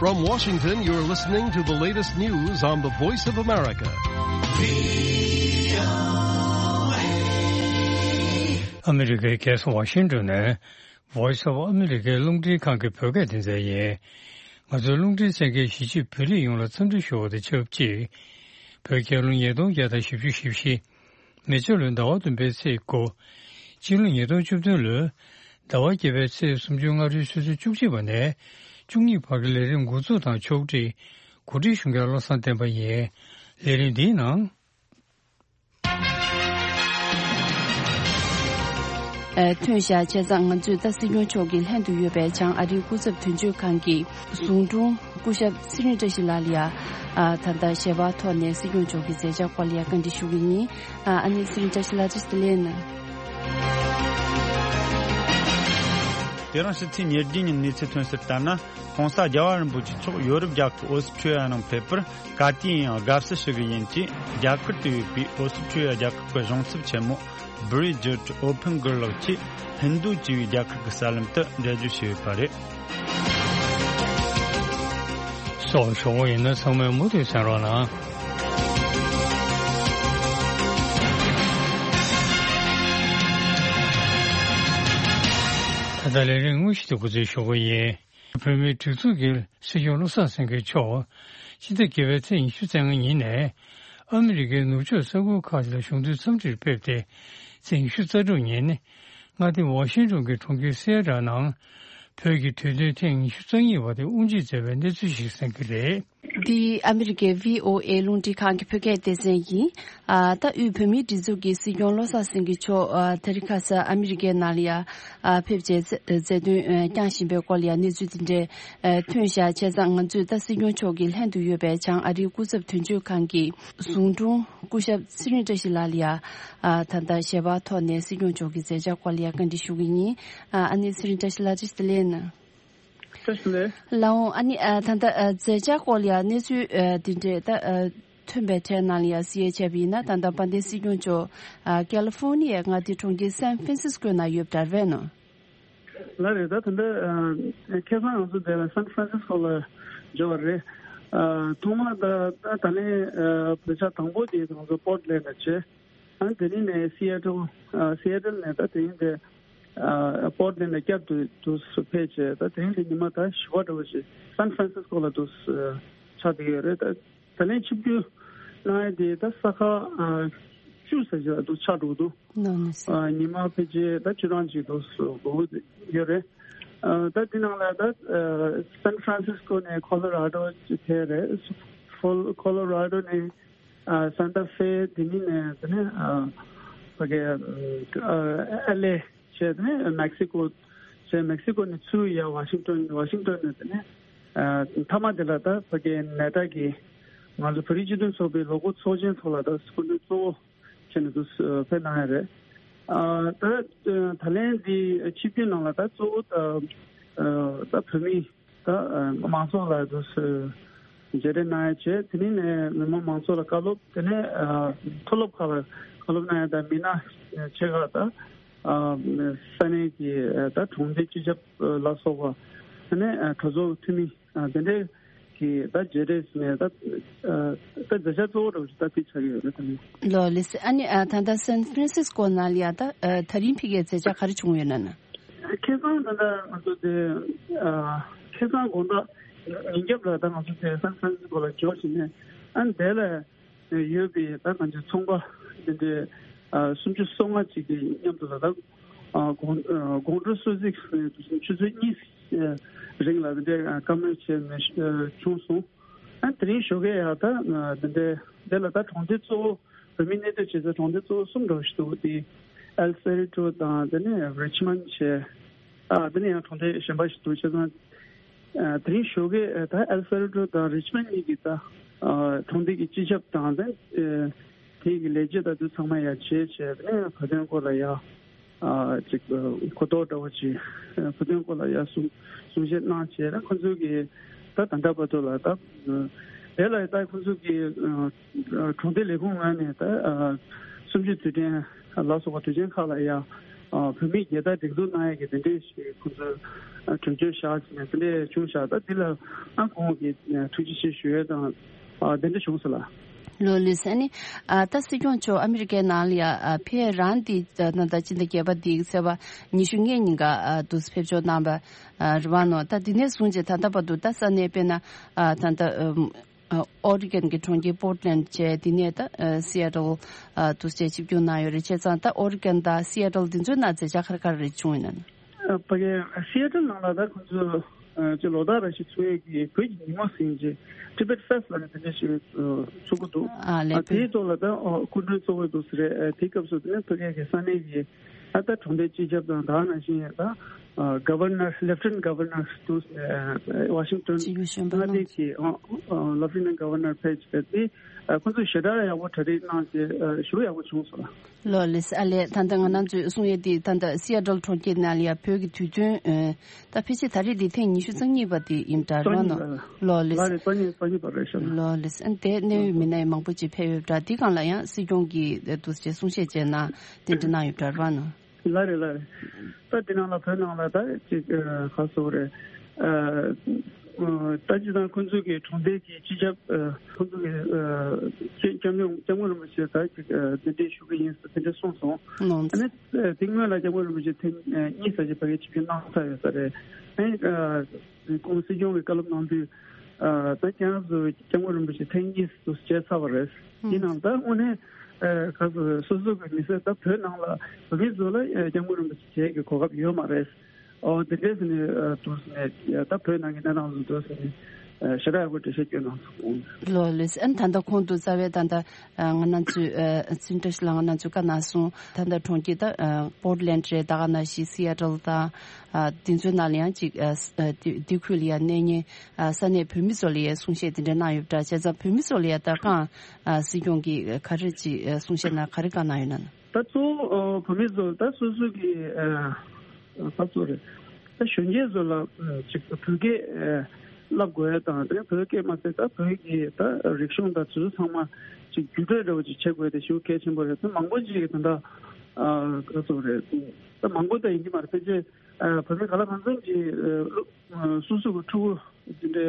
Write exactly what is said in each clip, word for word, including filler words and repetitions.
From Washington, you're listening to the latest news on the Voice of America. ཨ་མི་རི་ཀའི་རྒྱལ་ས་ཝ་ཤིང་ཏོན་ནས་Voice of America རླུང་འཕྲིན་ཁང་གི་བོད་སྐད་སྡེ་ཚན་ཡིན། ང་ཚོའི་རླུང་འཕྲིན་གསན་མཁན་གཞིས་བྱེས་བོད་རིགས་ཡོངས་ལ་འཚམས་འདྲི་ཞུ་བ་དང་ཆབས་ཅིག་བོད་རྒྱལ་ལོ་ཉིས་སྟོང་བརྒྱ་དང་བཞི་བཅུ་ཞེ་བཞི། མེ་བྱ་ལོའི་ཟླ་བ་བདུན་པའི་ཚེས་དགུ། སྤྱི་ལོ་ཉིས་སྟོང་བཅུ་བདུན་ལོའི་ཟླ་བ་བརྒྱད་པའི་ཚེས་སུམ་ཅུ་སྔ་དྲོའི་ཆུ་ཚོད་བཅུ་གཅིག་པ་ནས་བཅུ་གཉིས་བར་གྱི་ལས་རིམ་འགོ་འཛུགས་དང་ཕྱོགས་སྒྲིག་གོ་སྒྲིག་ཞུ་མཁན་བློ་བཟང་བསྟན་པ་ཡིན། ལས་རིམ་འདིའི་ནང་། ཨ། ཐོན་བཞག་བྱས་ཙང་ང་ཚོས་ད་སྲིད་སྐྱོང་མཆོག་གི་ལྷན་དུ་ཡོད་པའི་བྱང་ཨ་རིའི་སྐུ་ཚབ་དོན་གཅོད་ཁང་གི་ཟུང་དྲུང་སྐུ་ཞབས་ཚེ་རིང་བཀྲ་ཤིས་ལགས་ལ་ཡ། ཨ། ད་ལྟ་ཞལ་པར་ཐོག་ནས་སྲིད་སྐྱོང་མཆོག་གི་མཛད་འཆར་སྐོར་ལ་ཡ་བཀའ་འདྲི་ཞུ་གི་ཡིན། ཨ། ཨ་ནི་ཚེ་རིང་བཀྲ་ཤིས་ལགས་བཀྲ་ཤིས་བདེ་ལེགས་གནང་། དེ་རིང་ཕྱི་ཚེས་ཉེར་བདུན་ཉིན་གནས་ཚུལ་ཐོན་གསལ་ལྟར་ན། ྋགོང་ས་རྒྱལ་བ་རིན་པོ་ཆེ་མཆོག་ཡོ་རོབ་རྒྱལ་ཁབ་ཨོ་སི་ཁྲུ་ལི་ཡ་ནང་ཕེབས་པར་ག་དུས་ཡིན་ཡང་དགའ་བསུ་ཞུ་གི་ཡིན་ཅེས། རྒྱ་གར་དུ་ཡོད་པའི་ཨོ་སི་ཁྲུ་ལི་ཡ་རྒྱལ་ཁབ་ཀྱི་གཞུང་ཚབ་ཆེན་མོ་བྷི་རི་ཇིད་ཨོ་ཕིན་གྷར་ལགས་ཀྱིས་ཧིན་རྡུ་ཅེས་པའི་རྒྱལ་ཁབ་ཀྱི་གསར་ལམ་དུ་འགྲེལ་བརྗོད་བྱས་ཡོད་པ་རེད། སོགས་ཞུ་བ་ཡིན་ན་ཚང་མས་མུ་མཐུད་གསན་རོགས་གནང་། ད་ལྟ་ལས་རིམ་དངོས་གཞི་དེ་འགོ་འཛུགས་ཞུ་གི་ཡིན། བོད་མིའི་སྒྲིག་འཛུགས་ཀྱི་སྲིད་སྐྱོང་བློ་བཟང་སེང་གེ་མཆོག་ཕྱི་ཟླ་བརྒྱད་པའི་ཚེས་ཉི་ཤུ་རྩ་ལྔ་ཉིན་ནས་ཨ་མི་རི་ཀའི་ནུབ་ཕྱོགས་ས་ཁུལ་ཁག་ལ་གཞུང་འཛིན་འཚམས་འདྲིར་ཕེབས་ཏེ། ཚེས་ཉི་ཤུ་རྩ་དྲུག་ཉིན་མངའ་སྡེ་ཝ་ཤིང་ཏོན་གྱི་གྲོང་ཁྱེར་སི་ཨེ་ཊལ་ནང་བོད་ཀྱི་དུས་སྟོན་ཐེངས་ཉི་ཤུ་རྩ་གཉིས་པ་དེ་དབུ་འབྱེད་མཛད་པའི་གནས་ཚུལ་ཞིག་གསན་གྱི་རེད། འདི་ཨ་མི་རི་ཀའི་བྷི་ཨོ་ཨེ་རླུང་འཕྲིན་ཁང་གི་བོད་སྐད་སྡེ་ཚན་ཡིན། ཨ། ད་དབུས་བོད་མིའི་སྒྲིག་འཛུགས་ཀྱི་སྲིད་སྐྱོང་བློ་བཟང་སེང་གེ་མཆོག་ཨ། དེ་རིང་ཁ་སང་ཨ་མི་རི་ཀའི་ནང་ལ་ཡ། ཨ། ཕེབས་བྱས་མཛད་དོན་བསྐྱངས་བཞིན་པའི་སྐོར་ལ་ཡ་གནས་ཚུལ་དེ་འདྲའི་ཐོན་བཞག་བྱས་ཙང་ང་ཚོས་ད་སྲིད་སྐྱོང་མཆོག་གི་ལྷན་དུ་ཡོད་པའི་བྱང་ཨ་རིའི་སྐུ་ཚབ་དོན་གཅོད་ཁང་གི་ཟུང་དྲུང་སྐུ་ཞབས་ཚེ་རིང་བཀྲ་ཤིས་ལགས་ལ་ཡ། ཨ། ད་ལྟ་ཞལ་པར་ཐོག་ནས་སྲིད་སྐྱོང་མཆོག་གི་མཛད་འཆར་སྐོར་ལ་ཡ་བཀའ་འདྲི་ཞུ་གི་ཡིན། ཨ། ཨ་ནི་ཚེ་རིང་བཀྲ་ཤིས་ལགས་བཀྲ་ཤིས་བདེ་ལེགས་གནང་། བཀྲ་ཤིས་བདེ་ལེགས། ལགས་འོང་། ཨ་ནི་ཨ། ད་ལྟ་ཨ། མཛད་འཆར་སྐོར་ལ་ཡ་གནས་ཚུལ་ཨ། འདི་འདྲས་ད་ཨ། ཐོན་པའི་གྲས་ནང་ལ་ཡ་གཟིགས་ཡས་བྱས་པ་ཡིན་ན། ད་ལྟ་དཔལ་ལྡན་སྲིད་སྐྱོང་མཆོག་ཨ། ཀ་ལི་ཧྥོ་ནི་ཡའི་མངའ་སྡེ་གྲོང་ཁྱེར་སན་ཧྥ་རན་སིས་ཀོ་ནང་ཡོད་པ་འདྲ་བས་ནོ། ལགས་རེད། ད་ད་ལྟ་ཨ། ཁ་སང་ང་ཚོ་འདིར་སན་ཧྥ་རན་སིས་ཀོ་ལ་འབྱོར་བ་རེད། ཨ། ཐོག་མར་ད་ད་ད་ལན་ཨ། བོད་ཆགས་དང་པོ་དེ་ང་ཚོ་པོར་ཊ་ལེན་ཌ་བྱས། ཨ། དེ་རིང་ནས་སི་ཨེ་ཊལ། ཨ། སི་ཨེ་ཊལ་ནས་ད་དེ་རིང་དེ་ཨ། པོར་ཊ་ལེན་ཌ་ནས་བསྐྱར་དུ་དུ་ཕེབས་བྱས། ད་དེ་རིང་དེ་ཉི་མ་ད་བཞི་པ་འདྲ་བོ་ཞིག་སན་ཧྥ་རན་སིས་ཀོ་ལ་དུ་ཆགས་བསྡད་ཡོད་རེད། ད་ད་ལན་ཆིབས་བསྒྱུར་གནང་ཡས་དེ་ད་ས་ཁག་ཨ། བཅུ་ཙམ་ཞིག་ལ་དུ་ཆགས་འགྲོ་གི་འདུག་ནོ་ནོ་སི། ཨ། ཉི་མ་ཕལ་ཆེར་ད་བཅུ་གྲངས་ཅིག་དུ་འགོར་གྱི་ཡོད་རེད། ཨ། ད་དེ་ནང་ལ་ད་ཨ། སན་ཧྥ་རན་སིས་ཀོ་ནས་ཁོ་ལོ་ར་ཌོ་ཕེབས་རེད། ཁོ་ལོ་ར་ཌོ་ནས་ཨ། སན་ཏ་ཧྥེ། དེ་ནས་ནས་དེ་ནས་ཨ། ཕ་གི་ཨ། ཨེལ་ཨེ་བྱས། དེ་ནས་མེག་སི་ཀོ་བྱས། མེག་སི་ཀོ་ནས་ཚུར་ཡར་ཝ་ཤིང་ཏོན། ཝ་ཤིང་ཏོན་ནས་དེ་ནས་ཨ། མཐའ་མ་དེ་ལ་ད་ཕ་གི་ནེ་ཊ་གི་ང་ཚོ་བོད་རིགས་སྤྱི་མཐུན་ཚོགས་པའི་ལོ་འཁོར་ཚོགས་ཆེན་ཚོགས་ལ་ད་སྐུ་མགྲོན་གཙོ་བོ་བྱས་ནས་དུ་ཕེབས་གནང་ཡ་རེད། ཨ། ད་ད་ལན་འདི་ཆིབས་བསྒྱུར་ནང་ལ་ད་གཙོ་བོ་ད་ཨ། ད་བོད་མི་ད་ཨ། མང་ཚོགས་ལ་དུ་མཇལ་འཕྲད་གནང་ཡ་བྱས། དེ་ནས་ནས་མི་མང་མང་ཚོགས་ལ་བཀའ་སློབ། དེ་ནས་ཨ། མཐོ་སློབ་ཁག་ལ་བཀའ་སློབ་གནང་ཡ། ད་མི་སྣ་ཆེ་ཁག་ད་ཨ། ས་གནས་ཀྱི་ཨ། ད་གྲོང་སྡེ་སྤྱི་ཁྱབ་ལ་སོགས་པ། དེ་ནས་ཨ། གྲོས་ཚོགས་འཐུས་མི་ཨ། དེ་འདྲས་ཀྱི་ད་མཇལ་འཕྲད་ནས་ད་ཨ། ད་མཛད་འཆར་གཙོ་བོ་འདྲ་བོ་ཞིག་ད་དེ་ཆགས་ཀྱི་ཡོད་རེད། ད་ནི་ལོ་ལེ་སི། ཨ་ནི་ཨ། ད་ལྟ་སན་ཧྥ་རན་སིས་ཀོ་ནང་ལ་ཡ་ད་ཨ། ད་རིང་ཕ་གིའི་མཛད་འཆར་ག་རེ་བྱུང་ཡོད་ན་ན། ཁ་སང་ད་ལྟ་ང་ཚོ་དེ་ཨ། ཁ་སང་དགོང་དག་ཉིན་རྒྱབ་ལ་ད་ང་ཚོ་དེ་སན་ཧྥ་རན་སིས་ཀོ་ལ་འབྱོར་ཞིང་ནས། ཨ་ནི་དེ་ལ་ཡོད་པའི་ད་ང་ཚོའི་ཚོང་པ་དེ་འདྲའི་ཨ། སུམ་ཅུ་སོ་ལྔ་ཅིག་གི་མཉམ་དུ་ལ་ད་ཨ། དགོང་ཨ། དགོང་དྲོ་སོ་གཅིག་ནས་ཆུ་ཚོད་གཉིས་རིང་ལ་དེ་འདྲའི་ཨ། བཀའ་མོལ་བྱས་ནས་ཨ། བྱུང་སོང་། ཨ། དེ་རིང་ཞོགས་ཀས་ཡ་ད་ཨ། དེ་འདྲའི་དེ་ལ་ད་གྲོང་སྡེ་གཙོ་བོ། བོད་མི་གནས་སྡོད་བྱེད་ས་གྲོང་སྡེ་གཙོ་བོ་གསུམ་འདྲ་བོ་ཞིག་འདུག་དེ་ཨེལ་སེ་རི་ཊོ་དང་། དེ་ནས་རི་ཆི་མོན་ཌི་བྱས། ཨ། དེ་ནས་ཡང་གྲོང་སྡེ་གཞན་པ་ཞིག་འདུག་བྱས་ཙང་། ཨ། དེ་རིང་ཞོགས་ཀས་ད་ཨེལ་སེ་རི་ཊོ་དང་རི་ཆི་མོན་ཌི་གཉིས་ཀྱི་ད་ཨ། གྲོང་སྡེ་གི་སྤྱི་ཁྱབ་དང་། དེ་ཨ། དེ་གི་ལས་བྱེད་ད་དུ་ཚང་མ་ཡར་བྱས་བྱས། དེ་ནས་བོད་དོན་སྐོར་ལ་ཡ། ཨ། ཅིག་གོ་རྟོགས་འདྲ་བོ་ཅིག་བོད་དོན་སྐོར་ལ་ཡ་གསུང་གསུང་བཤད་གནང་བྱས། ད་ཁོང་ཚོ་གིས་ད་ད་ལྟ་བར་དུ་ལ་ད་དེ་ལ་ད་ཁོང་ཚོ་གིས་ཨ། གྲོང་སྡེ་ལས་ཁུངས་ངོས་ནས་ད་ཨ། གསུམ་བཅུའི་དུས་དྲན་ ལ་སོགས་པ་དུས་ཆེན་ཁག་ལ་ཡང་བོད་མིའི་རྒྱལ་དར་སྒྲེང་འཛུགས་གནང་ཡས་ཀྱི་དེ་འདྲའི་ཞིག་ཁོང་ཚོས་གྲོས་ཆོད་བཞག་ཅིག་ནས་དེ་འདྲའི་བྱུང་བཞག་ད་འདི་ལ་ཨ་ཁོང་གིས་ཐུགས་རྗེ་ཆེ་ཞུ་ཡས་དང་དེ་འདྲ་བྱུང་སོང་ལ། ལོ་ལིས་ཨ་ནི་ད་སྲིད་སྐྱོང་མཆོག་ཨ་མི་རི་ཀའི་ནང་ལ་ཡ་ཕེབས་རང་དེ་ད་ད་སྤྱི་ཟླ་བརྒྱད་པ་དེའི་ཚེས་པ་ཉི་ཤུ་ལྔའི་ཉིན་ཀ་དུས་ཕེབས་འབྱོར་གནང་བ་རེད་བ་ནོ། ད་དེ་ནས་བཟུང་རྗེས་ད་ལྟ་བར་དུ་ད་ས་གནས་དཔེར་ན་ད་ད་ཨོ་རི་གན་གྱི་གྲོང་ཁྱེར་པོར་ཊི་ལེན་ཌི་བྱས། དེ་ནས་ད་སི་ཨེ་ཊལ་དུ་བྱས་ཆིབས་བསྒྱུར་གནང་ཡོད་རེད། བྱས་ཙང་ད་ཨོ་རི་གན་དང་སི་ཨེ་ཊལ་དེ་ཚོའི་ནང་མཛད་འཆར་ག་རེ་ག་རེ་རེ་བྱུང་ཡོད་ན། ཕ་གི་སི་ཨེ་ཊལ་ནང་ལ་ད་ཁོང་ཚོས་ཅིག་ལོ་ལྟར་རེ་བཞིན་ཚོགས་ཡས་ཀྱི་བོད་ཀྱི་ཉིན་མོ་ཟེར་གྱི་ཊི་བེཊ་ཕེསི་ལབ་ནས་དེ་འདྲ་ཞིག་ཚོགས་ཀྱི་འདུག་ཨ་ལས་དེའི་ཐོག་ལ་ད་སྐུ་མགྲོན་གཙོ་བོ་འདུག་ཟེར་རེད། དེའི་སྐབས་སུ་དེ་ནས་ཕ་གི་གི་ས་གནས་ཀྱི་ཨ་ད་གྲོང་སྡེའི་སྤྱི་ཁྱབ་དང་ད་ནང་བཞིན་ད་Governor, Lieutenant Governor དུ་Washington མངའ་སྡེ་གི་Lieutenant Governor ཕེབས་བྱས་ཏེ་ཁོང་ཚོས་ཞེ་དྲག་ཡག་པོ་གྲ་སྒྲིག་གནང་བྱས་ཞེ་པོ་ཡག་པོ་བྱུང་སོང་ལ། ལོ་ལིས་ཨ་ལས། ད་ལྟ་ང་རང་ཚོས་གསུང་ཡས་དེ་ད་ལྟ་སི་ཨེ་ཊལ་གྲོང་ཁྱེར་ནང་ལ་ཡ་བོད་ཀྱི་དུས་སྟོན་ད་ཕལ་ཆེར་ད་རེས་དེ་ཐེངས་ཉི་ཤུ་རྩ་གཉིས་པ་དེ་ཡིན་པ་འདྲ་རོ་ནོ། ལོ་ལིས་ལ་རེ་རྩ་གཉིས་རྩ་གཉིས་པ་རེད་ཤག་ལོ་ལིས་ཨ་དེ་གནད་ཡོད་མི་སྣ་ཡང་མང་པོ་ཅིག་ཕེབས་ཡོད་པ་འདྲ། དེ་སྒང་ལ་ཡང་སྲིད་སྐྱོང་གིས་དུ་ཅེས་གསུང་བཤད་བྱས་ན་དེ་འདྲ་གནང་ཡོད་པ་འདྲ་རོ་ནོ། ལ་རེད་ལ་རེད། ད་དེ་ནང་ལ་བོད་ནང་ལ་ད་ཅིག་ག་སོགས་རེད། ད་ཅི་དང་ཁོང་ཚོས་ཀྱི་གྲོང་སྡེ་གི་སྤྱི་ཁྱབ་ཁོང་ཚོས་ཀྱི་སྐྱབས་མགོན་སྐྱབས་མགོན་རིན་པོ་ཆེ་ད་ཅིག་གདན་འདྲེན་ཞུ་གི་ཡིན་ཟེར་དེ་འདྲ་གསུངས་སོང་། ཨ་ནི་དེ་སྔོན་ལ་སྐྱབས་མགོན་རིན་པོ་ཆེ་ཐེངས་གཉིས་ཙམ་ཞིག་ཕ་གིར་ཆིབས་བསྒྱུར་གནང་ཚར་ཡོད་ས་རེད། ཨ་ནི་ཁོང་སྲིད་སྐྱོང་གི་བཀའ་སློབ་གནང་དུས་ད་ཁྱེད་རང་ཚོ་སྐྱབས་མགོན་རིན་པོ་ཆེ་ཐེངས་གཉིས་སུ་མཇལ་ཚར་བ་རེད། དེ་ནང་ད་དངོས་གནས་ག་ཚོད་སོ་སོ་གི་མི་སེར་ད་བོད་ནང་ལ་བོད་མི་ཚོ་ལ་སྐྱབས་མགོན་རིན་པོ་ཆེ་མཇལ་གྱི་གོ་སྐབས་ཡོད་མ་རེད། ཨོ་དེ་འདྲས་ནས་དུས་ནས་ད་བོད་ནང་གི་གནས་སྟངས་ཚོ་དུས་ནས་ཞེ་དྲག་ཡག་པོ་འགྲེལ་བཤད་སྐྱོན་གནང་སོང་། ལོ་ལེ་སི་ཨན་ད་ལྟ་ཁོང་དུ་རྩ་བའི་ད་ལྟ་ང་རང་ཚོའི་ཨ་ཚིག་འདྲ་ཞིག་ལ་ང་རང་ཚོའི་བཀའ་གནང་སོང་། ད་ལྟ་གྲོང་ཁྱེར་ད་ཨ་པོར་ཊི་ལེན་ཌི་རེད། ད་ག་ནང་བཞིན་སི་ཨེ་ཊལ་དང་ཨ་དེ་ཚོའི་ནང་ལ་ཡང་ཅིག་ཨ་ཨ་དེ་དེ་ཁུལ་ལ་ཡང་གནས་ཉེ་ཨ་ས་གནས་བོད་མི་ཚོ་ལ་ཡང་གསུང་བཤད་དེ་འདྲ་གནང་ཡོད་པ་འདྲ། བྱས་ཙང་བོད་མི་ཚོ་ལ་ཡང་ད་གང་ཨ་སྲིད་སྐྱོང་གིས་ག་རེ་ཅིག་ཨ་གསུང་བཤད་ན་ག་རེ་བཀའ་གནང་ཡོད་ན། ད་གཙོ་བོ་བོད་མི་ཚོ་ད་སོ་སོ་གི་ཨ་ད་གཙོ་རེད། ད་གཞོན་སྐྱེས་ཚོ་ལ་ཅིག་བོད་སྐད་བསླབ་དགོས་ཡ་དང་དེ་བོད་སྐད་མ་ཟད་ད་བོད་ཀྱི་ད་རིག་གཞུང་དང་དེ་ཚོ་ཚང་མ་ཅིག་བརྒྱུད་སྤྲོད་འདྲ་བོ་ཅིག་བྱེད་དགོས་དེ་ཞེ་པོ་གལ་ཆེན་པོ་རེད། ད་མང་པོ་ཅིག་གིས་ད་ད་ད་གཙོ་རེད། ད་མང་པོ་ད་ཡིན་གྱི་མ་རེད། ཕལ་ཆེར་བོད་མི་ག་ལ་གང་འཚམ་གྱིས་སློབ་སོ་སོ་གི་ཕྲུ་གུ་དེ་འདྲའི་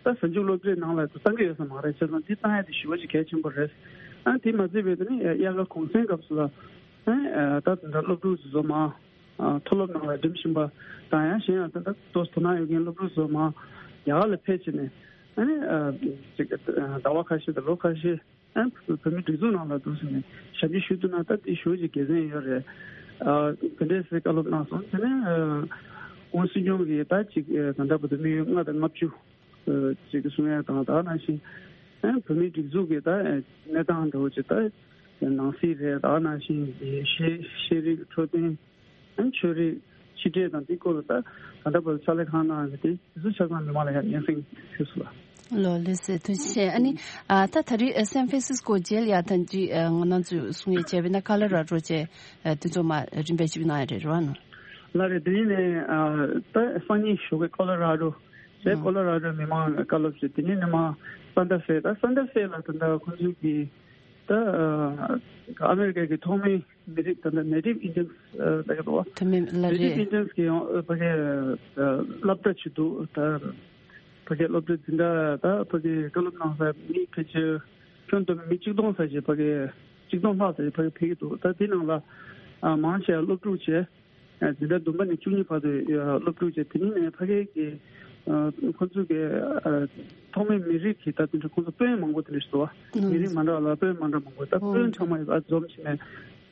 ད་གཟའ་མཇུག་སློབ་གྲྭའི་ནང་ལ་བཏང་གི་ཡོད་ས་མ་རེད། བྱས་ཙང་འདི་བཏང་ཡ་དེ་ཞེ་པོ་ཅིག་གལ་ཆེན་པོ་རེད། ཨ་དེ་མ་ཚད་པའི་དེ་ནི་དབྱར་ཁ་གུང་སེང་སྐབས་སུ་ལ་ཨ་ད་དེ་འདྲ་སློབ་ཕྲུག་ཚོ་མ་མཐོ་སློབ་ནང་ལ་འགྲིམ་བཞིན་པ་དང་ཡང་གཞན་ཡང་ད་ལྟ་ཏོག་ཙམ་དོ་སྣང་ཡོད་མཁན་སློབ་ཕྲུག་ཚོ་མ་ཡར་ལ་ཕེབས་བྱས་ནས་ཨ་ནི་ཅིག་ཟླ་བ་ཁ་ཤས་དང་ལོ་ཁ་ཤས་ཨ་བོད་མི་སྒྲིག་འཛུགས་ནང་ལ་འདུག་ཟེར་ནས་ཞབས་ཕྱི་ཞུ་ཐུབ་ན་ད་དེ་ཞེ་པོ་ཅིག་དགེ་མཚན་ཡོད་རེད། ཨ་དེ་འདྲས་སེ་བཀའ་སློབ་གནང་སོང་། དེ་ནས་ཨ་ཁོང་སྲིད་སྐྱོང་གིས་ད་ཅིག་ཨ་ད་ལྟ་བར་དུ་དམིགས་ཡུལ་ལྔ་དང་ལྔ་བཅུ་ཨ་ཅིག་གསུང་ཡ་དང་ད་ནང་བཞིན་ཨ་བོད་མིའི་སྒྲིག་འཛུགས་ཀྱི་ད་གནས་སྟངས་འདྲ་བོ་ཅིག་ད་ནང་སྲིད་རེད། ད་ནང་བཞིན་ཤེས་ཤེས་རིག་འཕྲོད་བསྟེན་ཨ་ཆོས་རིག་ཕྱི་འབྲེལ་དང་དེའི་སྐོར་ལ་ད་ད་ལྟ་བར་དུ་ཕྱག་ལས་གང་གནང་ཡོད་དེ་དེ་ཚོ་ཆ་ཚང་མི་མང་ལ་ཡང་སྙན་སེང་ཞུས་སོང་ལ། ལོ་ལེ་སེ་ཐུགས་རྗེ་ཆེ། ཨ་ནི་ཨ་ད་ད་རེས་ཨ་སན་ཧྥ་རན་སིས་ཀོ་མཇལ་ཡ་ཐང་ཅིག་ཨ་ང་རང་ཚོས་གསུང་ཡས་བྱས་པ་ཡིན་ན་ཀོ་ལོ་ར་ཌོ་བཅས་ཨ་དེ་ཚོ་མ་རིམ་པས་ཞིབ་གནང་ཡ་རེད་རེད་བ་ནོ། ལ་རེད། དེ་ནས་ཨ་ད་སང་ཉིན་ཞོགས་ཀས་ཀོ་ལོ་ར་ཌོ་བྱས། ཨ་ཀོ་ལོ་ར་ཌོ་མི་མང་བཀའ་སློབ་བྱས། དེ་ནས་ནི་མ་སན་ཏ་ཧྥེ། ད་སན་ཏ་ཧྥེ་ལ་ད་ལྟ་ཁོང་ཚོས་ཀྱི་ད་ཨ་ཨ་མེ་རི་ཀ་གི་ཐོག་མའི་མི་རིགས་ད་ལྟ་Native Indians ལབ་ཀྱི་འདུག་བ། ཐོག་མའི་ལ་Native རེད། Indians གི་ཡང་ཕ་གི་སློབ་གྲྭ་ཅིག་འདུག་ད་ཕ་གི་སློབ་གྲྭ་འཛིན་གྲྭ་ད་ཕ་གི་བཀའ་སློབ་གནང་ས་མི་ཕལ་ཆེར་ཁྱོན་བསྡོམས་མི་གཅིག་སྟོང་ཙམ་ཞིག་ཕ་གི་གཅིག་སྟོང་ལྷག་ཙམ་ཞིག་ཕ་གི་ཕེབས་ཀྱི་འདུག་ད་དེ་ནང་ལ་མང་ཆེ་བ་སློབ་ཕྲུག་བྱས། འཛིན་གྲྭ་བདུན་པ་ནས་བཅུ་གཉིས་བར་དུ་སློབ་ཕྲུག་བྱས། དེ་ནས་ཕ་གི་གི་ཁོ་ཚོ་གི་ཐོག་མའི་མི་རིགས་ཀྱི་ད་དེ་འདྲ་ཁོ་ཚོ་དཔོན་མང་པོ་དེ་འདྲ་ཞིག་འདུག་བ། མི་རིགས་མ་འདྲ་བ་ལ་དཔོན་མ་འདྲ་མང་པོ། ད་དཔོན་ཚང་མ་ཡོད་པ་འཛོམས་བྱས་ནས།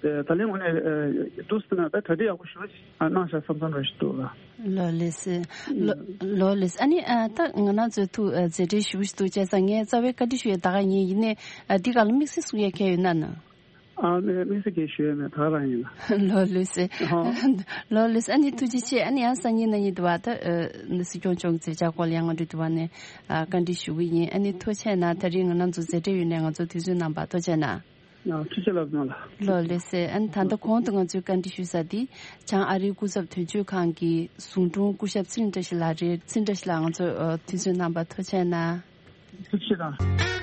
ད་ལན་དངོས་གནས་འདུག་ཟེར་ན་ད་གྲ་སྒྲིག་ཡག་པོ་ཞེ་པོ་ཅིག་གནང་བཞག་བསམ་བསམ་འདྲ་ཞིག་འདུག་ལ། ལོ་ལེ་སི། ལོ་ལོ་ལེ་སི། ཨ་ནི་ཨ་ད་ང་རང་ཚོའི་ཐུགས་ཨ་མཛད་བྲེལ་ཞེ་པོ་ཞིག་འདུག་བྱས་ཙང་ངས་རྩ་བའི་བཀའ་འདྲི་ཞུ་ཡས་ད་ག་ཡིན། ཡིན་ནའི་ཨ་འདི་ག་ལ་དམིགས་བསལ་གསུང་ཡས་གང་ཡོད་ན་ན། ཨ་ནི་དམིགས་བསལ་གང་ཞུ་ཡས་མེད། ད་ག་རང་ཡིན་ལ། ལོ་ལེ་སི། ཧོ། ལོ་ལེ་སི། ཨ་ནི་ཐུགས་རྗེ་ཆེ། ཨ་ནི་ཡང་སང་ཉིན་གནངས་ཉིན་དུ་བ་ད་ཨ་སྲིད་སྐྱོང་མཆོག་གི་མཛད་འཆར་སྐོར་ལ་ཡང་ང་ཚོས་དུ་བ་ནས་ཨ་བཀའ་འདྲི་ཞུ་གི་ཡིན། ཨ་ནི་ཐུགས་རྗེ་ཆེ་གནང་། ད་རིང་ང་རང་ཚོ་མཛད་བྲེལ་ཡོད་ནས་ང་ཚོ་དུས་ཚོད་གནང་བར་ཐུགས་རྗེ་ཆེ་གནང་། ཡང་ཐུགས་རྗེ་ཆེ་ལབ་གནང་ལ། ལོ་ལེ་སི། ཨ་ནི་ད་ལྟ་གོང་དུ་ང་ཚོས་བཀའ་འདྲི་ཞུས་ས་དེ་བྱང་ཨ་རིའི་སྐུ་ཚབ་དོན་གཅོད་ཁང་གི་ཟུང་དྲུང་སྐུ་ཞབས་ཚེ་རིང་བཀྲ་ཤིས་ལགས་རེད། ཚེ་རིང་བཀྲ་ཤིས་ལགས་ང་ཚོ་ཨ་དུས་ཚོད་གནང་བར་ཐུགས་རྗེ་ཆེ་གནང་། ཐུགས་རྗེ་ཆེ་གནང་།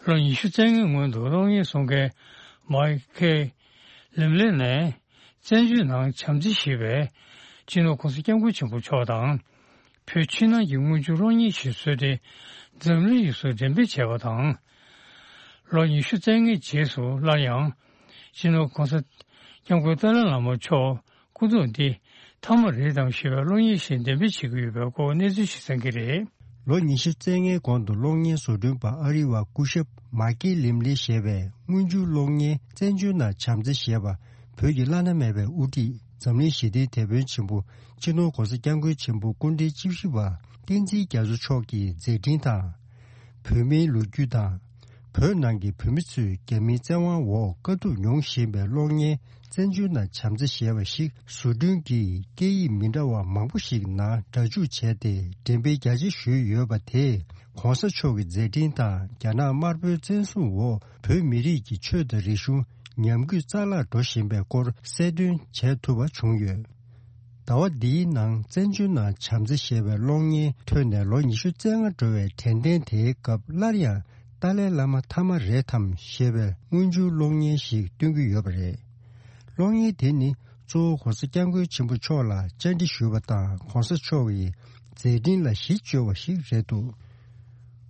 ལོ་ཉི་ཤུ་རྩ་ལྔའི་སྔོན་དུ་གློག་བརྙན་བཟོ་མཁན་མའི་ཁེ་ལིམ་ལེ་ནས་བཙན་བྱོལ་ནང་བྱམས་བརྩེ་ཞེས་པའི་སྤྱི་ནོར་༸གོང་ས་༸སྐྱབས་མགོན་ཆེན་པོ་མཆོག་དང་། བོད་ཕྱི་ནང་གི་དངུལ་ཆུ་གློག་བརྙན་ཞིག་བཟོས་ཏེ་འཛམ་གླིང་ཡོངས་སུ་འགྲེམས་སྤེལ་བྱས་པ་དང་། ལོ་ཉི་ཤུ་རྩ་ལྔའི་རྗེས་སུ་སླར་ཡང་སྤྱི་ནོར་༸གོང་ས་༸སྐྱབས་མགོན་ཏཱ་ལའི་བླ་མ་མཆོག་སྐུ་གདུང་འདི་མཐའ་མ་རེད་དམ་ཞེས་པའི་གློག་བརྙན་ཞིག་འགྲེམས་སྤེལ་བྱེད་ཀྱི་ཡོད་པའི་སྐོར་གནས་ཚུལ་ཞིག་གསན་གྱི་རེད། ལོ་ཉི་ཤུ་རྩ་ལྔའི་གོང་དུ་གློག་བརྙན་བཟོ་སྐྲུན་པ་ཨ་རི་བ་སྐུ་ཞབས་མཱ་ཀི་ལིམ་ལི་ཞེས་པས་དངུལ་ཆུ་གློག་བརྙན་བཙན་བྱོལ་ནང་བྱམས་བརྩེ་ཞེས་པ་བོད་ཀྱི་བླ་ན་མེད་པའི་དབུ་ཁྲིད་འཛམ་གླིང་ཞི་བདེའི་དེད་དཔོན་ཆེན་པོ་སྤྱི་ནོར་༸གོང་ས་༸སྐྱབས་མགོན་ཆེན་པོ་སྐུ་ཕྲེང་བཅུ་བཞི་པ་བསྟན་འཛིན་རྒྱ་མཚོ་མཆོག་གི་མཛད་འཕྲིན་དང་། བོད་མིའི་ལོ་རྒྱུས་དང་། བོད་ནང་གི་བོད་མི་ཚོས་རྒྱ་མིའི་བཙན་དབང་འོག་དཀའ་སྡུག་མྱོང་བཞིན་པའི་གློག་བརྙན་བཙན་བྱོལ་ནང་བྱམས་བརྩེ་ཞེས་པ་ཞིག་བཟོ་སྐྲུན་གྱིས་སྐད་ཡིག་མི་འདྲ་བ་མང་པོ་ཞིག་ནང་སྒྲ་འཇུག་བྱས་ཏེ་འགྲེམས་སྤེལ་རྒྱ་ཆེ་ཞུས་ཡོད་པ་དེས་༸གོང་ས་མཆོག་གི་མཛད་འཕྲིན་དང་རྒྱ་ནག་དམར་པོའི་བཙན་བཟུང་འོག་བོད་མི་རིགས་ཀྱི་ཆོས་དང་རིག་གཞུང་ཉམས་རྒུད་རྩ་བརླག་འགྲོ་བཞིན་པའི་སྐོར་གསལ་སྟོན་བྱེད་ཐུབ་པ་བྱུང་ཡོད། ཟླ་བ་འདིའི་ནང་བཙན་བྱོལ་ནང་བྱམས་བརྩེ་ཞེས་པའི་གློག་བརྙན་ཐོན་ནས་ལོ་ཉི་ཤུ་རྩ་ལྔ་འགྲོ་བའི་དྲན་རྟེན་དེའི་སྐབས་སླར་ཡང་ཏཱ་ལའི་བླ་མ་མཐའ་མ་རེད་དམ་ཞེས་པའི་དངུལ་ཆུ་གློག་བརྙན་ཞིག་སྟོན་གྱི་ཡོད་པ་རེད། གློག་བརྙན་དེ་ནི་གཙོ་བོ་༸གོང་ས་༸སྐྱབས་མགོན་ཆེན་པོ་མཆོག་ལ་བཅར་འདྲི་ཞུས་པ་དང་༸གོང་ས་མཆོག་གི་མཛད་འཕྲིན་ལ་གཞི་བཅོལ་བ་ཞིག་རེད་འདུག་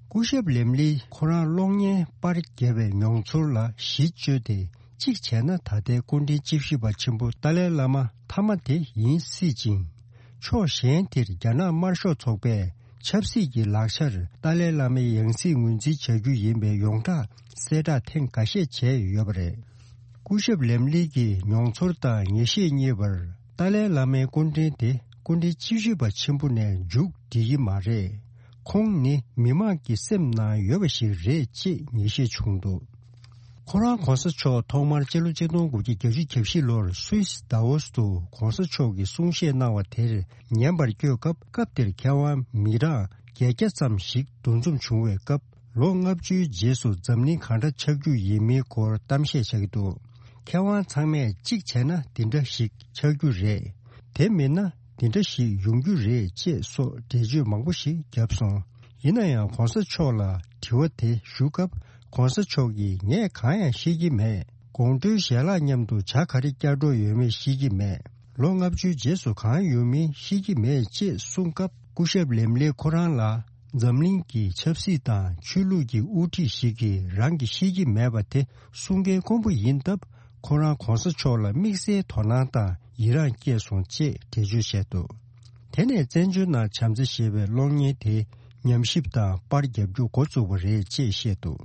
སྐུ་ཞབས་ལེམ་ལིས་ཁོ་རང་གློག་བརྙན་པར་བརྒྱབ་པའི་མྱོང་ཚོར་ལ་གཞི་བཅོལ་ཏེ། གཅིག་བྱས་ན་ད་ལྟའི་སྐུ་ཕྲེང་བཅུ་བཞི་པ་ཆེན་པོ་ཏཱ་ལའི་བླ་མ་མཐའ་མ་དེ་ཡིན་སྲིད་ཅིང་། ཕྱོགས་གཞན་དེར་རྒྱ་ནག་དམར་ཤོག་ཚོགས་པས་ཆབ་སྲིད་ཀྱི་ལག་ཆར་ཏཱ་ལའི་བླ་མའི་ཡང་སྲིད་ངོས་འཛིན་བྱ་རྒྱུ་ཡིན་པའི་ཡོངས་གྲགས་གསལ་བསྒྲགས་ཐེངས་འགའ་ཤས་བྱས་ཡོད་པ་རེད། སྐུ་ཞབས་ལེམ་ལི་གིས་མྱོང་ཚོར་དང་ངེས་ཤེས་གཉིས་བར་ཏཱ་ལའི་བླ་མའི་སྐུ་ཕྲེང་དེ་སྐུ་ཕྲེང་བཅུ་བཞི་པ་ཆེན་པོ་ནས་མཇུག་སྒྲིལ་གྱི་མ་རེད། ཁོང་ནི་མི་མང་གི་སེམས་ནང་ཡོད་པ་ཞིག་རེད་ཅེས་ངེས་ཤེས་བྱུང་འདུག་ཁོ་རང་༸གོང་ས་མཆོག་ཐོག་མར་སྤྱི་ལོ་ཆིག་སྟོང་དགུ་བརྒྱ་བརྒྱད་ཅུ་གྱ་བཞི་ལོར་སུད་སི་དཱ་ཝོ་སི་དུ་༸གོང་ས་མཆོག་གིས་གསུང་བཤད་གནང་བ་དེར་ཉན་པར་བསྐྱོད་སྐབས། སྐབས་དེར་མཁས་དབང་མི་གྲངས་བརྒྱད་བརྒྱ་ཙམ་ཞིག་འདུ་འཛོམས་བྱུང་བའི་སྐབས། ལོ་ལྔ་བཅུའི་རྗེས་སུ་འཛམ་གླིང་གང་འདྲ་ཆགས་རྒྱུ་ཡིན་མིན་སྐོར་གཏམ་བཤད་བྱ་གི་འདུག་མཁས་དབང་ཚང་མས་གཅིག་བྱས་ན་འདི་འདྲ་ཞིག་ཆགས་རྒྱུ་རེད། དེ་མིན་ན་འདི་འདྲ་ཞིག་ཡོང་རྒྱུ་རེད་ཅེས་སོགས་འགྲེལ་བརྗོད་མང་པོ་ཞིག་བརྒྱབ་སོང་། ཡིན་ན་ཡང་༸གོང་ས་མཆོག་ལ་དྲི་བ་དེ་ཞུ་སྐབས། ༸གོང་ས་མཆོག་གིས་ངས་གང་ཡང་ཤེས་ཀྱི་མེད། དགོང་དྲོའི་ཞལ་ལག་མཉམ་དུ་ཇ་ག་རེ་བསྐྱལ་འགྲོ་ཡོད་མེད་ཤེས་ཀྱི་མེད། ལོ་ལྔ་བཅུའི་རྗེས་སུ་གང་ཡོང་མིན་ཤེས་ཀྱི་མེད་ཅེས་གསུངས་སྐབས། སྐུ་ཞབས་ལེམ་ལེ་ཁོ་རང་ལ་འཛམ་གླིང་གི་ཆབ་སྲིད་དང་ཆོས་ལུགས་ཀྱི་དབུ་ཁྲིད་ཞིག་གིས་རང་གིས་ཤེས་ཀྱི་མེད་པ་དེ་གསུང་མཁན་དཀོན་པོ་ཡིན་སྟབས། ཁོ་རང་༸གོང་ས་མཆོག་ལ་དམིགས་བསལ་དོ་སྣང་དང་ཡི་རངས་སྐྱེས་སོང་ཅེས་འགྲེལ་བརྗོད་བྱས་འདུག་དེ་ནས་བཙན་བྱོལ་ནང་བྱམས་བརྩེ་ཞེས་པའི་གློག་བརྙན་དེ་ཉམས་ཞིབ་དང་པར་རྒྱབ་རྒྱུ་འགོ་བཙུགས་པ་རེད་ཅེས་བཤད་འདུག་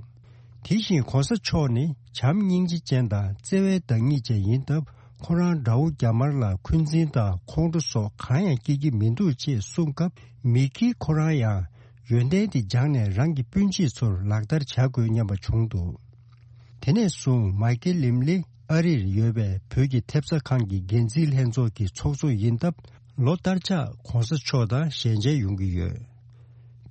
དེ་བཞིན་༸གོང་ས་མཆོག་ནི་བྱམས་སྙིང་རྗེ་ཅན་དང་བརྩེ་བའི་བདག་ཉིད་ཅན་ཡིན་སྟབས། ཁོ་རང་དགྲ་བོ་རྒྱ་དམར་ལ་འཁོན་འཛིན་དང་ཁོང་ཁྲོ་སོགས་གང་ཡང་སྐྱེ་གི་མི་འདུག་ཅེས་གསུངས་སྐབས། མི་དཀྱིལ་ཁོ་རང་ཡང་ཡོན་ཏན་དེ་སྦྱངས་ནས་རང་གི་སྤུན་མཆེད་ཚོར་ལག་བསྟར་བྱ་དགོས་སྙམ་པ་བྱུང་འདུག་དེ་ནས་བཟུང་མའི་ཀེལ་ལིམ་ལི་ཨ་རིར་ཡོད་པའི་བོད་ཀྱི་ཐེབས་རྩ་ཁང་གི་འགན་འཛིན་ལྷན་ཚོགས་ཀྱི་ཚོགས་གཙོ་ཡིན་སྟབས། ལོ་ལྟར་ཆགས་༸གོང་ས་མཆོག་དང་ཞལ་མཇལ་ཡོང་གི་ཡོད།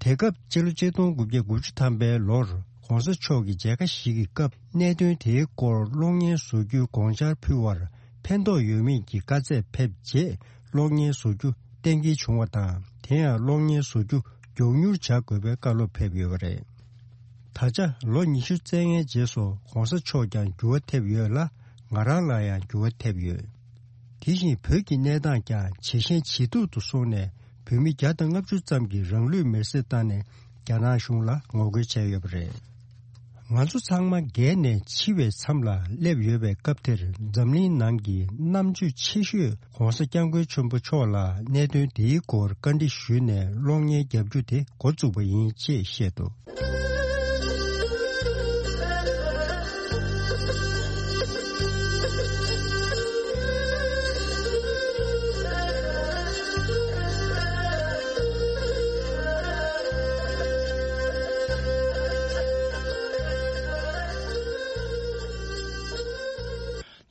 དེ་སྐབས་སྤྱི་ལོ་ཆིག་སྟོང་དགུ་བརྒྱ་དགུ་བཅུ་ཐམ་པའི་ལོར་༸གོང་ས་མཆོག་གི་མཇལ་ཁ་ཞིག་གི་སྐབས། གནད་དོན་དེའི་སྐོར་གློག་བརྙན་བཟོ་རྒྱུའི་དགོངས་འཆར་ཕུལ་བར་ཕན་ཐོགས་ཡོད་མིན་གྱི་བཀའ་སྩལ་ཕེབས་རྗེས། གློག་བརྙན་བཟོ་རྒྱུ་གཏན་འཁེལ་བྱུང་བ་དང་། དེ་ཡང་གློག་བརྙན་བཟོ་རྒྱུ་མགྱོགས་མྱུར་བྱ་དགོས་པའི་བཀའ་སློབ་ཕེབས་ཡོད་པ་རེད། ད་ཆ་ལོ་ཉི་ཤུ་རྩ་ལྔའི་རྗེས་སུ་༸གོང་ས་མཆོག་ཀྱང་འགྱུར་བ་ཐེབས་ཡོད་ལ། ང་རང་ལ་ཡང་འགྱུར་བ་ཐེབས་ཡོད། དེ་བཞིན་བོད་ཀྱི་གནས་སྟངས་ཀྱང་ཇེ་ཞན་ཇེ་སྡུག་ཏུ་སོང་ནས། བོད་མི་བརྒྱ་དང་ལྔ་བཅུ་ཙམ་གྱིས་རང་ལུས་མེར་སྲེག་བཏང་ནས་རྒྱ་ནག་གཞུང་ལ་ངོ་རྒོལ་བྱས་ཡོད་པ་རེད། ང་ཚོ་ཚང་མ་རྒས་ནས་འཆི་བའི་མཚམས་ལ་སླེབས་ཡོད་པའི་སྐབས་དེར། འཛམ་གླིང་ནང་གི་རྣམ་དཔྱོད་ཆེ་ཤོས་༸གོང་ས་༸སྐྱབས་མགོན་ཆེན་པོ་མཆོག་ལ་གནད་དོན་འདིའི་སྐོར་བཀའ་འདྲི་ཞུས་ནས་གློག་བརྙན་བརྒྱབ་རྒྱུ་དེ་འགོ་བཙུགས་པ་ཡིན་ཅེས་བཤད་འདུག་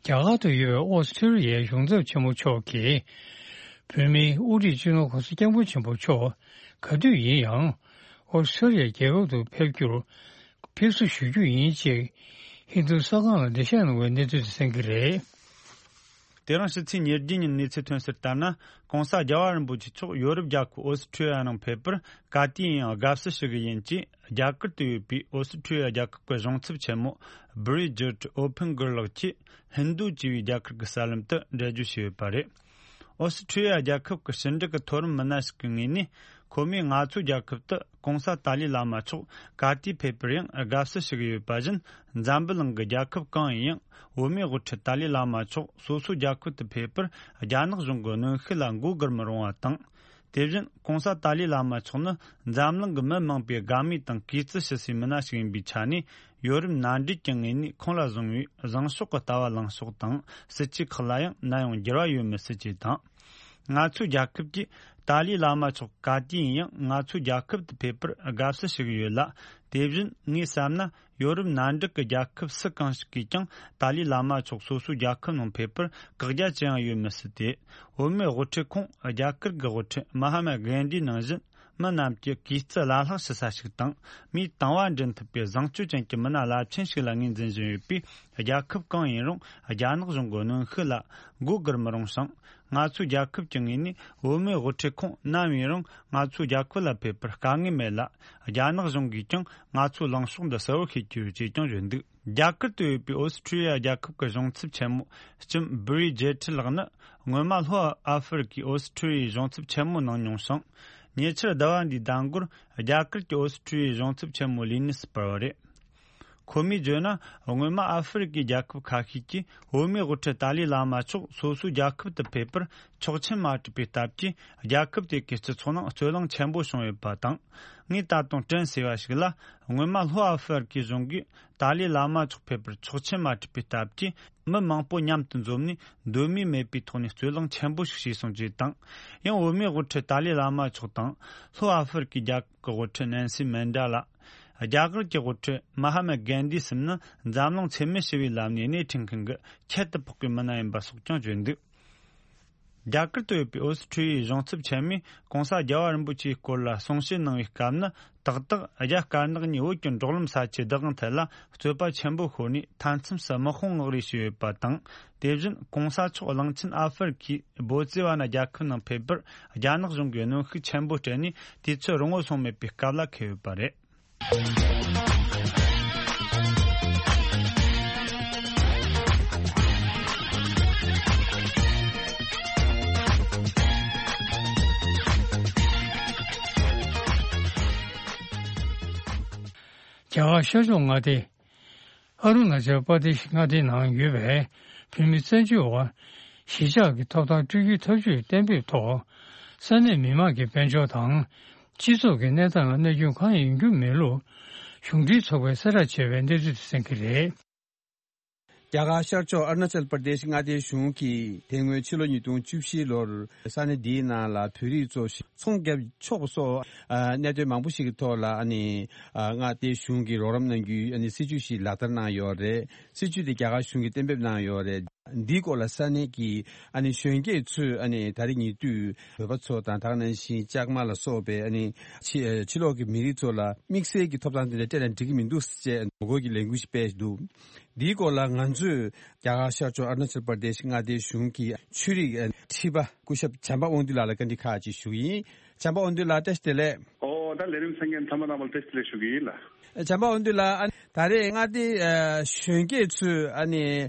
རྒྱ་གར་དུ་ཡོད་པའི་ཨོ་སི་ཀྲོ་ལི་ཡའི་གཞུང་ཚབ་ཆེན་མོ་མཆོག་གིས། བོད་མིའི་དབུ་ཁྲིད་སྤྱི་ནོར་༸གོང་ས་༸སྐྱབས་མགོན་ཆེན་པོ་མཆོག་ག་དུས་ཡིན་ཡང་། ཨོ་སི་ཀྲོ་ལི་ཡ་རྒྱལ་ཁབ་ཏུ་ཕེབས་རྒྱུར་ཕེབས་བསུ་ཞུ་རྒྱུ་ཡིན་ཅེས། ཧིན་རྡུ་གསར་ཁང་ལ་འགྲེལ་བཤད་གནང་བའི་གནས་ཚུལ་དེ་གསན་གྱི་རེད། དེ་རིང་ཕྱི་ཚེས་ཉེར་བརྒྱད་ཉིན་གནས་ཚུལ་ཐོན་གསལ་ལྟར་ན། ྋགོང་ས་རྒྱལ་བ་རིན་པོ་ཆེ་མཆོག་ཡོ་རོབ་རྒྱལ་ཁབ་ཨོ་སི་ཁྲུ་ཡ་ནང་ཕེབས་པར་ག་དུས་ཡིན་ཡང་དགའ་བསུ་ཞུ་གི་ཡིན་ཅེས། རྒྱ་གར་དུ་ཡོད་པའི་ཨོ་སི་ཁྲུ་ཡ་རྒྱལ་ཁབ་ཀྱི་གཞུང་ཚབ་ཆེན་མོ་བྷི་རི་ཇིད་ཨོ་ཕེན་གྷར་ལགས་ཀྱིས་ཧིན་རྡུ་ཅེས་པའི་རྒྱ་གར་གྱི་གསར་ལམ་དུ་འགྲེལ་བརྗོད་བྱས་ཡོད་པ་རེད། ཨོ་སི་ཁྲུ་ཡ་རྒྱལ་ཁབ་ཀྱི་ཕྱི་འབྲེལ་གྱི་མཐོ་རིམ་མི་སྣ་ཞིག་གི་ངོས་ནས། ཁོ་མོས་ང་ཚོའི་རྒྱལ་ཁབ་ཏུ་ྋགོང་ས་ཏཱ་ལའི་བླ་མ་མཆོག་ག་དུས་ཕེབས་པར་ཡང་དགའ་བསུ་ཞུ་གི་ཡོད་པ་བཞིན། འཛམ་བུ་གླིང་གི་རྒྱལ་ཁབ་གང་ཡིན་ཡང་བོད་མིའི་དབུ་ཁྲིད་ཏཱ་ལའི་བླ་མ་མཆོག་སོ་སོའི་རྒྱལ་ཁབ་ཏུ་ཕེབས་པར་རྒྱ་ནག་གཞུང་གི་གནོན་ཤུགས་ལ་མགོ་སྒུར་མི་རུང་བ་དང་། དེ་བཞིན་ྋགོང་ས་ཏཱ་ལའི་བླ་མ་མཆོག་ནི་འཛམ་གླིང་གི་མི་མང་པོས་དགའ་མོས་དང་གུས་བརྩི་ཞུ་སའི་མི་སྣ་ཞིག་ཡིན་པའི་ཆ་ནས། ཡོ་རོབ་མནའ་འབྲེལ་གྱི་ངོས་ནས་ཁོང་ལ་བཟུང་བའི་བཟང་ཕྱོགས་ཀྱི་ལྟ་བ་ལངས་ཕྱོགས་དང་སྲིད་ཇུས་ཁག་ལ་ཡང་ནམ་ཡང་འགྱུར་བ་ཡོད་མི་སྲིད་ཅེས་དང་། ང་ཚོའི་རྒྱལ་ཁབ་ཀྱིས་ཏཱ་ལའི་བླ་མ་མཆོག་ག་དུས་ཡིན་ཡང་ང་ཚོའི་རྒྱལ་ཁབ་ཏུ་ཕེབས་པར་དགའ་བསུ་ཞུ་གི་ཡོད་ལ། དེ་བཞིན་ངས་བསམ་ན། ཡོ་རོབ་མནའ་འབྲེལ་གྱི་རྒྱལ་ཁབ་སུ་གང་ཞིག་གིས་ཀྱང་ཏཱ་ལའི་བླ་མ་མཆོག་སོ་སོའི་རྒྱལ་ཁབ་ནང་ཕེབས་པར་བཀག་རྒྱ་ཅི་ཡང་ཡོད་མི་སྲིད་དེ། བོད་མིའི་དབུ་ཁྲིད་ཁོང་རྒྱ་གར་གྱི་དབུ་ཁྲིད་མ་ཧ་མ་གྷན་དྷི་ནང་བཞིན། མི་རྣམས་ཀྱི་གུས་བརྩི་བླ་ལྷག་ཞུ་ས་ཞིག་དང་། མིའི་དང་བ་འདྲེན་ཐུབ་པའི་བཟང་སྤྱོད་ཅན་གྱི་མི་སྣ་རླབས་ཆེན་ཞིག་ལ་ངོས་འཛིན་བཞིན་ཡོད་པས། རྒྱལ་ཁབ་གང་ཡིན་རུང་རྒྱ་ནག་གཞུང་གི་གནོན་ཤུགས་ལ་མགོ་སྒུར་མི་རུང་ཞིང་། ང་ཚོའི་རྒྱལ་ཁབ་ཀྱི་ངོས་ནས་བོད་མིའི་དབུ་ཁྲིད་ཁོང་ནམ་ཡིན་རུང་ང་ཚོའི་རྒྱལ་ཁབ་ལ་ཕེབས་པར་དཀའ་ངལ་མེད་ལ། རྒྱ་ནག་གཞུང་གིས་ཀྱང་ང་ཚོའི་ལངས་ཕྱོགས་འདི་གསལ་བོ་ཤེས་ཀྱི་ཡོད་ཅེས་ཀྱང་བརྗོད་འདུག་རྒྱ་གར་དུ་ཡོད་པའི་ཨོ་སི་ཁྲུ་ཡ་རྒྱལ་ཁབ་ཀྱི་གཞུང་ཚབ་ཆེན་མོ་ལྕམ་བྷི་རི་ཇེ་ཁྲི་ལགས་ནི། སྔོན་མ་ལྷོ་ཨ་ཧྥེ་རི་ཁའི་ཨོ་སི་ཁྲུ་ཡའི་གཞུང་ཚབ་ཆེན་མོ་གནང་མྱོང་ཞིང་། ཉེ་ཆར་ཟླ་བ་འདིའི་ཟླ་འགོར་རྒྱ་གར་གྱི་ཨོ་སི་ཁྲུ་ཡའི་གཞུང་ཚབ་ཆེན་མོ་ལས་གནས་སུ་སྤར་བ་རེད། ཁོ་མོས་བརྗོད་ན། སྔོན་མ་ཨ་ཧྥེ་རི་ཁའི་རྒྱལ་ཁབ་ཁ་ཤས་ཀྱིས་བོད་མིའི་དབུ་ཁྲིད་ཏཱ་ལའི་བླ་མ་མཆོག་སོ་སོའི་རྒྱལ་ཁབ་ཏུ་ཕེབས་པར་ཆོག་མཆན་མ་སྤྲད་པའི་སྟབས་ཀྱིས། རྒྱལ་ཁབ་དེ་གའི་སྤྱི་ཚོགས་ནང་རྩོད་གླེང་ཆེན་པོ་བྱུང་ཡོད་པ་དང་། ངས་ད་དུང་དྲན་གསོས་པ་ཞིག་ལ། སྔོན་མ་ལྷོ་ཨ་ཧྥེ་རི་ཁའི་གཞུང་གིས་ཏཱ་ལའི་བླ་མ་མཆོག་ཕེབས་པར་ཆོག་མཆན་མ་སྤྲད་པའི་སྟབས་ཀྱིས། མི་མང་པོ་མཉམ་དུ་འཛོམས་ནས་འདོད་མོས་མེད་པའི་ཐོག་ནས་རྩོད་གླེང་ཆེན་པོ་ཞིག་བྱས་སོང་ཅེས་དང་། ཡང་བོད་མིའི་དབུ་ཁྲིད་ཏཱ་ལའི་བླ་མ་མཆོག་དང་། ལྷོ་ཨ་ཧྥེ་རི་ཁའི་རྒྱལ་ཁབ་ཀྱི་དབུ་ཁྲིད་ནན་སི་མན་ཌེ་ལ། རྒྱ་གར་གྱི་དབུ་ཁྲིད་མ་ཧ་མ་གྷན་དྷི་གསུམ་ནི་འཛམ་གླིང་འཚེ་མེད་ཞི་བའི་ལམ་ནས་སྣེ་ཁྲིད་མཁན་གྱི་ཁྱད་དུ་འཕགས་པའི་མི་སྣ་ཡིན་པ་སོགས་ཀྱང་བརྗོད་འདུག་རྒྱ་གར་དུ་ཡོད་པའི་ཨོ་སི་ཁྲུ་ཡའི་གཞུང་ཚབ་ཆེན་མོས་ྋགོང་ས་རྒྱལ་བ་རིན་པོ་ཆེའི་སྐོར་ལ་གསུང་བཤད་གནང་བའི་སྐབས་ནི། ཏག་ཏག་རྒྱ་དཀར་ནག་གཉིས་བོད་ཀྱི་འབྲོག་ལམ་ས་ཆའི་བདག་དབང་ཐད་ལ་རྩོད་པ་ཆེན་པོ་ཤོར་ནས། མཐའ་མཚམས་སུ་དམག་དཔུང་མངགས་རེས་བྱས་ཡོད་པ་དང་། དེ་བཞིན་ྋགོང་ས་མཆོག་གླིང་ཆེན་ཨ་ཧྥེ་རི་ཁའི་བོ་ཙི་ཝ་ན་རྒྱལ་ཁབ་ནང་ཕེབས་པར་རྒྱ་ནག་གཞུང་གིས་གནོན་ཤུགས་ཆེན་པོ་སྤྲད་ནས། དུས་ཚོད་རིང་བོ་སོང་མེད་པའི་སྐབས་ལ་འཁེལ་ཡོད་པ་རེད། རྒྱ་གར་ཤར་ཕྱོགས་མངའ་སྡེ། ཨ་རུ་ན་ཅལ་པར་དེ་ཤི་མངའ་སྡེའི་ནང་ཡོད་པའི་བོད་མི་བཙན་བྱོལ་བ། གཞིས་ཆགས་ཀྱི་ཐོབ་ཐང་སྤྲོད་རྒྱུའི་ཐབས་ཇུས་གཏན་འབེབས་ཐོག་ས་གནས་མི་མང་གི་དཔལ་འབྱོར་དང་། སྤྱི་ཚོགས་ཀྱི་གནས་སྟངས་ལ་གནོད་སྐྱོན་གང་ཡང་ཡོང་རྒྱུ་མེད་ལུགས། གཞུང་འབྲེལ་ཚོགས་པས་གསལ་བསྒྲགས་བྱས་པའི་གནས་ཚུལ་དེ་གསན་གྱི་རེད། རྒྱ་གར་ཤར་ཕྱོགས་ཨ་རུ་ན་ཅལ་པར་དེ་ཤི་མངའ་སྡེའི་གཞུང་གིས་དེ་སྔོན་ཕྱི་ལོ་ཉིས་སྟོང་བཅུ་བཞི་ལོར་ས་གནས་འདིའི་ནང་ལ་བོད་རིགས་ཚོ་ཚོང་བརྒྱབ་ཆོག་པ་སོགས་གནད་དོན་མང་པོ་ཞིག་གི་ཐོག་ལ། ཨ་ནི་མངའ་སྡེའི་གཞུང་གིས་རོགས་རམ་གནང་རྒྱུའི་ཨ་ནི་སྲིད་ཇུས་ཤིག་ལག་བསྟར་གནང་ཡོད་རེད། སྲིད་ཇུས་དེ་རྒྱ་གར་གཞུང་གིས་གཏན་འབེབས་གནང་ཡོད་རེད། འདིའི་སྐོར་ལ་ས་གནས་ཀྱི་ཨ་ནི་གཞོན་སྐྱེས་ཚོས་ཨ་ནི་ད་རེས་ཉེ་དུས་བོད་པ་ཚོ་དང་། ད་ག་ནང་བཞིན་ལྕགས་མ་ལ་སོགས་པའི་ཨ་ནི་ཕྱི་ཕྱི་ལོགས་ཀྱི་མི་རིགས་ཚོ་ལ་དམིགས་བསལ་གྱི་ཐོབ་ཐང་དེ་འདྲ་སྤྲད་ན་འགྲིག་གི་མི་འདུག་ཅེས་ངོ་རྒོལ་གྱི་ལས་འགུལ་ཞིག་སྤེལ་འདུག་འདིའི་སྐོར་ལ་ང་ཚོས་རྒྱ་གར་ཤར་ཕྱོགས་ཨ་རུ་ན་ཅལ་པར་དེ་ཤི་མངའ་སྡེའི་གཞུང་གི་ཆོས་རིག་ཁྲི་པ་སྐུ་ཞབས་བྱམས་པ་དབང་འདུས་ལགས་ལ་བཀའ་འདྲི་ཁག་ཅིག་ཞུ་གི་ཡིན། བྱམས་པ་དབང་འདུས་ལགས། བཀྲ་ཤིས་བདེ་ལེགས། ཨོ། ད་ལས་རིམ་གསན་མཁན་ཚང་མ་རྣམ་པ་ལ་བཀྲ་ཤིས་བདེ་ལེགས་ཞུ་གི་ཡིན་ལགས། བྱམས་པ་དབང་འདུས་ལགས། ཨ་ནི་ད་རེས་མངའ་སྡེའི་ཨ་གཞོན་སྐྱེས་ཚོས་ཨ་ནི་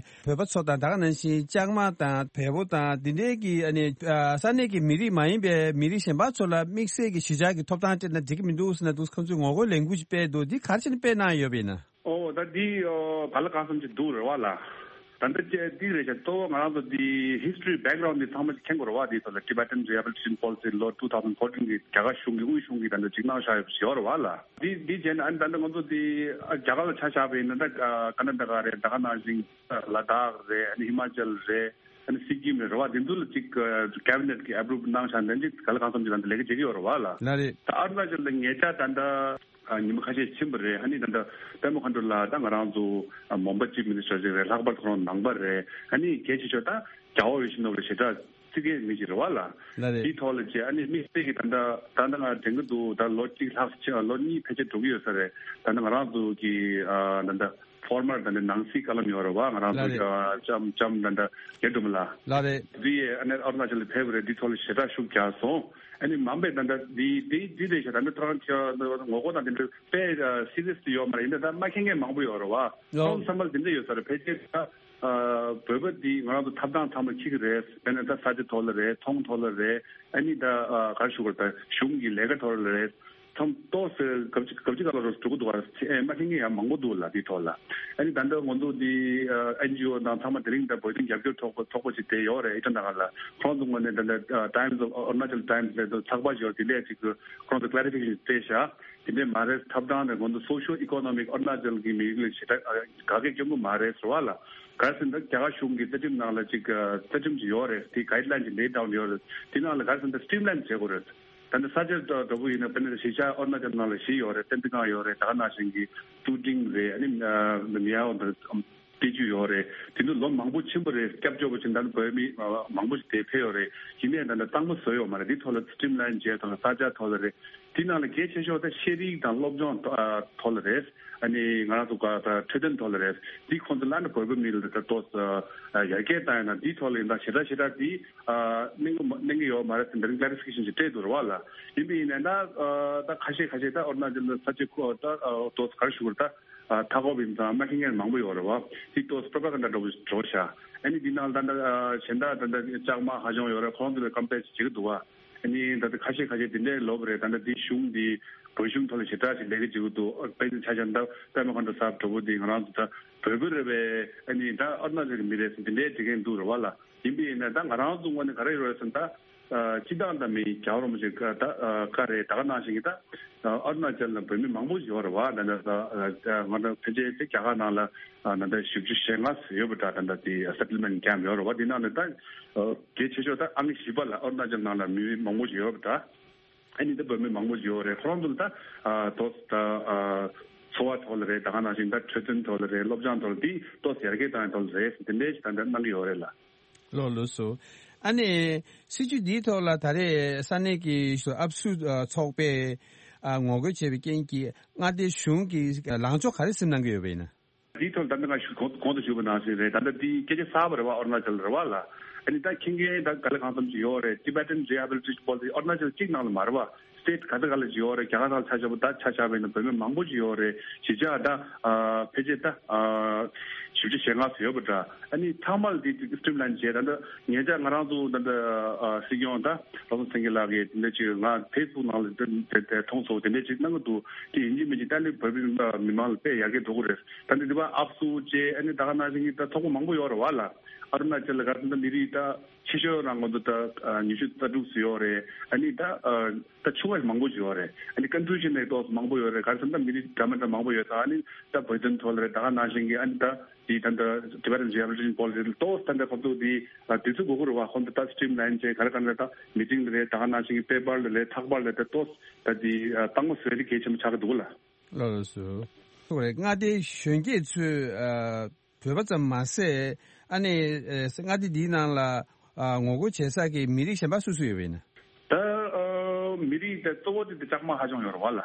བོད་པ་ཚོ་དང་། ད་ག་ནང་བཞིན་ལྕགས་མ་དང་བལ་པོ་དང་འདི་འདྲའི་གི་ཨ་ནི་ས་གནས་ཀྱི་མི་རིགས་མ་ཡིན་པའི་མི་རིགས་གཞན་པ་ཚོ་ལ་དམིགས་བསལ་གྱི་གཞིས་ཆགས་ཀྱི་ཐོབ་ཐང་སྤྲད་ན་འགྲིག་གི་མི་འདུག་ཟེར་ན་འདུག་ཁོང་ཚོས་ངོ་རྒོལ་ལས་འགུལ་ཞིག་སྤེལ་འདུག་འདི་ག་རེ་བྱས་ནས་སྤེལ་གནང་ཡོད་པ་ཡིན་ན། ཨོ། ད་འདི་ཨོ་ག་ལ་གང་འཚམ་ཅིག་འདུག་རེད་བ་ལགས། ད་ལྟ་ཅེ་འདི་རེད་ཤག་གཙོ་བོ་ང་རང་ཚོ་འདི་history background འདི་ཚང་མ་ཅིག་མཁྱེན་དགོས་རེད་བ། འདི་ཚོ་ལ་Tibetan Rehabilitation Policy ལོ་two thousand fourteen གི་རྒྱ་གར་གཞུང་གི་དབུས་གཞུང་གིས་ད་ལྟ་ཅིག་གནང་བཞག་ཡོད་པ་ཞིག་ཡོད་རེད་བ་ལགས། འདི་འདི་བྱས་ན་ཨ་ནི་ད་ལྟ་ང་ཚོ་འདི་ཨ་རྒྱ་གར་ལ་ཆ་བཞག་པ་ཡིན་ན། ད་ཨ་ཀར་ནཱ་ཊ་ཀ་རེད། ད་ག་ནང་བཞིན་ལ་དྭགས་རེད། ཨ་ནི་ཧི་མ་ཅལ་རེད། ཨ་ནི་སི་ཀིམ་རེད་བ། འདི་ཚོ་ལ་ཅིག་cabinet གི་approve གནང་བཞག་ནས་ཅིག་ག་ལ་གང་འཚམ་ཅིག་ད་ལྟ་ལས་ཀ་བྱེད་ཀྱི་ཡོད་རེད་བ་ལགས། ལགས་རེད། ད་ཨ་རུ་ན་ཅལ་ལ་ཉེ་ཆར་ད་ལྟ། ཨ། ཉི་མ་ཁ་ཤས་ཕྱིན་པ་རེད། ཨ་ནི་ད་ལྟ་པད་མ་མཁའ་འགྲོ་ལགས་ད་ང་རང་ཚོ་ཨ་མོན་པ་Chief Minister ཅིག་རེད། ལྷག་པར་ཁོ་རང་ནང་པ་རེད། ཨ་ནི་གལ་ཆེ་ཤོས་ད་རྒྱལ་བ་ཡིད་བཞིན་ནོར་བུ་ལ་ཞེ་དྲག་བརྩི་མཁན་མི་ཞིག་རེད་བ་ལགས། ལགས་རེད། དེའི་ཐོག་ལ་ཅིག་ཨ་ནི་དམིགས་བསལ་གྱི་ད་ལྟ་ད་ལྟ་ང་དྲན་གྱི་འདུག་ད་ལོ་གཅིག་ལྷག་ཕྱིན། ལོ་གཉིས་ཕལ་ཆེར་འགྲོ་གི་ཡོད་ས་རེད། ད་ལྟ་ང་རང་ཚོ་གི་ཨ་ད་ལྟ་ ཕོར་མར་ད་ནི་ནང་སྲིད་བཀའ་ལམ་ཡོད་རེད་བ། ང་རང་ལགས་རེད། ཚོ་ཨ་ལྕམ་ལྕམ་ད་ད་རྒྱ་དུ་མ་ལ་ལགས་རེད། འདི་ཡས་ཨ་ནི་ཨ་རུ་ན་ཅལ་ལ་ཕེབས་རེད། འདི་ཐོག་ལ་ཞེ་དྲག་ཤུགས་རྒྱག་སོང་། ཨ་ནི་མ་འབད་ད་ད་འདི་འདི་འདི་རེད་ཤག་ད་ནི་ཏྲང་ཁྱེད་ངོ་རྒོལ་དང་དེ་འདྲ་དཔེ་སི་རི་ཡས་དུ་ཡོད་མ་རེད། ཡིན་ད་ད་མ་མཁྱེན་མཁན་མང་པོ་ཡོད་རེད་བ། ཨོ། ཁོང་ཚང་མ་ལ་དེ་འདྲ་ཡོད་ས་རེད། ཕལ་ཆེར་ད་ཨ་བོད་པ་འདི་ང་རང་ཚོ་ཐབ་ཐང་ཚང་མ་འཁྱེར་གི་རེད། དཔེར་ན་ད་ས་ཆ་ཐོག་ལ་རེད། ཐོང་ཐོག་ལ་རེད། ཨ་ནི་ད་ཨ་ག་རེ་ཞུ་དགོས་རེད། ད་གཞུང་གི་ལས་ཀ་ཐོག་ལ་རེད། ཚང་ཏོག་ཙམ་གབ་ཅི་གབ་ཅི་ག་ལ་རོ་འགྲོ་གི་འདུག་བ། ཨེ་མ་མཁྱེན་མཁན་ཡང་མང་པོ་འདུག་ལ་འདི་ཐོག་ལ། ཨ་ནི་ད་ལྟ་ང་ཚོ་འདི་ཨེན་ཇི་ཨོ་དང་ཚང་མ་དེ་རིང་ད་བོད་དོན་རྒྱབ་སྐྱོར་ཚོགས་པ་ཚོགས་པ་ཅིག་དེ་ཡོད་རེད། ཨི་ཊ་ན་གར་ལ། ཁོང་ཚོ་ངོས་ནས་ད་ལྟ་Times of Arunachal Times ལས་དོ་ཚགས་པར་ཞིག་ཡོད། དེ་ལས་ཅིག་ཁོང་ཚོ་ཀླེ་རི་ཕི་ཀེ་ཤན་སྤྲད་ཤག་དེ་འདྲས་མ་རེད། ཐབ་ཐང་དང་ང་ཚོ་སོ་ཤིའོ་ཨི་ཀོ་ནོ་མིག་ཨ་རུ་ན་ཅལ་གྱི་མི་རིགས་ལ་ཞེ་དྲག་དགའ་སྐད་སྐྱོན་པོ་མ་རེད་ཟེར་བ་ལ། ག་རེ་ཟེར་ན་ད་རྒྱ་གར་གཞུང་གི་རྩ་ཁྲིམས་ནང་ལ་ཅིག་རྩ་ཁྲིམས་ཅིག་ཡོད་རེད། དེ་guideline ཅིག་lay down ཡོད་རེད། དེ་ནང་ལ་ག་རེ་ཟེར་ན་ད་streamline བྱེད་དགོས་རེད། ད་ནི་ས་ཆ་འདྲ་པོ་ཡིན་ན་དཔེར་ན་གཞིས་ཆགས་ཨ་རུ་ན་ཅལ་ནང་ལ་བཞི་ཡོད་རེད། བསྟན་པའི་སྒང་ཡོད་རེད། ད་ག་ནང་བཞིན་གྱི་ཏུའུ་ཀྲིང་རེད། ཨ་ནི་མི་ཡའོ་འདི་སྟེ་བཅུ་ཡོད་རེད། དེ་ཚོ་ལོ་མང་པོ་ཕྱིན་པ་རེད། སྐྱབས་བཅོལ་བ་ཕྱིན་ད་ནི་བོད་མི་མང་པོ་ཞིག་དེ་ཕེབས་ཡོད་རེད། ཡིན་ནའི་ད་ནི་གཙང་མ་བཟོས་ཡོད་མ་རེད། འདི་ཐོག་ལ་streamline བྱས་ཐོག་ལ་ས་ཆ་ཐོག་ལ་རེད། དེ་ནང་ལ་གལ་ཆེ་ཤོས་ད་ཤེས་རིག་དང་སློབ་སྦྱོང་ཐོག་ལ་རེད། ཨ་ནི་ང་རང་ཚོ་ག་ད་འཕྲོད་བསྟེན་ཐོག་ལ་རེད། འདི་ཁོང་ཚོ་ལ་ནི་བོད་པ་མི་ལ་ད་ཏོག་ཙམ་ཡར་རྒྱས་བཏང་ཡོད་ན། འདི་ཐོག་ལ་ཡིན་ད་ཞེ་དྲག་ཞེ་དྲག་འདི་གནང་གི་མ་གནང་གི་ཡོད་མ་རེད་ཟེར་འདི་རིང་clarification ཞིག་སྤྲད་འདུག་རེད་བ་ལ། ཡིན་པ་ཡིན་ནའི་ད་ད་ཁ་ཤས་ཁ་ཤས་ད་ཨ་རུ་ན་ཅལ་ལ་ས་ཆ་ཁོ་ད་ཏོག་ཙམ་ག་རེ་ཞུ་དགོས་རེད། ད་མཐའ་འཁོབ་ཡིན་ཙང་མ་མཁྱེན་མཁན་མང་པོ་ཡོད་རེད་བ། འདི་ཏོག་ཙམ་propaganda འདྲ་པོ་འགྲོ་ཤག་ཨ་ནི་འདི་ནང་ད་ད་གཞན་དག་ད་ད་ལྕགས་མ་ཧ་ཅང་ཡོད་རེད། ཁོང་ཚོ་ལ་ཀམ་པེར་བྱེད་ཀྱི་འདུག་བ། ཨ་ནི་ད་ལྟ་ཁ་ཤས་ཁ་ཤས་དེ་འདྲའི་ལབ་རེད། ད་ལྟ་འདི་གཞུང་འདི་བོད་གཞུང་ཐོག་ལ་ཞེ་དྲག་ཞིག་ལས་ཀ་བྱེད་ཀྱི་འདུག་དཔེར་ན་ཆ་བཞག་ན་ད་པད་མ་མཁའ་འགྲོ་ཟེར་བ་འདྲ་པོ་འདི་ང་རང་ཚོ་ད་བོད་པ་རེད་པས། ཨ་ནི་ད་ཨ་རུ་ན་ཅལ་གྱི་མི་རེད་ཟེར་དེ་འདྲའི་བྲིས་མཁན་འདུག་རེད་བ་ལ། ཡིན་པ་ཡིན་ན་ད་ང་རང་ཚོ་ངོས་ནས་ག་རེ་ཡོད་རེད་ཟེར་ན་ད་སྤྱི་བཏང་ད་མི་རྒྱལ་བ་རིན་པོ་ཆེ་ད་བཀའ་རེད། ད་ག་ནང་བཞིན་གྱི་ད་ཨ་རུ་ན་ཅལ་ལ་བོད་མི་མང་པོ་ཡོད་རེད་བ། ད་ད་ང་ཚོ་ཕལ་ཆེར་དེ་རྒྱ་གར་ནང་ལ་ད་ལྟ་བཞི་བཅུ་ཞེ་ལྔ་ཡོད་པ་འདྲ། ད་ལྟ་དེ་settlement camp ཡོད་རེད་བ། དེ་ནང་ནས་ད་གལ་ཆེ་ཤོས་ད་ཨང་བཞི་པ་ལ་ཨ་རུ་ན་ཅལ་ནང་ལ་མི་མང་པོ་ཞིག་ཡོད་པ་འདྲ། ཨ་ནི་ད་བོད་མི་མང་པོ་ཞིག་ཡོད་རེད། ཁོ་རང་ཚོ་ལ་ད་ཏོག་ཙམ་ད་འཚོ་བ་ཐོག་ལ་རེད། ད་ག་ནང་བཞིན་ད་འཕྲོད་བསྟེན་ཐོག་ལ་རེད། སློབ་སྦྱོང་ཐོག་ལ་དེ་ཏོག་ཙམ་ཡར་རྒྱས་བཏང་ཡ་ཐོག་ལ་རེད། དེ་འདྲའི་ཞིག་ད་ལྟ་གནང་གི་ཡོད་རེད་ལ། ལགས་ལགས་སོ། ཨ་ནི་སྲིད་བྱུས་འདིའི་ཐོག་ལ་ད་རེས་ས་གནས་ཀྱི་ཨ་སུ་ཨ་ཚོགས་པས་ཨ་ངོ་རྒོལ་བྱས་པའི་རྐྱེན་གྱིས་མངའ་སྡེ་གཞུང་གིས་ལངས་ཕྱོགས་ག་རེ་སེམས་གནང་གི་ཡོད་པ་ཡིན་ན། འདིའི་ཐོག་ལ་ད་ལྟ་ང་ཞུ་གོང་གོང་དུ་ཞུས་པ་ནང་བཞིན་རེད། ད་ལྟ་འདི་སྐད་ཆ་གསར་པ་རེད་བ། ཨ་རུ་ན་ཅལ་རེད་བ་ལ། ཨ་ནི་ད་མཁྱེན་མཁན་ད་ག་ལེ་གང་འཚམ་ཞིག་ཡོད་རེད། Tibetan Rehabilitation Policy ཨ་རུ་ན་ཅལ་གཅིག་ནང་ལ་མ་རེད་བ། state ག་ཚོད་ག་ལ་ཅིག་ཡོད་རེད། རྒྱ་གར་ནང་ཆ་བཞག་པ་ད་ཆ་བཞག་པ་ཡིན་ན་བོད་མི་མང་པོ་ཅིག་ཡོད་རེད། གཞིས་ཆགས་ད་ཨ་ཕལ་ཆེར་ད་ཨ་བཞི་བཅུ་ཞེ་ལྔ་ཙམ་ཡོད་པ་འདྲ། ཨ་ནི་ཚང་མ་ལ་དེ་དེ་streamline བྱས། ད་ལྟ་ཉེ་ཆར་ང་རང་ཚོ་ད་ལྟ་ཨ་སྲིད་སྐྱོང་ད་རོབ་ཙམ་སེང་གེ་ལགས་ཀྱིས་དེ་འདྲ་ཅིག་ང་Facebook ནང་ལ་དེ་དེ་དེ་མཐོང་སོང་། དེ་འདྲ་ཅིག་གནང་གི་འདུག་དེ་ཡིན་གཅིག་མིན་གཅིག་ད་ནི་བོད་པའི་མི་མང་ལ་དཔེ་ཡར་རྒྱས་འགྲོ་གི་རེད། ད་ནི་འདི་པ་ཨབ་སུ་བྱས། ཨ་ནི་ད་ག་ནང་བཞིན་གྱི་ད་ཚོགས་པ་མང་པོ་ཡོད་རེད་བ་ལ། ཨ་རུ་ན་ཅལ་ལ་ག་ད་མི་རིགས་ད་ཆེ་ཤོས་རང་ང་ཚོ་ད་ཉི་ཤུ་རྩ་དྲུག་ཙམ་ཡོད་རེད། ཨ་ནི་ད་ད་ཆུང་བ་མང་པོ་ཞིག་ཡོད་རེད། ཨ་ནི་confusion ནས་ཏོག་ཙམ་མང་པོ་ཡོད་རེད། ག་རེ་ཟེར་ན་ད་མི་རིགས་འདྲ་མི་འདྲ་མང་པོ་ཡོད་ཙང་། ཨ་ནི་ད་བོད་དོན་ཐོག་ལ་རེད། ད་ག་ནང་བཞིན་གྱི་ཨ་ནི་ད་དེ་ད་ད་Tibetan Rehabilitation Policy ཏོག་ཙམ་ད་ད་ཁོང་ཚོ་དེ་དུས་ཚོད་འགོར་གྱི་རེད་བ། ཁོང་ཚོ་ད་streamline བྱས་ག་རེ་ག་རེ་ད་meeting ལ་རེད། ད་ག་ནང་བཞིན་གྱི་paper ལ་རེད། ཚགས་པར་ལ་རེད། ད་ཏོག་ཙམ་ད་དེ་གཙང་མ་བཟོས་དེ་གལ་ཆེན་པོ་ཆགས་ཀྱི་འདུག་ལ། ལགས་སོ། མངའ་སྡེ་གཞོན་སྐྱེས་ཚོས་ཨ་བོད་པ་ཙམ་མ་ཟད། ཨ་ནི་ཨ་མངའ་སྡེ་འདིའི་ནང་ལ་ཨ་ངོ་རྒོལ་བྱེད་ས་ཀྱི་མི་རིགས་གཞན་པ་སུ་སུ་ཡོད་པ་ཡིན་ན། ད་ཨ་མི་རིགས་དེ་གཙོ་བོ་དེ་དེ་ལྕགས་མ་ཧ་ཅང་ཡོད་རེད་བ་ལ།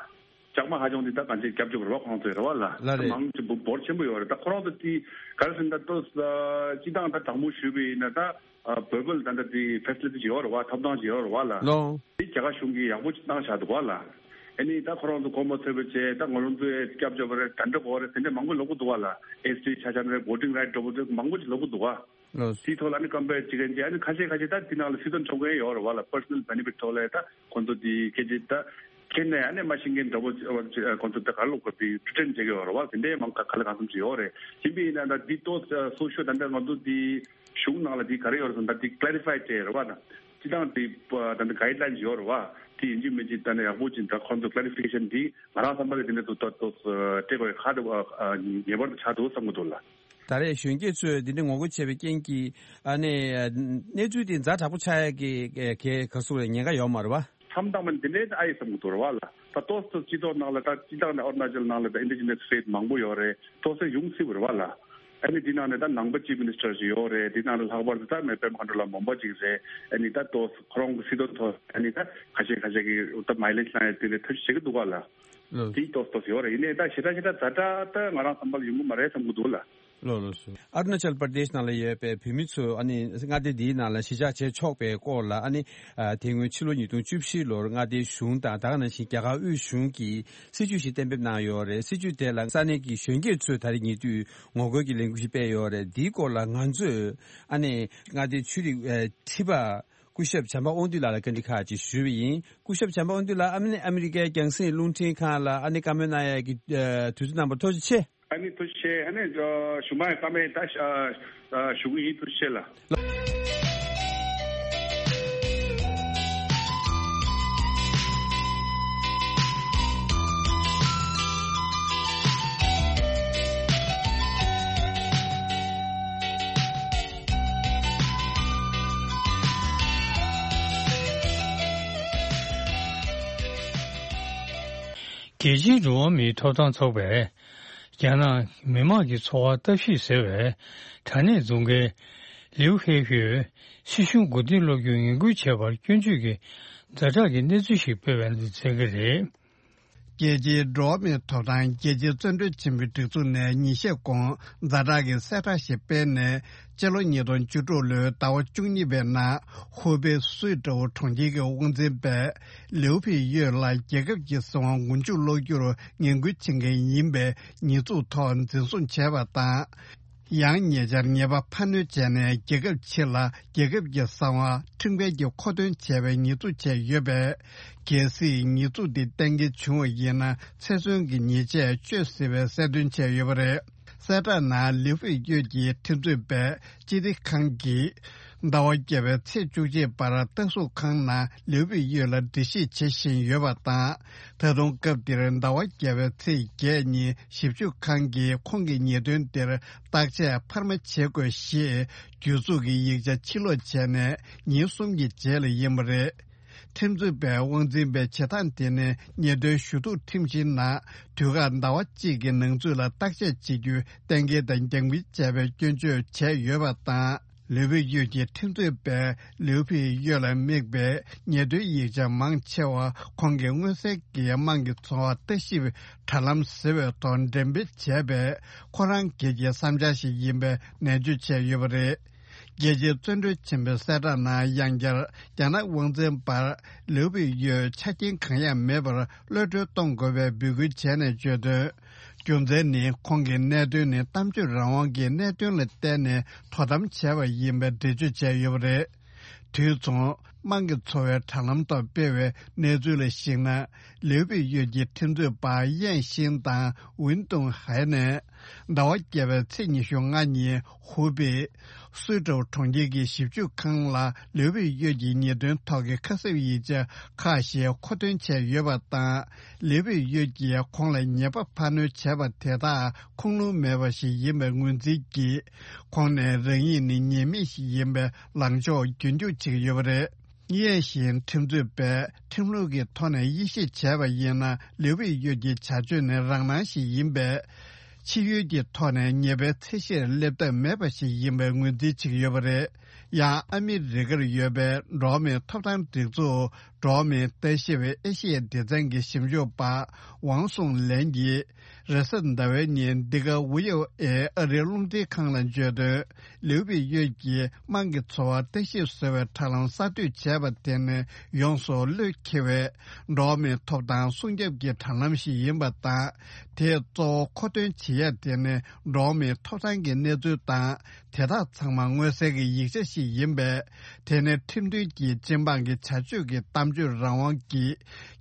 ལྕགས་མ་ཧ་ཅང་དེ་ད་གང་ཅི་སྐྱབས་བཅོལ་རེད་བ། ཁོང་ཚོ་ཡོད་རེད་བ་ལ། ལགས་རེད། མང་ཆེ་བོ་འབོར་ཆེན་པོ་ཡོད་རེད། ད་ཁོ་རང་ཚོ་དེ་ག་རེ་ཟེར་ན་ད་ཏོག་ཙམ་སྤྱི་བཏང་ད་དྲང་མོ་ཞུས་པ་ཡིན་ན་ད། ཨ་བོད་པ་ལ་ད་ལྟ་དེ་facility ཅིག་ཡོད་རེད་བ། ཐོབ་ཐང་ཅིག་ཡོད་རེད་བ་ལ། ལོ། དེ་རྒྱ་གར་གཞུང་གིས་ཡག་པོ་ཅིག་གནང་བཞག་འདུག་བ་ལ། ཨ་ནི་ད་ཁོ་རང་ཚོ་དགོངས་པ་ཚོད་པ་བྱས། ད་ང་རང་ཚོའི་སྐྱབས་བཅོལ་བ་རེད། དེ་འདྲ་མང་པོ་ལབ་ཀྱི་འདུག་བ་ལ། ཨེས་ཊི་ཆ་བཞག་ན་རེད། voting right འདྲ་པོ་དེ་མང་པོ་ཅིག་ལབ་ཀྱི་འདུག་བ། ལོ། དེའི་ཐོག་ལ་ཨ་ནི་compare བྱེད་མཁན་ཅིག་ཨ་ནི་ཁ་ཤས་ཁ་ཤས་ད་དེ་ནང་ལ་སྲིད་དོན་སྲུང་མཁན་ཡོད་རེད་བ་ལ། personal benefit ཐོག་ལ་ད་ཁོ་ཚོ་དེ་སྐད་ཆ་ད་ཁྱེད་ནས་ཨ་ནི་མ་ཤེས་མཁན་འདྲ་པོ་ཁོ་ཚོ་ད་ག་ལ་ལོག་པ་དེ་pretend བྱེད་ཀྱི་ཡོད་རེད་བ། དེ་འདྲའི་མང་ག་ག་ལ་གང་འཚམ་ཅིག་ཡོད་རེད། ཡིན་པ་ཡིན་ན་ད་འདི་ཏོག་ཙམ་སོ་ཤོ་ད་འདྲ་ང་ཚོ་དེ། གཞུང་ནང་ལ་འདི་ག་རེ་ཡོད་རེད་ཟེར་ན་ད་འདི་clarify བྱས་རེད་བ། ད་སྤྱི་བཏང་འདི་ད་འདི་guideline ཡོད་རེད་བ། དེ་ཡིན་གཅིག་མིན་གཅིག་ད་ནི་ཡག་པོ་ཅིག་ད་ཁོང་ཚོ་clarification འདི་ང་རང་བསམ་པ་ལ་དེ་འདྲ་འདུག་ད་ཏོག་ཙམ་སྤྲད་དགོས་ཁག་འདུག་ངེས་པར་དུ་ཆགས་འདུག་བསམ་གྱི་འདུག་ལ། ད་རེས་གཞོན་སྐྱེས་ཚོས་འདི་འདྲ་ངོ་རྒོལ་བྱས་པའི་རྐྱེན་གྱིས་ཨ་ནི་གནས་ཚུལ་འདི་ཛ་དྲག་པོ་ཆགས་ཡ་གི་ག་ག་ཟེར་དགོས་རེད། ཉེན་ཁ་ཡོད་མ་རེད་བ། མཚམས་བཏང་བ་ནི་འདི་འདྲའི་ཨ་ཡེ་བསམ་གྱི་འདུག་རེད་བ་ལ། ད་ཏོག་ཙམ་སྤྱི་ཚོགས་ནང་ལ་ད་སྤྱི་བཏང་ནས་ཨ་རུ་ན་ཅལ་ནང་ལ་ད་indigenous faith མང་པོ་ཡོད་རེད། ཏོག་ཙམ་ཡོང་སྲིད་པ་རེད་བ་ལ། ཨ་ནི་འདི་ནང་ནས་ད་ནང་པ་chief minister ཞིག་ཡོད་རེད། འདི་ནང་ལ་ལྷག་པར་དུ་ད་མེ་པད་མ་མཁའ་འགྲོ་ལགས་འབུམ་པ་ཅིག་རེད། ཨ་ནི་ད་ཏོག་ཙམ་ཁོ་རང་གི་སྲིད་དོན་ཐོག་ཨ་ནི་ད་ཁ་ཤས་ཁ་ཤས་ཀྱིས་ད་མའི་ལེཇ་བླངས་ཡ་དེ་འདྲའི་ཐབས་ཤེས་བྱེད་ཀྱི་འདུག་བ་ལ། ལགས། དེའི་ཏོག་ཏོག་ཡོད་རེད། ཡིན་ནའི་ད་ཞེ་དྲག་ཞེ་དྲག་ཛ་དྲག་ད་ང་རང་བསམ་པར་ཡོང་གི་མ་རེད་བསམ་གི་འདུག་ལ། ལགས་ལགས་སོ། ཨ་རུ་ན་ཅལ་པར་དེཤ་ནང་ལ་ཡོད་པའི་བོད་མི་ཚོས་ཨ་ནི་མངའ་སྡེ་འདིའི་ནང་ལ་གཞིས་ཆགས་བྱེད་ཆོག་པའི་སྐོར་ལ་ཨ་ནི་ཨ་དེ་སྔོན་ཕྱི་ལོ་ཉིས་སྟོང་བཅུ་བཞི་ལོར་མངའ་སྡེའི་གཞུང་དང་ད་ག་ནང་བཞིན་རྒྱ་གར་དབུས་གཞུང་གིས་སྲིད་ཇུས་ཤིག་གཏན་འབེབས་གནང་ཡོད་རེད། སྲིད་ཇུས་དེ་ལ་ས་གནས་ཀྱི་གཞོན་སྐྱེས་ཚོས་ད་རེས་ཉེ་དུས་ངོ་རྒོལ་གྱི་ལས་འགུལ་ཞིག་སྤེལ་ཡོད་རེད། འདིའི་སྐོར་ལ་ང་ཚོས་ཨ་ནི་མངའ་སྡེའི་ཆོས་རིག་ཨ་ཁྲི་པ་སྐུ་ཞབས་བྱམས་པ་དབང་འདུས་ལགས་ལ་བཀའ་འདྲི་ཁག་ཅིག་ཞུས་པ་ཡིན། སྐུ་ཞབས་བྱམས་པ་དབང་འདུས་ལགས། ཨ་ནི་ཨ་མི་རི་ཀའི་རྒྱང་སྲིང་རླུང་འཕྲིན་ཁང་ལ་ཨ་ནི་བཀའ་མོལ་གནང་ཡས་ཀྱི་ཨ་དུས་ཚོད་གནང་བར་ཐུགས་རྗེ་ཆེ། ཨ་ནི་ཐུགས་རྗེ་ཆེ། ཨ་ནི་ཨ་གཞུག་མ་ཡི་བཀའ་མོལ་ད་ཨ་ཨ་ཞུ་གི་ཡིན། ཐུགས་རྗེ་ཆེ་ལགས། རྒྱལ་སྤྱིའི་འགྲོ་བ་མིའི་ཐོབ་ཐང་ཚོགས་པས་རྒྱ་ནག་མི་དམངས་ཀྱི་འཚོ་བར་ལྟ་ཞིབ་ཟེར་བའི་དྲ་གནས་འཛུགས་མཁན་ལིའུ་ཧེ་ཧུས་སྲིད་གཞུང་མགོ་རྟིང་སློག་རྒྱུར་ངན་སྐུལ་བྱས་པར་སྐྱོན་བརྗོད་ཀྱི་ཛ་དྲག་གི་གནས་ཚུལ་ཞིག་སྤེལ་བའི་ནང་གསལ་གྱི་རེད། རྒྱལ་སྤྱིའི་འགྲོ་བ་མིའི་ཐོབ་ཐང་རྒྱལ་སྤྱིའི་བཙོན་གྲོལ་ཆེན་པོའི་སྒྲིག་འཛུགས་ནས་ཉིན་ཤས་གོང་ཛ་དྲག་གི་གསལ་བསྒྲགས་ཤིག་སྤེལ་ནས། སྤྱི་ལོ་ཉིས་སྟོང་བཅུ་དྲུག་ལོའི་ཟླ་བ་བཅུ་གཉིས་པའི་ནང་ཧུའུ་པེ་སུའེ་ཀྲོའུ་གྲོང་ཁྱེར་གྱི་དབང་འཛིན་པས་ལིའུ་ཕི་ཡོད་ལ་རྒྱལ་ཁབ་ཀྱི་སྲིད་དབང་མགོ་མཇུག་སློག་རྒྱུར་ངན་སྐུལ་བྱེད་མཁན་ཡིན་པའི་ཉེས་འཛུགས་ཐོག་འཛིན་བཟུང་བྱས་པ་དང་། ཡང་ཉེ་ཆར་ཉེས་པ་ཕར་སྣོན་བྱས་ནས་རྒྱལ་ཁབ་ཕྱི་ལ་རྒྱལ་ཁབ་ཀྱི་གསང་བ་ཁྲིམས་འགལ་གྱི་མཁོ་འདོན་བྱས་པའི་ཉེས་འཛུགས་བྱས་ཡོད་པས། གལ་སྲིད་ཉེས་འཛུགས་འདི་གཏན་འཁེལ་བྱུང་བ་ཡིན་ན་ཚེ་བཙོན་གྱི་ཉེས་ཆད་གཅོད་སྲིད་པའི་གསལ་སྟོན་བྱས་ཡོད་པ་རེད། གསལ་བསྒྲགས་ནང་ལིའུ་ཕི་ཡོད་ཀྱི་ཁྲིམས་རྩོད་པས་སྤྱི་བདེ་ཁང་གིས་ཟླ་བ་བརྒྱད་པའི་ཚེས་བཅུ་གཅིག་བར་ལྟ་སྲུང་ཁང་ནང་ལིའུ་ཕི་ཡོད་ལ་འགྲེལ་བཤད་བྱེད་བཞིན་ཡོད་པ་དང་། ད་དུང་སྐབས་འདིར་ཟླ་བ་བརྒྱད་པའི་ཚེས་བརྒྱད་ཉིན་ཞིབ་འཇུག་ཁང་གིས་ཁོང་གི་ཉེས་དོན་དེར་བརྟག་དཔྱད་འཕར་མ་བྱེད་དགོས་ཞེས་གྱོད་འཛུགས་ཀྱི་ཡིག་ཆ་ཕྱིར་སློག་བྱས་ནས་ཉིན་གསུམ་གྱི་རྗེས་ལ་ཡིན་པ་རེད། ཁྲིམས་རྩོད་པས་དབང་འཛིན་པའི་བྱེད་སྟངས་དེ་ནི་ཉེས་དོན་ཞུ་གཏུག་ཁྲིམས་གཞིའི་ནང་དུས་བཀག་ཟླ་བ་གཅིག་གི་ནང་ཚུད་ལ་བརྟག་དཔྱད་བྱེད་རྒྱུའི་གཏན་འཁེལ་དང་རྒྱང་འབུལ་བྱས་པའི་སྐྱོན་བརྗོད་བྱས་ཡོད་པ་དང་། ལིའུ་ཕི་ཡོད་ཀྱི་ཁྲིམས་རྩོད་པས་ལིའུ་ཕི་ཡོད་ལ་དམིགས་པའི་ཉེས་དོན་ཡིག་ཆ་མང་ཆེ་བ་ཁོང་གི་མངོན་གསལ་གྱི་དམངས་ཀྱི་འཚོ་བ་ལྟ་ཞིབ་དྲ་ལམ་ཟེར་བའི་ཐོག་འགྲེམས་སྤེལ་བྱས་པས་ཁོ་རང་སྒེར་གྱི་བསམ་འཆར་ཞིག་ཡིན་པའི་ནན་བརྗོད་བྱས་ཡོད་པ་རེད། རྒྱལ་སྤྱིའི་བཙོན་གྲོལ་ཆེན་པོའི་གསལ་བསྒྲགས་ནང་ཡང་བསྐྱར་རྒྱ་ནག་དབང་འཛིན་པར་ལིའུ་པི་ཡོས་ཆ་རྐྱེན་གང་ཡང་མེད་པར་གློད་གྲོལ་གཏོང་དགོས་པའི་འབོད་སྐུལ་བྱས་ནས་བརྗོད་དོན། རྒྱུ་མཚན་ནི་ཁོང་གི་གནད་དོན་ནི་གཏམ་བརྗོད་རང་དབང་གི་གནད་དོན་ལ་བརྟེན་ནས་དོ་དམ་བྱས་པ་ཡིན་པའི་འགྲེལ་བརྗོད་བྱས་ཡོད་པ་རེད། དུས་མཚུངས། དམངས་ཀྱི་འཚོ་བའི་དྲ་ལམ་ཐོག་སྤེལ་བའི་གནས་ཚུལ་ལ་གཞིགས་ན། ལིའུ་པི་ཡོད་ཀྱི་ཁྲིམས་རྩོད་པ་ཡེན་ཤིན་དང་ཝིན་ཏུང་ཧའེ་ནས། ཟླ་བ་བརྒྱད་པའི་ཚེས་ཉི་ཤུ་ལྔ་ཉིན་ཧུའུ་པེ་སུའེ་ཀྲོའུ་གྲོང་ཁྱེར་གྱི་ཞིབ་འཇུག་ཁང་ལ་ལིའུ་པི་ཡོད་ཀྱི་ཉེས་དོན་ཐོག་གི་ཁ་གསབ་ཡིག་ཆ་ཁག་ཞིག་མཁོ་འདོན་བྱས་ཡོད་པ་དང་། ལིའུ་པི་ཡོད་ཀྱིས་ཁོང་ལ་ཉེས་པ་ཕར་སྣོན་བྱས་པ་དེ་དག་ཁུངས་ལུང་མེད་པ་ཞིག་ཡིན་པའི་ངོས་འཛིན་གྱིས། ཁོང་ནས་རང་ཉིད་ནི་ཉེས་མེད་ཞིག་ཡིན་པའི་ལངས་ཕྱོགས་རྒྱུན་འཁྱོངས་བྱེད་ཀྱི་ཡོད་པ་རེད། ཡེན་ཤིན་ཁྲིམས་རྩོད་པས་ཁྲིམས་ལུགས་ཀྱི་ཐོག་ནས་དབྱེ་ཞིབ་བྱས་པ་ཡིན་ན། ལིའུ་པི་ཡོད་ཀྱི་བྱ་སྤྱོད་ནི་རང་སྣང་ཞིག་ཡིན་པས། ཕྱི་ཡུལ་གྱི་ཐོག་ནས་ཉེས་པའི་ཚད་གཞིར་སླེབས་ཐབས་མེད་པ་ཞིག་ཡིན་པའི་ངོས་འཛིན་བྱེད་ཀྱི་ཡོད་པ་རེད། ཡང་ཨ་མི་རི་ཀར་ཡོད་པའི་འགྲོ་བ་མིའི་ཐོབ་ཐང་སྒྲིག་འཛུགས་འགྲོ་བ་མིའི་ལྟ་ཞིབ་ཨེ་ཤི་ཡའི་སྡེ་ཚན་གྱི་ཞིབ་འཇུག་པ་ཝང་སུང་ལན་གྱིས། རེས་གཟའ་ཟླ་བའི་ཉིན་འདི་ག་ཝི་ཨོ་ཨེ་ཨ་རིའི་རླུང་འཕྲིན་ཁང་ལ་བརྗོད་དོན། ལིའུ་པི་ཡོད་ཀྱིས་དམངས་ཀྱི་འཚོ་བར་ལྟ་ཞིབ་ཟེར་བའི་དྲ་ལམ་གསར་གཏོད་བྱས་པ་དེ་ནི་ཡོངས་སུ་བློས་འཁེལ་བའི་འགྲོ་བ་མིའི་ཐོབ་ཐང་སྲུང་སྐྱོབ་ཀྱི་དྲ་ལམ་ཞིག་ཡིན་པ་དང་། དེས་གཙོ་བོ་མཁོ་འདོན་བྱེད་ཡ་དེ་ནི་འགྲོ་བ་མིའི་ཐོབ་ཐང་གི་གནས་ཚུལ་དང་། དེ་དག་ཚང་མ་མངོན་གསལ་གྱི་ཡིག་ཆ་ཞིག་ཡིན་པས། དེ་ནི་ཁྲིམས་མཐུན་གྱི་སྤྱི་འབངས་ཀྱི་བྱ་སྤྱོད་ཀྱི་གཏམ་བརྗོད་རང་དབང་གི་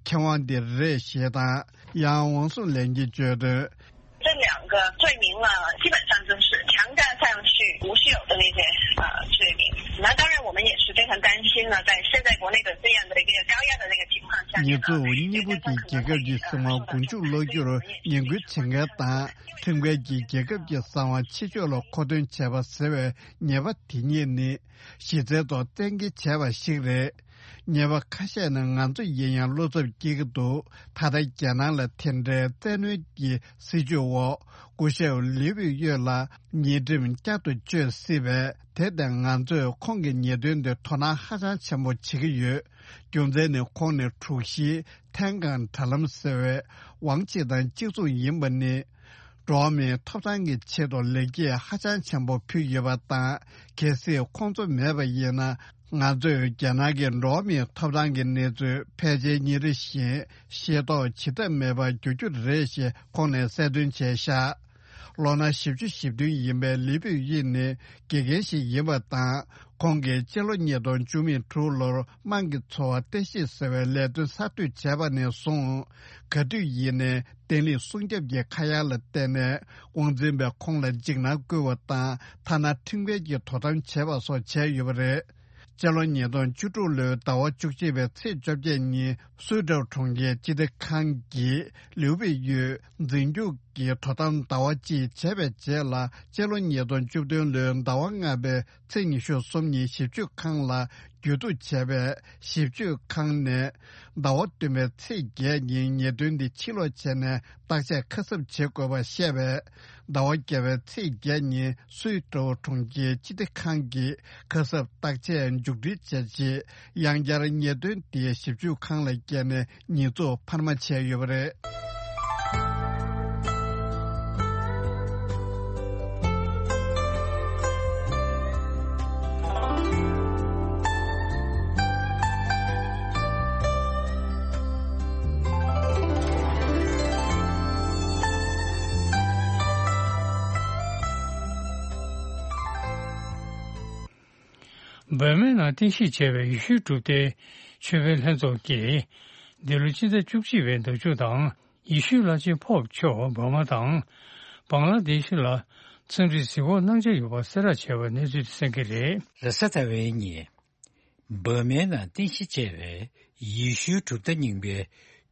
ཁེ་དབང་དེ་རེད་ཞེས་དང་། ཡང་ཝང་སུང་ལན་གྱིས་བརྗོད་དོན། 这两个罪名呢，基本上就是强占上去、无休的那些呃罪名。那当然，我们也是非常担心呢，在现在国内的这样的一个高压的那个情况下， ཉེས་འཛུགས་གཉིས་པོ་དེ་རྒྱལ་ཁབ་ཀྱི་སྲིད་དབང་མགོ་མཇུག་སློག་རྒྱུར་ངན་སྐུལ་བྱེད་མཁན་དང་། ཁྲིམས་འགལ་གྱིས་རྒྱལ་ཁབ་ཀྱི་གསང་བ་ཕྱི་ཕྱོགས་ལ་མཁོ་འདོན་བྱས་པ་ཟེར་བའི་ཉེས་པ་དེ་གཉིས་ནི། གཞི་རྩའི་ཐོག་གཏན་འཁེལ་བྱས་པ་ཞིག་རེད། ཉེས་པ་ཁ་ཤས་ནི་ང་ཚོ་ཡིན་ཡང་བློ་འཚབ་སྐྱེ་གི་འདུག་ད་ལྟ་རྒྱལ་ནང་ལ་དེ་འདྲའི་བཙན་གནོན་གྱི་སྲིད་བྱུས་འོག་སྐུ་ཞབས་ལིའུ་པི་ཡོད་ལ་ཉེས་ཁྲིམས་བསྐྱར་དུ་གཅོད་སྲིད་པས། དེ་ལྟ་ང་ཚོས་ཁོང་གི་ཉེས་དོན་དེ་དོ་སྣང་ཧ་ཅང་ཆེན་པོ་བྱེད་ཀྱི་ཡོད། རྒྱུ་མཚན་ནི་ཁོང་ནི་དྲུག་བཞིའི་ཐེན་ཀང་དྲ་ལམ་ཟེར་བའི་ཝང་ཆི་དང་གཅིག་མཚུངས་ཡིན་པ་ནི། འགྲོ་བ་མིའི་ཐོབ་ཐང་གི་ཆེད་དུ་ལེགས་སྐྱེས་ཧ་ཅང་ཆེན་པོ་ཕུལ་ཡོད་པ་དང་། གལ་སྲིད་ཁོང་ཚོ་མེད་པ་ཡིན་ན། ང་ཚོས་རྒྱ་ནག་གི་འགྲོ་བ་མིའི་ཐོབ་ཐང་གི་གནས་ཚུལ་ཕལ་ཆེར་ཉིན་རེ་བཞིན་ཤེས་རྟོགས་བྱེད་ཐབས་མེད་པར་འགྱུར་རྒྱུ་རེད་ཞེས་ཁོང་ནས་གསལ་སྟོན་བྱས་བཞག་ལོ་ན་བཞི་བཅུ་ཞེ་བདུན་ཡིན་པའི་ལི་པིའུ་དབྱི་ནི་དགེ་རྒན་ཞིག་ཡིན་པ་དང་། ཁོང་གིས་སྤྱི་ལོ་ཉིས་སྟོང་བཅུ་མེད་དྲུག་ལོར་དམངས་ཀྱི་འཚོ་བ་བརྟན་གཞི་ཟེར་བའི་ལས་དོན་གསར་གཏོད་བྱས་པ་ནས་བཟུང་། ག་དུས་ཡིན་ནའི་བརྟན་ལྷིང་སྲུང་སྐྱོབ་ཀྱི་ཁ་གཡར་ལ་བརྟེན་ནས་དབང་འཛིན་པས་ཁོང་ལ་འཇིགས་སྣང་བསྐུལ་བ་དང་། ཐ་ན་ཁྲིམས་འགལ་གྱི་དོ་དམ་བྱས་པ་སོགས་བྱས་ཡོད་པ་རེད། སྤྱི་ལོ་ཉིས་སྟོང་བཅུ་དྲུག་ལོའི་ཟླ་བ་བཅུ་གཅིག་པའི་ཚེས་བཅོ་བརྒྱད་ཉིན་སུའུ་ཀྲོའུ་གྲོང་ཁྱེར་སྤྱི་བདེ་ཁང་གིས་ལིའུ་པེ་ཡོས་འཛིན་སྐྱོང་གི་དོ་དམ་ཟླ་བ་གཅིག་བྱས་པའི་རྗེས་ལ། སྤྱི་ལོ་ཉིས་སྟོང་བཅུ་བདུན་ལོའི་ཟླ་བ་ལྔ་པའི་ཚེས་ཉི་ཤུ་གསུམ་ཉིན་ཞིབ་དཔྱོད་ཁང་ལ་གྱོད་གཏུག་བྱས་པས། ཞིབ་དཔྱོད་ཁང་ནས་ཟླ་བ་བདུན་པའི་ཚེས་བརྒྱད་ཉིན་ཉེས་དོན་འདི་ཕྱིར་སློག་བྱས་ནས་བརྟག་དཔྱད་ཁ་གསབ་བྱེད་དགོས་པ་བཤད་པས། ཟླ་བ་བརྒྱད་པའི་ཚེས་བརྒྱད་ཉིན་སུའུ་ཀྲོའུ་གྲོང་ཁྱེར་སྤྱི་བདེ་ཁང་གིས་ཁ་གསབ་བརྟག་དཔྱད་མཇུག་སྒྲིལ་བྱས་རྗེས། ཡང་བསྐྱར་ཉེས་དོན་དེ་ཞིབ་དཔྱོད་ཁང་ལ་བསྐྱལ་ནས་ཉེས་འཛུགས་འཕར་མ་བྱས་ཡོད་པ་རེད། འབར་མའི་ནང་རྟེན་གཞི་བྱས་པའི་ཡེ་ཤུའི་གྲུབ་མཐའི་ཆོས་དཔོན་ལྷན་ཚོགས་ཀྱིས། འདི་ལོ་སྤྱི་ཟླ་བཅུ་གཅིག་པའི་ཟླ་མཇུག་དང་། ཡེ་ཤུའི་བླ་ཆེན་པོབ་མཆོག་འབར་མ་དང་། བང་ལ་དེ་ཤི་ལ་འཚམས་འདྲི་གཟིགས་སྐོར་གནང་འཆར་ཡོད་པ་གསལ་བསྒྲགས་བྱས་པ་གནས་ཚུལ་དེ་གསན་གྱི་རེད། རེས་གཟའ་ཟླ་བའི་ཉིན། འབར་མའི་ནང་རྟེན་གཞི་བྱས་པའི་ཡེ་ཤུའི་གྲུབ་མཐའ་རྙིང་པའི་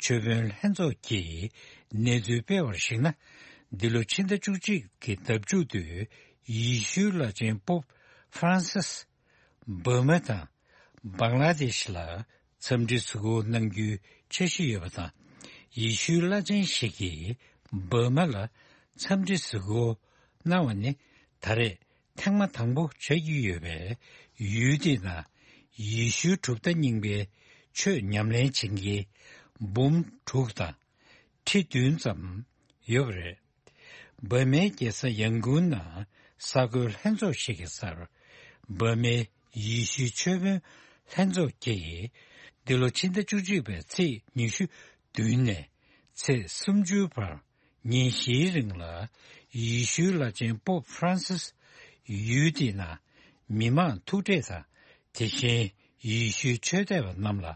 ཆོས་དཔོན་ལྷན་ཚོགས་ཀྱིས་གནས་ཚུལ་སྤེལ་བར་གཞིགས་ན། འདི་ལོ་ཕྱི་ཟླ་བཅུ་གཅིག་གི་ཟླ་མཇུག་ཏུ་ཡེ་ཤུའི་བླ་ཆེན་པོབ་ཧྥ་རན་སིས་འབར་མ་དང་བང་ལ་དེ་ཤི་ལ་འཚམས་འདྲི་གཟིགས་སྐོར་གནང་རྒྱུའི་འཆར་གཞི་ཡོད་པ་དང་། ཡེ་ཤུའི་བླ་ཆེན་ཞིག་གིས་འབར་མ་ལ་འཚམས་འདྲི་གཟིགས་སྐོར་གནང་བ་ནི་ད་རེས་ཐེངས་མ་དང་པོ་ཆགས་ཀྱི་ཡོད་པས། ཡུལ་དེའི་ནང་ཡེ་ཤུའི་གྲུབ་མཐའ་རྙིང་པའི་ཆོས་ཉམས་ལེན་བྱེད་མཁན་འབུམ་དྲུག་དང་ཁྲི་བདུན་ཙམ་ཡོད་པ་རེད། འབར་མའི་རྒྱལ་ས་ཡང་གུན་ནང་གསར་འགོད་ལྷན་ཚོགས་ཤིག་གི་སར། འབར་མའི་ཡེ་ཤུའི་ཆོས་དཔོན་ལྷན་ཚོགས་ཀྱིས། འདི་ལོ་ཕྱི་ཟླ་བཅུ་གཅིག་པའི་ཚེས་ཉི་ཤུ་བདུན་ནས་ཚེས་སུམ་ཅུའི་བར། ཉིན་བཞིའི་རིང་ལ་ཡེ་ཤུའི་བླ་ཆེན་པོབ་ཧྥ་རན་སིས་ཡུལ་དེའི་ནང་མི་མང་ཐུག་འཕྲད་དང་། དེ་བཞིན་ཡེ་ཤུའི་ཆོས་དད་པ་རྣམས་ལ་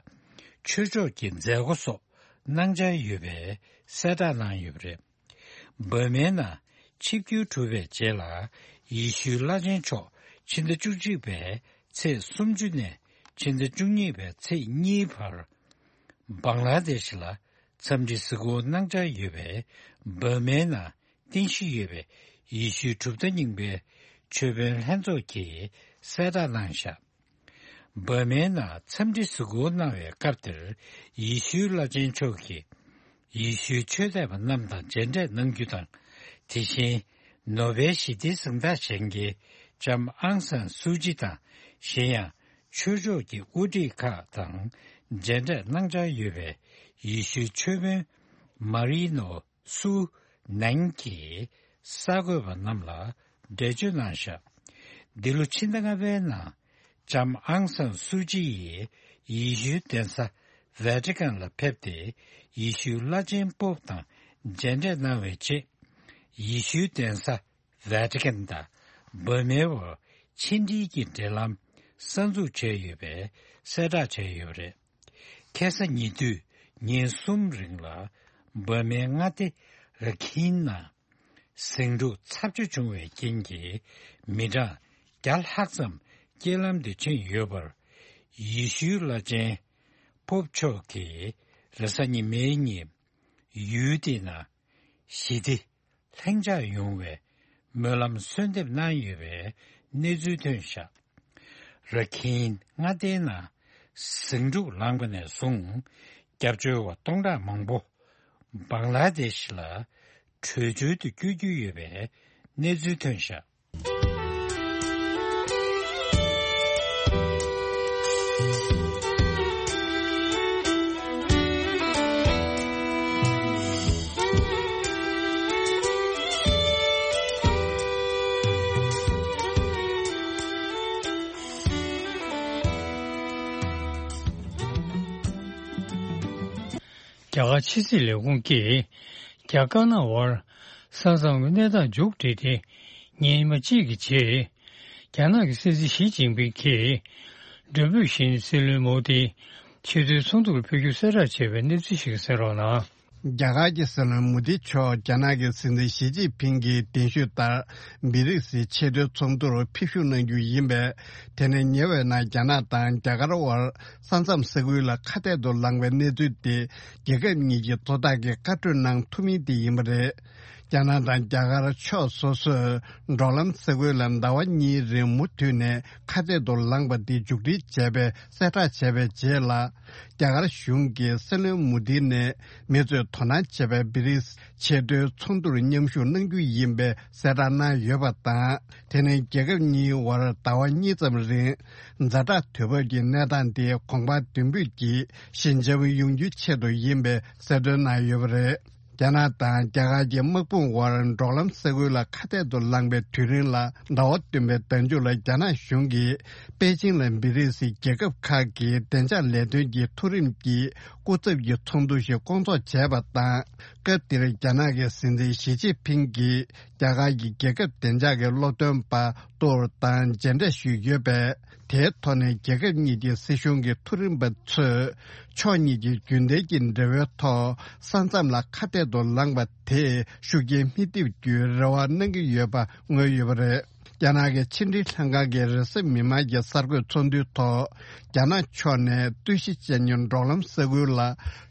ཆོས་ཕྱོགས་ཀྱི་མཛད་སྒོ་སོགས་གནང་འཆར་ཡོད་པའི་གསལ་བསྒྲགས་གནང་ཡོད་པ་རེད། འབར་མའི་ནང་ཆིབས་བསྒྱུར་གྲུབ་པའི་རྗེས་ལ། ཡེ་ཤུའི་བླ་ཆེན་མཆོག་ཕྱི་ཟླ་བཅུ་གཅིག་པའི་ཚེས་སུམ་ཅུ་ནས་ཕྱི་ཟླ་བཅུ་གཉིས་པའི་ཚེས་གཉིས་བར། བང་ལ་དེ་ཤི་ལ་འཚམས་འདྲི་གཟིགས་སྐོར་གནང་འཆར་ཡོད་པའི་འབར་མའི་ནང་རྟེན་གཞི་ཡོད་པའི་ཡེ་ཤུའི་གྲུབ་མཐའ་རྙིང་པའི་ཆོས་དཔོན་ལྷན་ཚོགས་ཀྱིས་གསལ་བསྒྲགས་གནང་བཞག་འབར་མའི་ནང་འཚམས་འདྲི་གཟིགས་སྐོར་གནང་བའི་སྐབས་དེར། ཡེ་ཤུའི་བླ་ཆེན་མཆོག་གིས་ཡེ་ཤུའི་ཆོས་དད་པ་རྣམས་དང་མཇལ་འཕྲད་གནང་རྒྱུ་དང་། དེ་བཞིན་ནོ་བེལ་ཞི་བདེའི་གཟེངས་རྟགས་བཞེས་མཁན་ལྕམ་ཨང་སན་སུའུ་ཅི་དང་། གཞན་ཡང་ཆོས་ཕྱོགས་ཀྱི་དབུ་ཁྲིད་ཁག་དང་མཇལ་འཕྲད་གནང་འཆར་ཡོད་པའི་ཡེ་ཤུའི་ཆོས་དཔོན་མ་རི་ནོ་སུ་ནན་གྱིས་གསར་འགོད་པ་རྣམས་ལ་འགྲེལ་བརྗོད་གནང་བཞག་འདི་ལོ་ཕྱི་ཟླ་ལྔ་པའི་ནང་ལྕམ་ཨང་སན་སུའུ་ཅི་ཡིས་ཡེ་ཤུའི་གདན་ས་ཝེ་ཏི་ཀན་ལ་ཕེབས་ཏེ། ཡེ་ཤུའི་བླ་ཆེན་པོབ་དང་མཇལ་འཕྲད་གནང་བའི་རྗེས། ཡེ་ཤུའི་གདན་ས་ཝེ་ཏི་ཀན་དང་འབར་མའི་བར་ཕྱི་འབྲེལ་གྱི་འབྲེལ་ལམ་གསར་འཛུགས་བྱས་ཡོད་པའི་གསལ་བསྒྲགས་བྱས་ཡོད་པ་རེད། ཁ་སང་ཉེ་དུས་ཉིན་གསུམ་རིང་ལ་འབར་མའི་མངའ་སྡེ་ར་ཁིན་ནང་ཟིང་འཁྲུག་ཚབས་ཆེ་བྱུང་བའི་རྐྱེན་གྱིས་མི་གྲངས་བརྒྱ་ལྷག་ཙམ་རྐྱེན་ལམ་དུ་ཕྱིན་ཡོད་པར། ཡེ་ཤུའི་བླ་ཆེན་པོབ་མཆོག་གིས་རེས་གཟའ་ཉི་མའི་ཉིན་ཡུལ་དེའི་ནང་ཞི་བདེ་ལྷིང་འཇགས་ཡོང་བའི་སྨོན་ལམ་གསོལ་འདེབས་གནང་ཡོད་པའི་གནས་ཚུལ་ཐོན་བཞག་ར་ཁིན་མངའ་སྡེའི་ནང་ ཟིང་འཁྲུག་ལངས་པ་ནས་བཟུང་། སྐྱབས་བཅོལ་བ་སྟོང་ཕྲག་མང་པོ་བང་ལ་དེ་ཤི་ལ་བྲོས་བྱོལ་དུ་བསྐྱོད་རྒྱུ་ཡོད་པའི་གནས་ཚུལ་ཐོན་བཞག་རྒྱ་གར་ཕྱི་སྲིད་ལས་ཁུངས་ཀྱིས་རྒྱ་དཀར་ནག་དབར་ས་མཚམས་ཀྱི་གནས་སྟངས་མཇུག་བསྒྲིལ་ཏེ་ཉིན་མ་གཅིག་གི་རྗེས། རྒྱ་ནག་གི་སྲིད་འཛིན་ཞི་ཅིན་ཕིང་གིས་མགྲོན་འབོད་བཞིན་སྲིད་བློན་མོ་དི་ཆེས་མཐོའི་ཚོགས་འདུར་ཕེབས་རྒྱུ་གསལ་བསྒྲགས་བྱས་པའི་གནས་ཚུལ་ཞིག་གསན་རོགས་གནང་། རྒྱ་གར་གྱི་སྲིད་བློན་མོ་དི་མཆོག་རྒྱ་ནག་གི་སྲིད་འཛིན་ཞི་ཅིན་ཕིང་གིས་གདན་ཞུས་ལྟར་བི་རིགས་ཆེས་མཐོའི་ཚོགས་འདུར་ཕེབས་ཞུགས་གནང་རྒྱུ་ཡིན་པས། དེ་ནས་ཉེ་བའི་ནང་རྒྱ་ནག་དང་རྒྱ་གར་དབར་ས་མཚམས་ས་ཁུལ་ལ་ཁ་གཏད་དུ་ལངས་པའི་གནས་ཚུལ་དེ་རྒྱལ་ཁབ་གཉིས་ཀྱི་གཙོ་བདག་གིས་བཀའ་གྲོས་གནང་ཐུབ་མིན་དེ་ཡིན་པ་རེད། རྒྱ་ནག་དང་རྒྱ་གར་ཕྱོགས་སོ་སོས་འབྲོག་ལམ་ས་ཁུལ་ལ་ཟླ་བ་གཉིས་རིང་མུ་མཐུད་ནས་ཁ་གཏད་དུ་ལངས་པ་འདི་མཇུག་སྒྲིལ་བྱས་པའི་གསལ་བསྒྲགས་བྱས་པའི་རྗེས་ལ། རྒྱ་གར་གཞུང་གིས་སྲིད་བློན་མོ་དི་ནས་མི་ཚོས་དོ་སྣང་བྱེད་པའི་བི་རིགས་ཆེས་མཐོའི་ཚོགས་འདུར་མཉམ་ཞུགས་གནང་རྒྱུ་ཡིན་པའི་གསལ་བསྒྲགས་གནང་ཡོད་པ་དང་། དེ་ནས་རྒྱལ་ཁབ་གཉིས་དབར་ཟླ་བ་གཉིས་ཙམ་རིང་ཛ་དྲག་དུས་བབ་ཀྱི་གནས་སྟངས་དེ་གོང་འཕེལ་མདུན་སྤོས་ཀྱིས་ཞི་འཇགས་ཡོང་རྒྱུའི་ཆེད་དུ་ཡིན་པའི་གསལ་སྟོན་གནང་ཡོད་པ་རེད། རྒྱ་ནག་དང་རྒྱ་གར་གྱི་དམག་དཔུང་དབར་འབྲོག་ལམ་ས་ཁུལ་ལ་ཁ་གཏད་དུ་ལངས་པའི་དུས་རིང་ལ་ཟླ་བ་བདུན་པའི་ཟླ་མཇུག་ལ་རྒྱ་ནག་གཞུང་གིས་པེ་ཅིང་ལ་བི་རིགས་རྒྱལ་ཁབ་ཁག་གི་བདེ་འཇགས་ལས་དོན་གྱི་མཐོ་རིམ་གྱི་སྐུ་ཚབ་ཀྱི་ཚོགས་འདུ་ཞིག་བསྐོང་ཚོགས་བྱས་པ་དང་། སྐབས་དེར་རྒྱ་ནག་གི་སྲིད་འཛིན་ཞི་ཅིན་ཕིང་གིས་རྒྱ་གར་གྱི་རྒྱལ་ཁབ་བདེ་འཇགས་ཀྱི་སློབ་སྟོན་པ་ཏོར་དང་མཇལ་འཕྲད་ཞུས་ཡོད་པས། དེའི་ཐོག་ནས་རྒྱལ་ཁབ་གཉིས་ཀྱི་སྲིད་གཞུང་གི་མཐོ་རིམ་པ་ཚོས་ཕྱོགས་གཉིས་ཀྱི་རྒྱུན་ལྡན་གྱི་འབྲེལ་བའི་ཐོག་ས་མཚམས་ལ་ཁ་གཏད་དུ་ལངས་པ་དེས་ཤུགས་རྐྱེན་མི་ཐེབས་རྒྱུའི་རེ་བ་གནང་གི་ཡོད་པ་མངོན་ཡོད་པ་རེད། རྒྱ་ནག་གི་ཕྱི་འབྲེལ་ལྷན་ཁང་གི་རེས་གཟའ་མིག་དམར་གྱི་གསར་འགོད་ཚོགས་འདུའི་ཐོག་རྒྱ་ནག་ཕྱོགས་ནས་རྟུལ་ཞིང་གཅེས་ཉོན་འབྲོག་ལམ་ས་ཁུལ་ལ་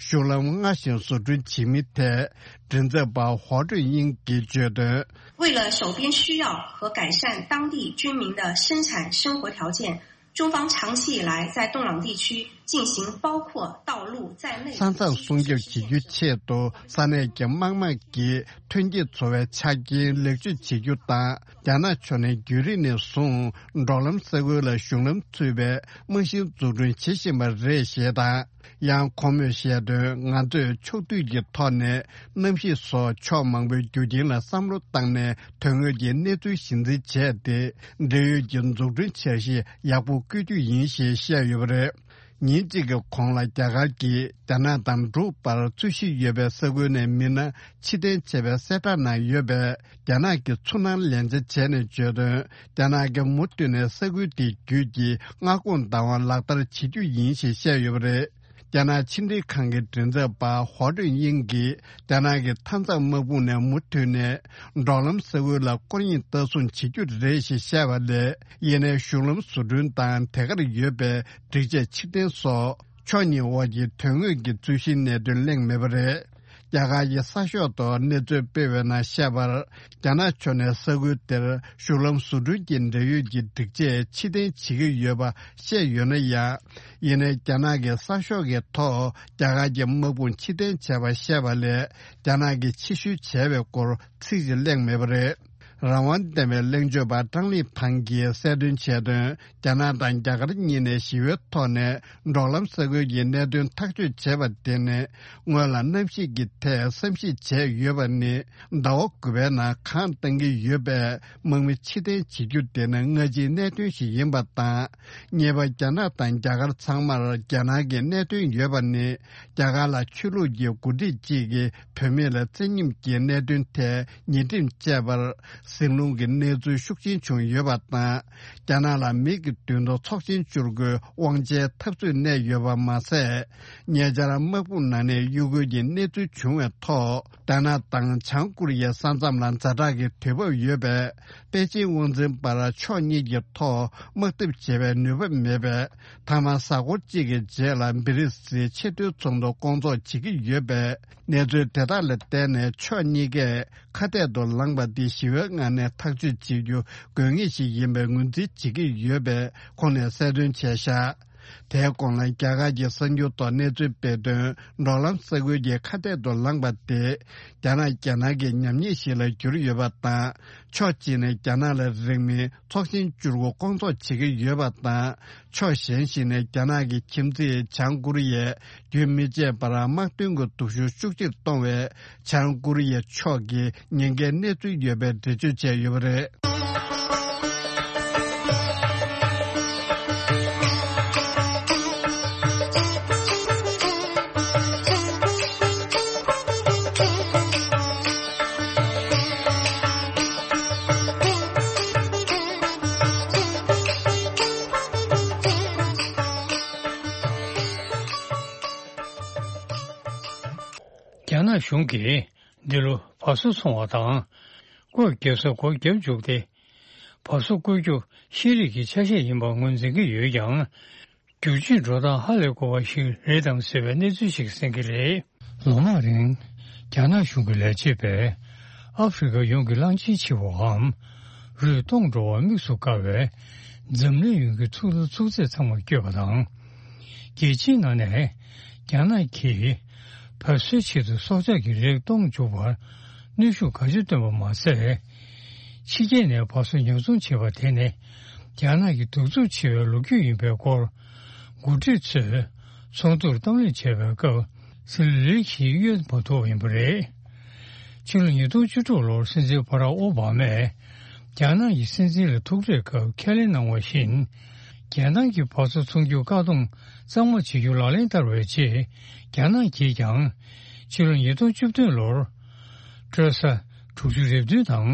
གཞུང་ལམ་སྔར་བཞིན་བཟོ་སྐྲུན་བྱེད་མིན་ཐད། མགྲིན་ཚབ་པ་ཧོ་ཀྲུན་དབྱིང་གིས་བརྗོད་དོན། 为了首边需要和改善当地居民的生产生活条件，中方长期以来在洞朗地区进行包括道路在内的基础设施建设。 ས་མཚམས་སྲུང་སྐྱོབ་བྱེད་རྒྱུའི་ཆེད་དུ་ས་གནས་ཀྱི་དམག་དམངས་ཀྱི་ཐོན་སྐྱེད་འཚོ་བའི་ཆ་རྐྱེན་ལེགས་བཅོས་བྱེད་རྒྱུ་དང་། རྒྱ་ནག་ཕྱོགས་ནས་རྒྱུན་རིང་ནས་བཟུང་འབྲོག་ལམ་ས་ཁུལ་ལ་གཞུང་ལམ་ཚུད་པའི་རྨང་གཞི་འཛུགས་སྐྲུན་བྱེད་བཞིན་པ་རེད་ཞེས་དང་། ཡང་ཁོང་མོས་བཤད་དོན། ང་ཚོས་ཕྱོགས་བསྡུས་ཀྱི་ཐོག་ནས་གནམ་གཤིས་སོགས་ཕྱོགས་མང་པོའི་རྒྱུ་རྐྱེན་ལ་བསམ་བློ་བཏང་ནས་དོན་དངོས་ཀྱི་གནས་ཚུལ་གཞི་འཛིན་བྱས་ཏེ། འབྲེལ་ཡོད་ཀྱི་འཛུགས་སྐྲུན་འཆར་གཞི་ཡག་པོ་བཀོད་རྒྱུ་ཡིན་ཞེས་བཤད་ཡོད་པ་རེད། ཉིན་གཅིག་གི་གོང་ལ་རྒྱ་གར་གྱིས་རྒྱ་ནག་དང་འབྲུག་བར་རྩོད་གཞི་ཡོད་པའི་ས་ཁུལ་ནས་མི་སྣ་ཕྱིར་འཐེན་བྱས་པའི་གསལ་བསྒྲགས་གནང་ཡོད་པས། རྒྱ་ནག་གིས་ཚུར་སྣང་ལན་འཇལ་བྱས་ནས་བརྗོད་དོན། རྒྱ་ནག་གིས་མུ་མཐུད་ནས་ས་ཁུལ་དེ་བརྒྱུད་ཀྱི་མངའ་ཁོངས་བདག་དབང་ལག་བསྟར་བྱེད་རྒྱུ་ཡིན་ཞེས་བཤད་ཡོད་པ་རེད། རྒྱ་ནག་ཕྱི་འབྲེལ་ཁང་གི་མགྲིན་ཚབ་པ་ཧོ་ཀྲུན་དབྱིང་གིས། རྒྱ་ནག་གི་མཐའ་མཚམས་དམག་དཔུང་ནས་མུ་མཐུད་ནས་འབྲོག་ལམ་ས་ཁུལ་ལ་སྐོར་གཡེང་ལྟ་སྲུང་བྱེད་རྒྱུ་རེད་ཞེས་བཤད་པ་ལས། ཡིན་ནའི་གཞུང་ལམ་བཟོ་སྐྲུན་དང་དེ་གར་ཡོད་པའི་སྒྲིག་ཆས་ཕྱིར་འཐེན་སོགས་ཕྱོགས་གཉིས་དབར་གྱི་དོན་དངོས་ཀྱི་རྩོད་གཞིའི་གནད་དོན་གླེང་མེད་པ་རེད། རྒྱ་གར་གྱི་གསར་ཤོག་ཐོག་གནས་ཚུལ་སྤེལ་བའི་ནང་བཤད་པར། རྒྱ་ནག་ཕྱོགས་ནས་ས་ཁུལ་དེར་གཞུང་ལམ་བཟོ་སྐྲུན་གྱི་འབྲེལ་ཡོད་ཀྱི་སྒྲིག་ཆས་ཕྱིར་འཐེན་བྱེད་ཀྱི་ཡོད་པ་བཤད་ཡོད་ན་ཡང་། ཡིན་ནའི་རྒྱ་ནག་གི་གསར་ཤོག་གི་ཐོག་རྒྱ་གར་གྱི་དམག་དཔུང་ཕྱིར་འཐེན་བྱས་པ་བཤད་པ་ལས། རྒྱ་ནག་གིས་ཕྱིར་བཤོལ་བྱས་པའི་སྐོར་ཚིག་གཅིག་གླེང་མེད་པ་རེད། རང་དབང་ལྡན་པའི་གླེང་བརྗོད་པ་ཀྲང་ལི་ཕང་གིས་གསལ་སྟོན་བྱས་དོན། རྒྱ་ནག་དང་རྒྱ་གར་གཉིས་ནས་ཞི་བའི་ཐོག་ནས་འབྲོག་ལམ་ས་ཁུལ་གྱི་གནད་དོན་ཐག་གཅོད་བྱས་པ་དེ་ནི། སྔོན་ལ་གནམ་གཤིས་ཀྱི་ཐད་བསམ་གཞིག་བྱས་ཡོད་པ་ནི། ཟླ་བ་དགུ་པའི་ནང་གངས་བཏང་གི་ཡོད་པས། དམག་མི་ཕྱིར་འཐེན་བྱེད་རྒྱུ་དེ་ནི་སྔ་ཕྱིའི་གནད་དོན་ཞིག་ཡིན་པ་དང་། གཉིས་པ། རྒྱ་ནག་དང་རྒྱ་གར་ཚང་མར་རྒྱ་ནག་གི་གནད་དོན་ཡོད་པ་ནི། རྒྱ་གར་ལ་ཆོས་ལུགས་ཀྱི་འགོ་ཁྲིད་ཅིག་གིས་བུད་མེད་ལ་བཙན་ཉམས་ཀྱི་གནད་དོན་ཐད་ཉེས་ཁྲིམས་བཅད་པར་ཟིང་སློང་གི་གནས་ཚུལ་ཤུགས་ཆེན་བྱུང་ཡོད་པ་དང་། རྒྱ་ནག་ལ་མི་གི་མདུན་དུ་ཚོགས་ཆེན་བཅུ་དགུའི་དབང་ཆའི་འཐབ་རྩོད་གནས་ཡོད་པ་མ་ཟད། ཉེ་ཆར་དམག་དཔུང་ནང་ནས་གཡོ་འགུལ་གྱི་གནས་ཚུལ་བྱུང་བའི་ཐོག་རྒྱ་ནག་དང་བྱང་ཀོ་རི་ཡའི་ས་མཚམས་ལ་ཛ་དྲག་གི་དུས་བབ་ཡོད་པས། པེ་ཅིང་དབང་འཛིན་པར་ཕྱོགས་གཉིས་ཀྱི་ཐོག་དམག་འཐབ་བྱེད་པའི་ནུས་པ་མེད་པས། མཐའ་མ་གཟའ་འཁོར་གཅིག་གི་རྗེས་ལ་བི་རིགས་ཆེས་མཐོའི་ཚོགས་འདུ་བསྐོང་ཚོགས་བྱེད་ཀྱི་ཡོད་པས། གནས་ཚུལ་དེ་དག་ལ་བརྟེན་ནས་ཕྱོགས་གཉིས་ཀས་ཁ་གཏད་དུ་ལངས་པ་འདི་ཞི་བའི་ངང་ནས་ཐག་གཅོད་བྱེད་རྒྱུ་དགོས་ངེས་ཤིག་ཡིན་པའི་ངོས་འཛིན་བྱེད་ཀྱི་ཡོད་པས། ཁོང་ནས་གསལ་སྟོན་བྱས་བཞག་དེའི་གོང་ལ་རྒྱ་གར་གྱི་གསར་འགྱུར་ཐོག་གནས་ཚུལ་སྤེལ་དོན། འབྲོག་ལམ་ས་ཁུལ་གྱི་ཁ་གཏད་དུ་ལངས་པ་དེ། རྒྱ་ནག་རྒྱལ་ནང་གི་ཉམས་ཉེས་ཤིག་ལ་གྱུར་ཡོད་པ་དང་། ཕྱོགས་གཅིག་ནས་རྒྱ་ནག་ལ་རིང་མིན་ཚོགས་ཆེན་བཅུ་དགུ་སྐོང་ཚོགས་བྱེད་ཀྱི་ཡོད་པ་དང་། ཕྱོགས་གཞན་ཞིག་ནས་རྒྱ་ནག་གི་ཁྱིམ་མཚེས་བྱང་ཀོ་རི་ཡས་རྒྱུན་མི་ཆད་པར་དམག་དོན་གྱི་སྡུག་ཤུགས་ཤུགས་ཆེར་གཏོང་བའི་བྱང་ཀོ་རི་ཡ་ཕྱོགས་ཀྱི་ཉེན་ཁའི་གནས་ཚུལ་ཡོད་པའི་འགྲེལ་བརྗོད་བྱས་ཡོད་པ་རེད། རྒྱ་ནག་གཞུང་གིས་འདི་ལོ་བ་སོ་འཚོང་བ་དང་། བཀོད་རྒྱབ་ས་སྒོ་བརྒྱབ་བཅུག་སྟེ། བ་སོ་བཀོལ་རྒྱུ་ཤེས་རིག་གི་ཆ་ཤས་ཡིན་པ་ངོས་འཛིན་གྱི་ཡོད་ཀྱང་། བསྒྱུར་བཅོས་འགྲོ་སྟངས་ཧ་ལས་དགོས་པ་ཞིག་རེད་དམ་ཟེར་བའི་གནས་ཚུལ་ཞིག་གསན་གྱི་རེད། ལོ་མང་རིང་། རྒྱ་ནག་གཞུང་གི་ལས་བྱེད་པས་ཨ་ཧྥེ་རི་ཁ་ཡོངས་ཀྱི་གླང་ཆེན་བྱེ་བའམ་རུས་སྟོངས་འགྲོ་བ་དམིགས་སུ་བཀར་བའི་འཛམ་གླིང་ཡོངས་ཀྱི་ཚུགས་ལ་ཚུགས་ཚད་ཚང་མ་བསྐྱོད་པ་དང་། རྒྱལ་སྤྱིའི་ནང་ནས་རྒྱ་ནག་གིས་བ་སོའི་ཆེད་དུ་སྲོག་ཆགས་ཀྱི་རིགས་སྟོངས་འཇུག་པར་གནོན་ཤུགས་གང་ཆེ་བཏོན་པ་མ་ཟད། ཕྱི་རྒྱལ་ནས་བ་སོ་ཉོ་ཚོང་བྱེད་པ་དེ་ནི་རྒྱ་ནག་གི་གདུག་རྩུབ་ཆེ་བའི་ལོ་རྒྱུས་ཡིན་པའི་སྐོར་འགོ་ཁྲིད་ཚོས་ཚོགས་འདུར་གཏམ་གླེང་བྱས་པའི་སྐབས་སྲིད་བློན་ཞིག་གཡོལ་མ་ཐུབ་པ་ཡིན་པ་རེད། ཕྱི་ལོ་ཉིས་སྟོང་བཅུ་དྲུག་ལོར་སྲིད་འཛིན་བྷ་རག་ཨོ་བྷ་མས་རྒྱ་ནག་གི་སྲིད་འཛིན་ལ་ཐུག་འཕྲད་སྐབས་ཁས་ལེན་གནང་བ་བཞིན། རྒྱལ་ནང་གི་བ་སོ་འཚོང་རྒྱུར་བཀག་སྡོམ་གཙང་མ་བྱེད་རྒྱུ་ལག་ལེན་བསྟར་བའི་རྗེས། རྒྱ་ནག་གིས་ཀྱང་ཕྱི་ལོ་ཉིས་སྟོང་བཅུ་བདུན་ལོར་སྤྲོད་ས་དྲུག་ཅུ་རེ་བདུན་དང་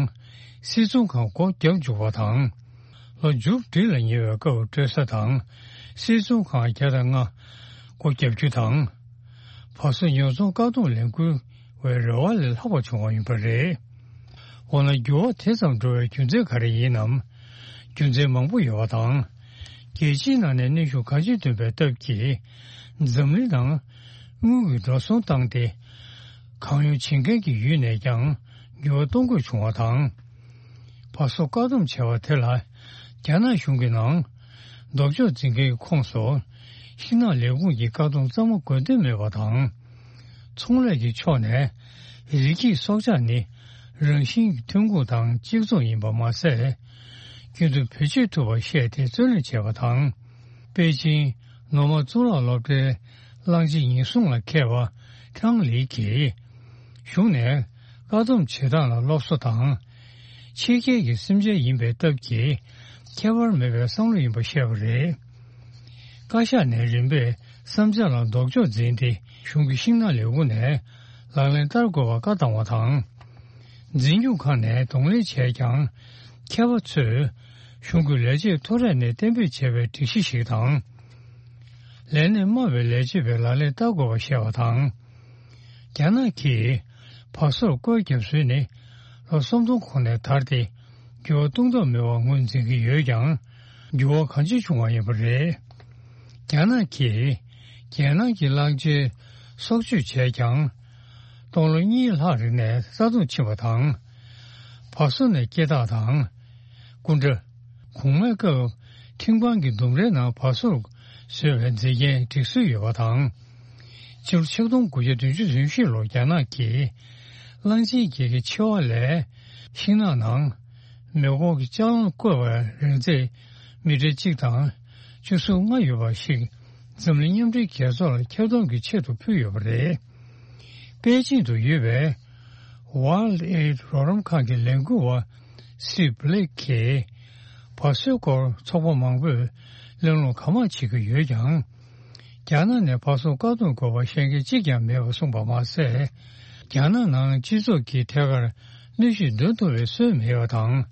སིལ་ཚོང་ཁང་སྒོ་བརྒྱབ་འཇུག་པ་དང་། ལོ་མཇུག་སྒྲིལ་ལ་ཉེ་བའི་སྐབས་སྤྲོད་ས་དང་སིལ་ཚོང་ཁང་བརྒྱ་དང་ལྔ་སྒོ་བརྒྱབ་རྒྱུ་དང་། བ་སོ་ཉོ་ཚོང་བཀག་སྡོམ་ལས་འགུལ་བའི་རེ་བ་ལས་ལྷག་པ་བྱུང་བ་ཡིན་པ་རེད། འོ་ན་འགྱུར་བ་དེ་ཙམ་འགྲོ་བའི་རྒྱུ་མཚན་ག་རེ་ཡིན་ནམ། རྒྱུ་མཚན་མང་པོ་ཡོད་པ་དང་། རྒྱལ་སྤྱིའི་ནང་ནས་གནོན་ཤུགས་གང་ཅི་བཏོན་པའི་སྟབས་ཀྱིས། འཛམ་གླིང་ནང་དངུལ་གྱི་འགྲོ་སོང་བཏང་སྟེ། གང་ཡོང་བྱེད་མཁན་གྱི་ཡུལ་ནས་ཀྱང་འགྱུར་བ་གཏོང་དགོས་བྱུང་བ་དང་། བ་སོ་བཀག་སྡོམ་བྱས་པ་དེ་ལ་རྒྱ་ནག་གཞུང་གི་ནང་ལྡོག་ཕྱོགས་འཛིན་མཁན་གྱི་ཁོངས་སུ་ཤིང་ནགས་ལས་ཁུངས་ཀྱིས་བཀག་སྡོམ་གཙང་མ་དགོས་འདུན་མེད་པ་དང་། ཚོང་ལས་ཀྱི་ཕྱོགས་ནས་རི་སྐྱེས་སྲོག་ཆགས་ནི་རང་བཞིན་གྱི་ཐོན་ཁུངས་དང་གཅིག་མཚུངས་ཡིན་པ་མ་ཟད། རྒྱུན་དུ་བེད་སྤྱོད་ཐུབ་པར་བཤད་དེ་རྩོད་གླེང་བྱས་པ་དང་། པེ་ཅིང་ནོར་མ་གཙུག་ལག་སློབ་གྲྭའི་གླང་ཆེན་ཉེན་སྲུང་ལ་མཁས་པ་ཀྲང་ལི་གིས། གཞུང་ནས་བཀག་སྡོམ་བྱེད་སྟངས་ལ་སློབ་གསོ་དང་། ཕྱི་རྒྱལ་གྱི་སེམས་ཅན་ཡིན་པའི་སྟབས་ཀྱིས་ཁྱད་པར་མེད་པའི་བསམ་བློ་ཡིན་པ་བཤད་པ་རེད། བཀའ་ཤག་ནས་རིམ་པས་བསམ་འཆར་ལ་ལྡོག་ཕྱོགས་འཛིན་ཏེ་གཞུང་གི་ཤིང་ནགས་ལས་ཁུངས་ནས་ལག་ལེན་བསྟར་དགོས་པར་བཀའ་བཏང་བ་དང་། འཛིན་སྐྱོང་ཁང་ནས་གདོང་ལེན་བྱས་ཀྱང་མཁས་པ་ཚོས་གཞུང་གི་ལས་བྱེད་ཐོ་རས་ནས་གཏན་འབེབས་བྱས་པའི་སྒྲིག་གཞི་ཞིག་དང་། ལས་གནས་དམའ་བའི་ལས་བྱེད་པས་ལག་ལེན་བསྟར་དགོས་པ་བཤད་པ་དང་། རྒྱ་ནག་གིས་བ་སོར་བཀོད་རྒྱབ་སྲོལ་ནི་ལོ་སུམ་སྟོང་གོང་ནས་དར་ཏེ་འགྱུར་བ་གཏོང་ཐབས་མེད་པར་ངོས་འཛིན་གྱི་ཡོད་ཀྱང་འགྱུར་བ་གང་ཅི་བྱུང་བ་ཡིན་པ་རེད། རྒྱ་ནག་གིས་རྒྱལ་ནང་གི་གླང་ཆེན་སྲོག་གཅོད་བྱས་ཀྱང་སྟོང་ལོ་གཉིས་ལྷག་རིང་ནས་རྩ་སྟོངས་ཕྱིན་པ་དང་། བ་སོ་ནས་སྐྱེ་རྟགས་དང་། སྐུ་འདྲ། གོང་མའི་སྐབས་ཁྲིམས་ཁང་གི་ལྡུམ་རའི་ནང་བ་སོར་བཟོས་པའི་མཛེས་རྒྱན་སྒྲིག་སྲོལ་ཡོད་པ་དང་། ཕྱི་ལོ་ཆིག་སྟོང་དགུ་བརྒྱ་བདུན་ཅུ་དོན་བཞི་ལོར་རྒྱ་ནག་གིས་གླང་ཆེན་བརྒྱད་ཀྱི་མཆེ་བ་ལས་ཤིང་ནགས་ནང་མེ་འཁོར་གྱི་ལྕགས་སླང་བཀོད་པའི་རིང་ཚད་མི་ཊར་གཅིག་དང་བཅུ་གསུམ་ལྔ་ཡོད་པ་ཞིག་འཛམ་གླིང་མཉམ་འབྲེལ་རྒྱལ་ཚོགས་ལ་ཁྱབ་གདལ་གྱི་ཆེད་དུ་ཕུལ་ཡོད་པ་རེད། པེ་ཅིང་དུ་ཡོད་པའི་World Aid རོགས་རམ་ཁང་གི་ལས་འགུལ་བ་སི་བྷི་ལེག་གིས་བ་སོའི་སྐོར་ཚོགས་པ་མང་པོས་གླེང་སློང་གང་མང་བྱེད་ཀྱི་ཡོད་ཀྱང་། རྒྱ་ནག་ནས་བ་སོ་བཀག་སྡོམ་དགོས་པ་བཤད་མཁན་གཅིག་ཀྱང་མེད་པ་གསུངས་པ་མ་ཟད། རྒྱ་ནག་ནང་སྤྱི་ཚོགས་ཀྱི་ཐད་ཀར་གནོན་ཤུགས་འདོན་ཐུབ་པའི་སྲོལ་མེད་པ་དང་།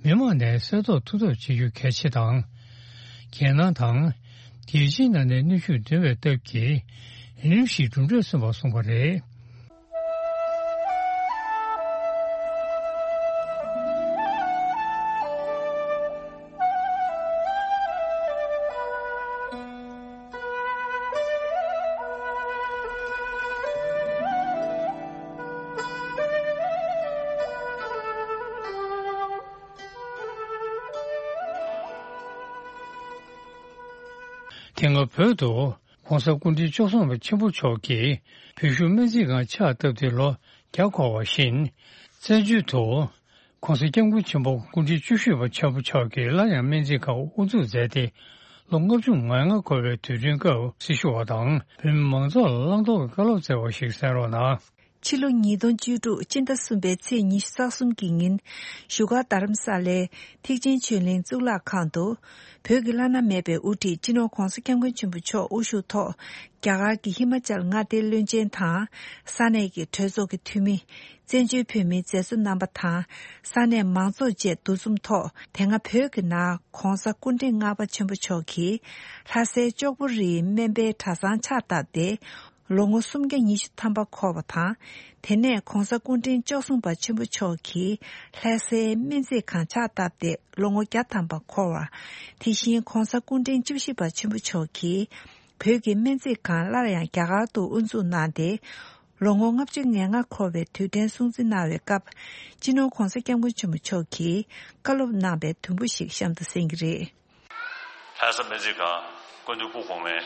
མི་མང་ནས་གསལ་རྟོགས་ཐུབ་ཐབས་བྱེད་རྒྱུ་གལ་ཆེ་དང་། རྒྱལ་ནང་དང་རྒྱལ་སྤྱིའི་ནང་ནས་གནོན་ཤུགས་འདོན་པའི་སྟབས་ཀྱིས་རིམ་བཞིན་གྲུབ་འབྲས་སོན་པ་གསུངས་པ་རེད། དེ་སྔ་བོད་དུ་༸གོང་ས་སྐུ་ཕྲེང་བཅུ་གསུམ་པ་ཆེན་པོ་མཆོག་གིས་བོད་བཞུགས་སྨན་རྩིས་ཁང་ཕྱག་བཏབ་སྟེ་ལོ་བརྒྱ་འཁོར་བ་བཞིན། བཙན་བྱོལ་དུ་༸གོང་ས་༸སྐྱབས་མགོན་ཆེན་པོ་སྐུ་ཕྲེང་བཅུ་བཞི་པ་ཆེན་པོ་མཆོག་གིས་སླར་ཡང་སྨན་རྩིས་ཁང་དབུ་འཛུགས་མཛད་དེ་ལོ་ལྔ་བཅུ་ང་ལྔ་འཁོར་བའི་དུས་དྲན་སྐབས་སྲི་ཞུ་བ་དང་བོད་མི་མང་ཚོགས་ལ་བླང་དོར་གྱི་བཀའ་སློབ་སྩལ་བ་ཞིག་གསན་རོགས་གནང་། ཕྱི་ལོ་ཉིས་སྟོང་བཅུ་དྲུག་སྤྱི་ཟླ་གསུམ་པའི་ཚེས་ཉི་ཤུ་རྩ་གསུམ་གྱི་ཉིན། བཞུགས་སྒར་རྡ་རམ་ས་ལའི་ཐེག་ཆེན་ཆོས་གླིང་གཙུག་ལག་ཁང་དུ། བོད་ཀྱི་བླ་ན་མེད་པའི་དབུ་ཁྲིད་སྤྱི་ནོར་༸གོང་ས་༸སྐྱབས་མགོན་ཆེན་པོ་མཆོག་དབུ་བཞུགས་ཐོག་རྒྱ་གར་གྱི་ཧི་མ་ཅལ་མངའ་སྡེའི་བློན་ཆེན་དང་། ས་གནས་ཀྱི་གྲོས་ཚོགས་ཀྱི་འཐུས་མི། བཙན་བྱོལ་བོད་མིའི་མཛད་གཙོ་རྣམ་པ་དང་། ས་གནས་མང་ཚོགས་བཅས་འདུ་འཛོམས་ཐོག་དེ་སྔ་བོད་ཀྱི་ནང་༸གོང་ས་སྐུ་ཕྲེང་ལྔ་པ་ཆེན་པོ་མཆོག་གིས་ལྷ་སའི་ལྕོག་པོ་རིའི་སྨན་པའི་གྲྭ་ཚང་ཕྱག་བཏབ་སྟེ། ལོ་ངོ་སུམ་བརྒྱ་ཉི་ཤུ་ཐམ་པ་འཁོར་བ་དང་། དེ་ནས་༸གོང་ས་སྐུ་ཕྲེང་བཅུ་གསུམ་པ་ཆེན་པོ་མཆོག་གིས་ལྷ་སའི་སྨན་རྩིས་ཁང་ཕྱག་བཏབ་སྟེ་ལོ་ངོ་བརྒྱ་ཐམ་པ་འཁོར་བ། དེ་བཞིན་༸གོང་ས་སྐུ་ཕྲེང་བཅུ་བཞི་པ་ཆེན་པོ་མཆོག་གིས་བོད་ཀྱི་སྨན་རྩིས་ཁང་སླར་ཡང་རྒྱ་གར་དུ་དབུ་འཛུགས་གནང་སྟེ། ལོ་ངོ་ལྔ་བཅུ་ང་ལྔ་འཁོར་བའི་དུས་དྲན་སྲུང་བརྩི་གནང་བའི་སྐབས། སྤྱི་ནོར་༸གོང་ས་༸སྐྱབས་མགོན་ཆེན་པོ་མཆོག་གིས་བཀའ་སློབ་གནང་བའི་དུམ་བུ་ཞིག་གཤམ་དུ་གསན་གྱི་རེད། ལྷ་ས་སྨན་རྩིས་ཁང་སྐུ་མདུན་སྐུ་གོང་མས་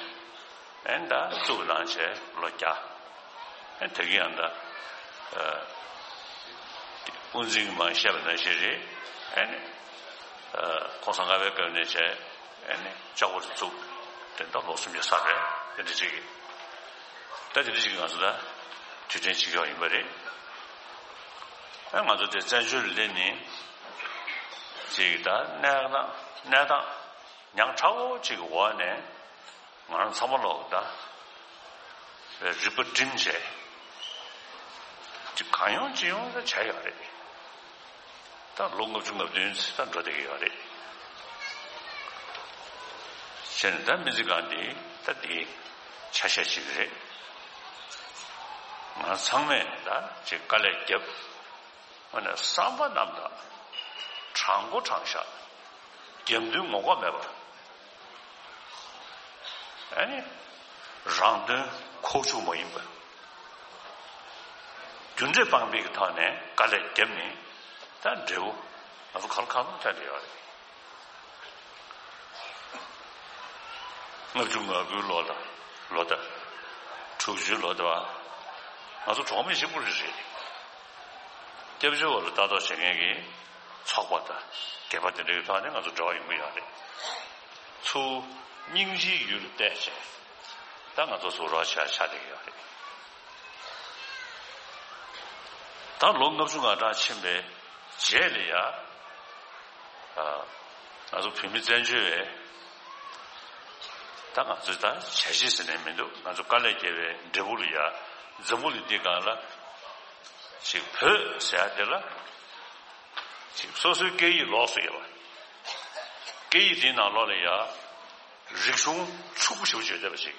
ཨེ་ད་བཙུགས་གནང་བྱས་ལོ་བརྒྱ། ཨེ་ད་གིན་ཡང་ད་ཨ་དབུ་འཛིན་གྱིས་མར་བཤད་པ་ནང་བཞིན་རེད། ཨེ་ནི་ཨ་༸གོང་ས་ལྔ་པའི་སྐབས་ནས་བྱས་ཨེ་ནི་ལྕགས་པོ་རུ་བཙུགས་དེ་ད་ལོ་སུམ་བརྒྱ་ཚར་བས་དེ་འདྲ་ཅིག་གིས་ད་དེ་འདྲ་ཅིག་གིས་ང་ཚོ་ད་དུས་དྲན་བྱེད་ཀྱི་ཡོད་པ་རེད། ཨེ་ང་ཚོ་དེ་བཙན་བྱོལ་ལ་ནི་ཅིག་ད་གནས་སྟངས་གནས་སྟངས་ཉག་ཕྲ་བོ་ཅིག་གི་འོག་ནས་ང་རང་ཚང་མ་ལོག་ད་རིག་པ་བསྒྲིམས་བྱས་ཅིག་གང་ཡོང་ཅི་ཡོང་ད་བྱས་ཡོད་རེད། ད་ལོ་ལྔ་བཅུ་ང་བདུན་ཙམ་ད་འགྲོ་བསྡད་ཀྱི་ཡོད་རེད། བྱས་ནས་ད་སྨན་རྩིས་ཁང་འདི་ད་འདི་ཆ་ཤས་ཅིག་རེད། ང་ཚང་མས་ད་ཅིག་དཀའ་ལས་བརྒྱབ། ཨ་ནི་བསམ་པ་རྣམ་དག་དྲང་པོ་དྲང་བཞག་རྒྱབ་མདུན་ངོ་ལྐོག་མེད་པ། ཨ་ནི་རང་དོན་ཁོག་ཆུག་མ་ཡིན་པ། རྒྱུ་འབྲས་སྤངས་པའི་ཐོག་ནས་དཀའ་ལས་བརྒྱབ་ནས་ད་འབྲས་བུ་ང་ཚོ་ག་ལ་གང་འཚམ་ཐོན་བསྡད་ཡོད་རེད། ལྔ་བཅུ་ང་དགུའི་ལོ་ལ་ལོ་ཟླ། དྲུག་ཅུའི་ལོ་ཟླ་བ། ང་ཚོ་གྲོགས་མེད་གཅིག་པུ་རེད་རེད། སྐྱབས་བཅོལ་བ་ལ་ལྟ་རྟོག་བྱེད་མཁན་གྱི་ཚོགས་པ་དང་སྒེར་པ་དེ་འདྲའི་ཐོག་ནས་ང་ཚོ་འབྲེལ་བ་ཡོང་གི་ཡོད་རེད། ཚུར་སྙིང་རྗེའི་ཡུལ་ལ་བལྟས་བྱས་ད་ང་ཚོ་ཟུར་རོགས་བྱས་ཆགས་བསྡད་ཀྱི་ཡོད་རེད། ད་ལོ་ལྔ་བཅུ་ང་གྲངས་ཕྱིན་པའི་རྗེས་ལ་ཡ། ང་ཚོ་བོད་མི་བཙན་བྱོལ་བས་ད་ང་ཚོས་ད་བྱས་རྗེས་ཟེར་ནས་མི་འདུག་ང་ཚོ་དཀའ་ལས་བརྒྱབ་པའི་འབྲས་བུ་ལ་ཡ་འཛམ་བུ་གླིང་འདི་སྒང་ལ་ཅིག་བོད་ཟེར་ཡ་དེ་ལ་ཅིག་སོ་སོའི་སྐད་ཡིག་ལོགས་སུ་ཡོད་པ། སྐད་ཡིག་དེའི་ནང་ལོགས་ལ་ཡ་རིག་གཞུང་ཕྱུག་པོ་ཞེ་པོ་ཅིག་ཡོད་བསྡད་པ་ཅིག་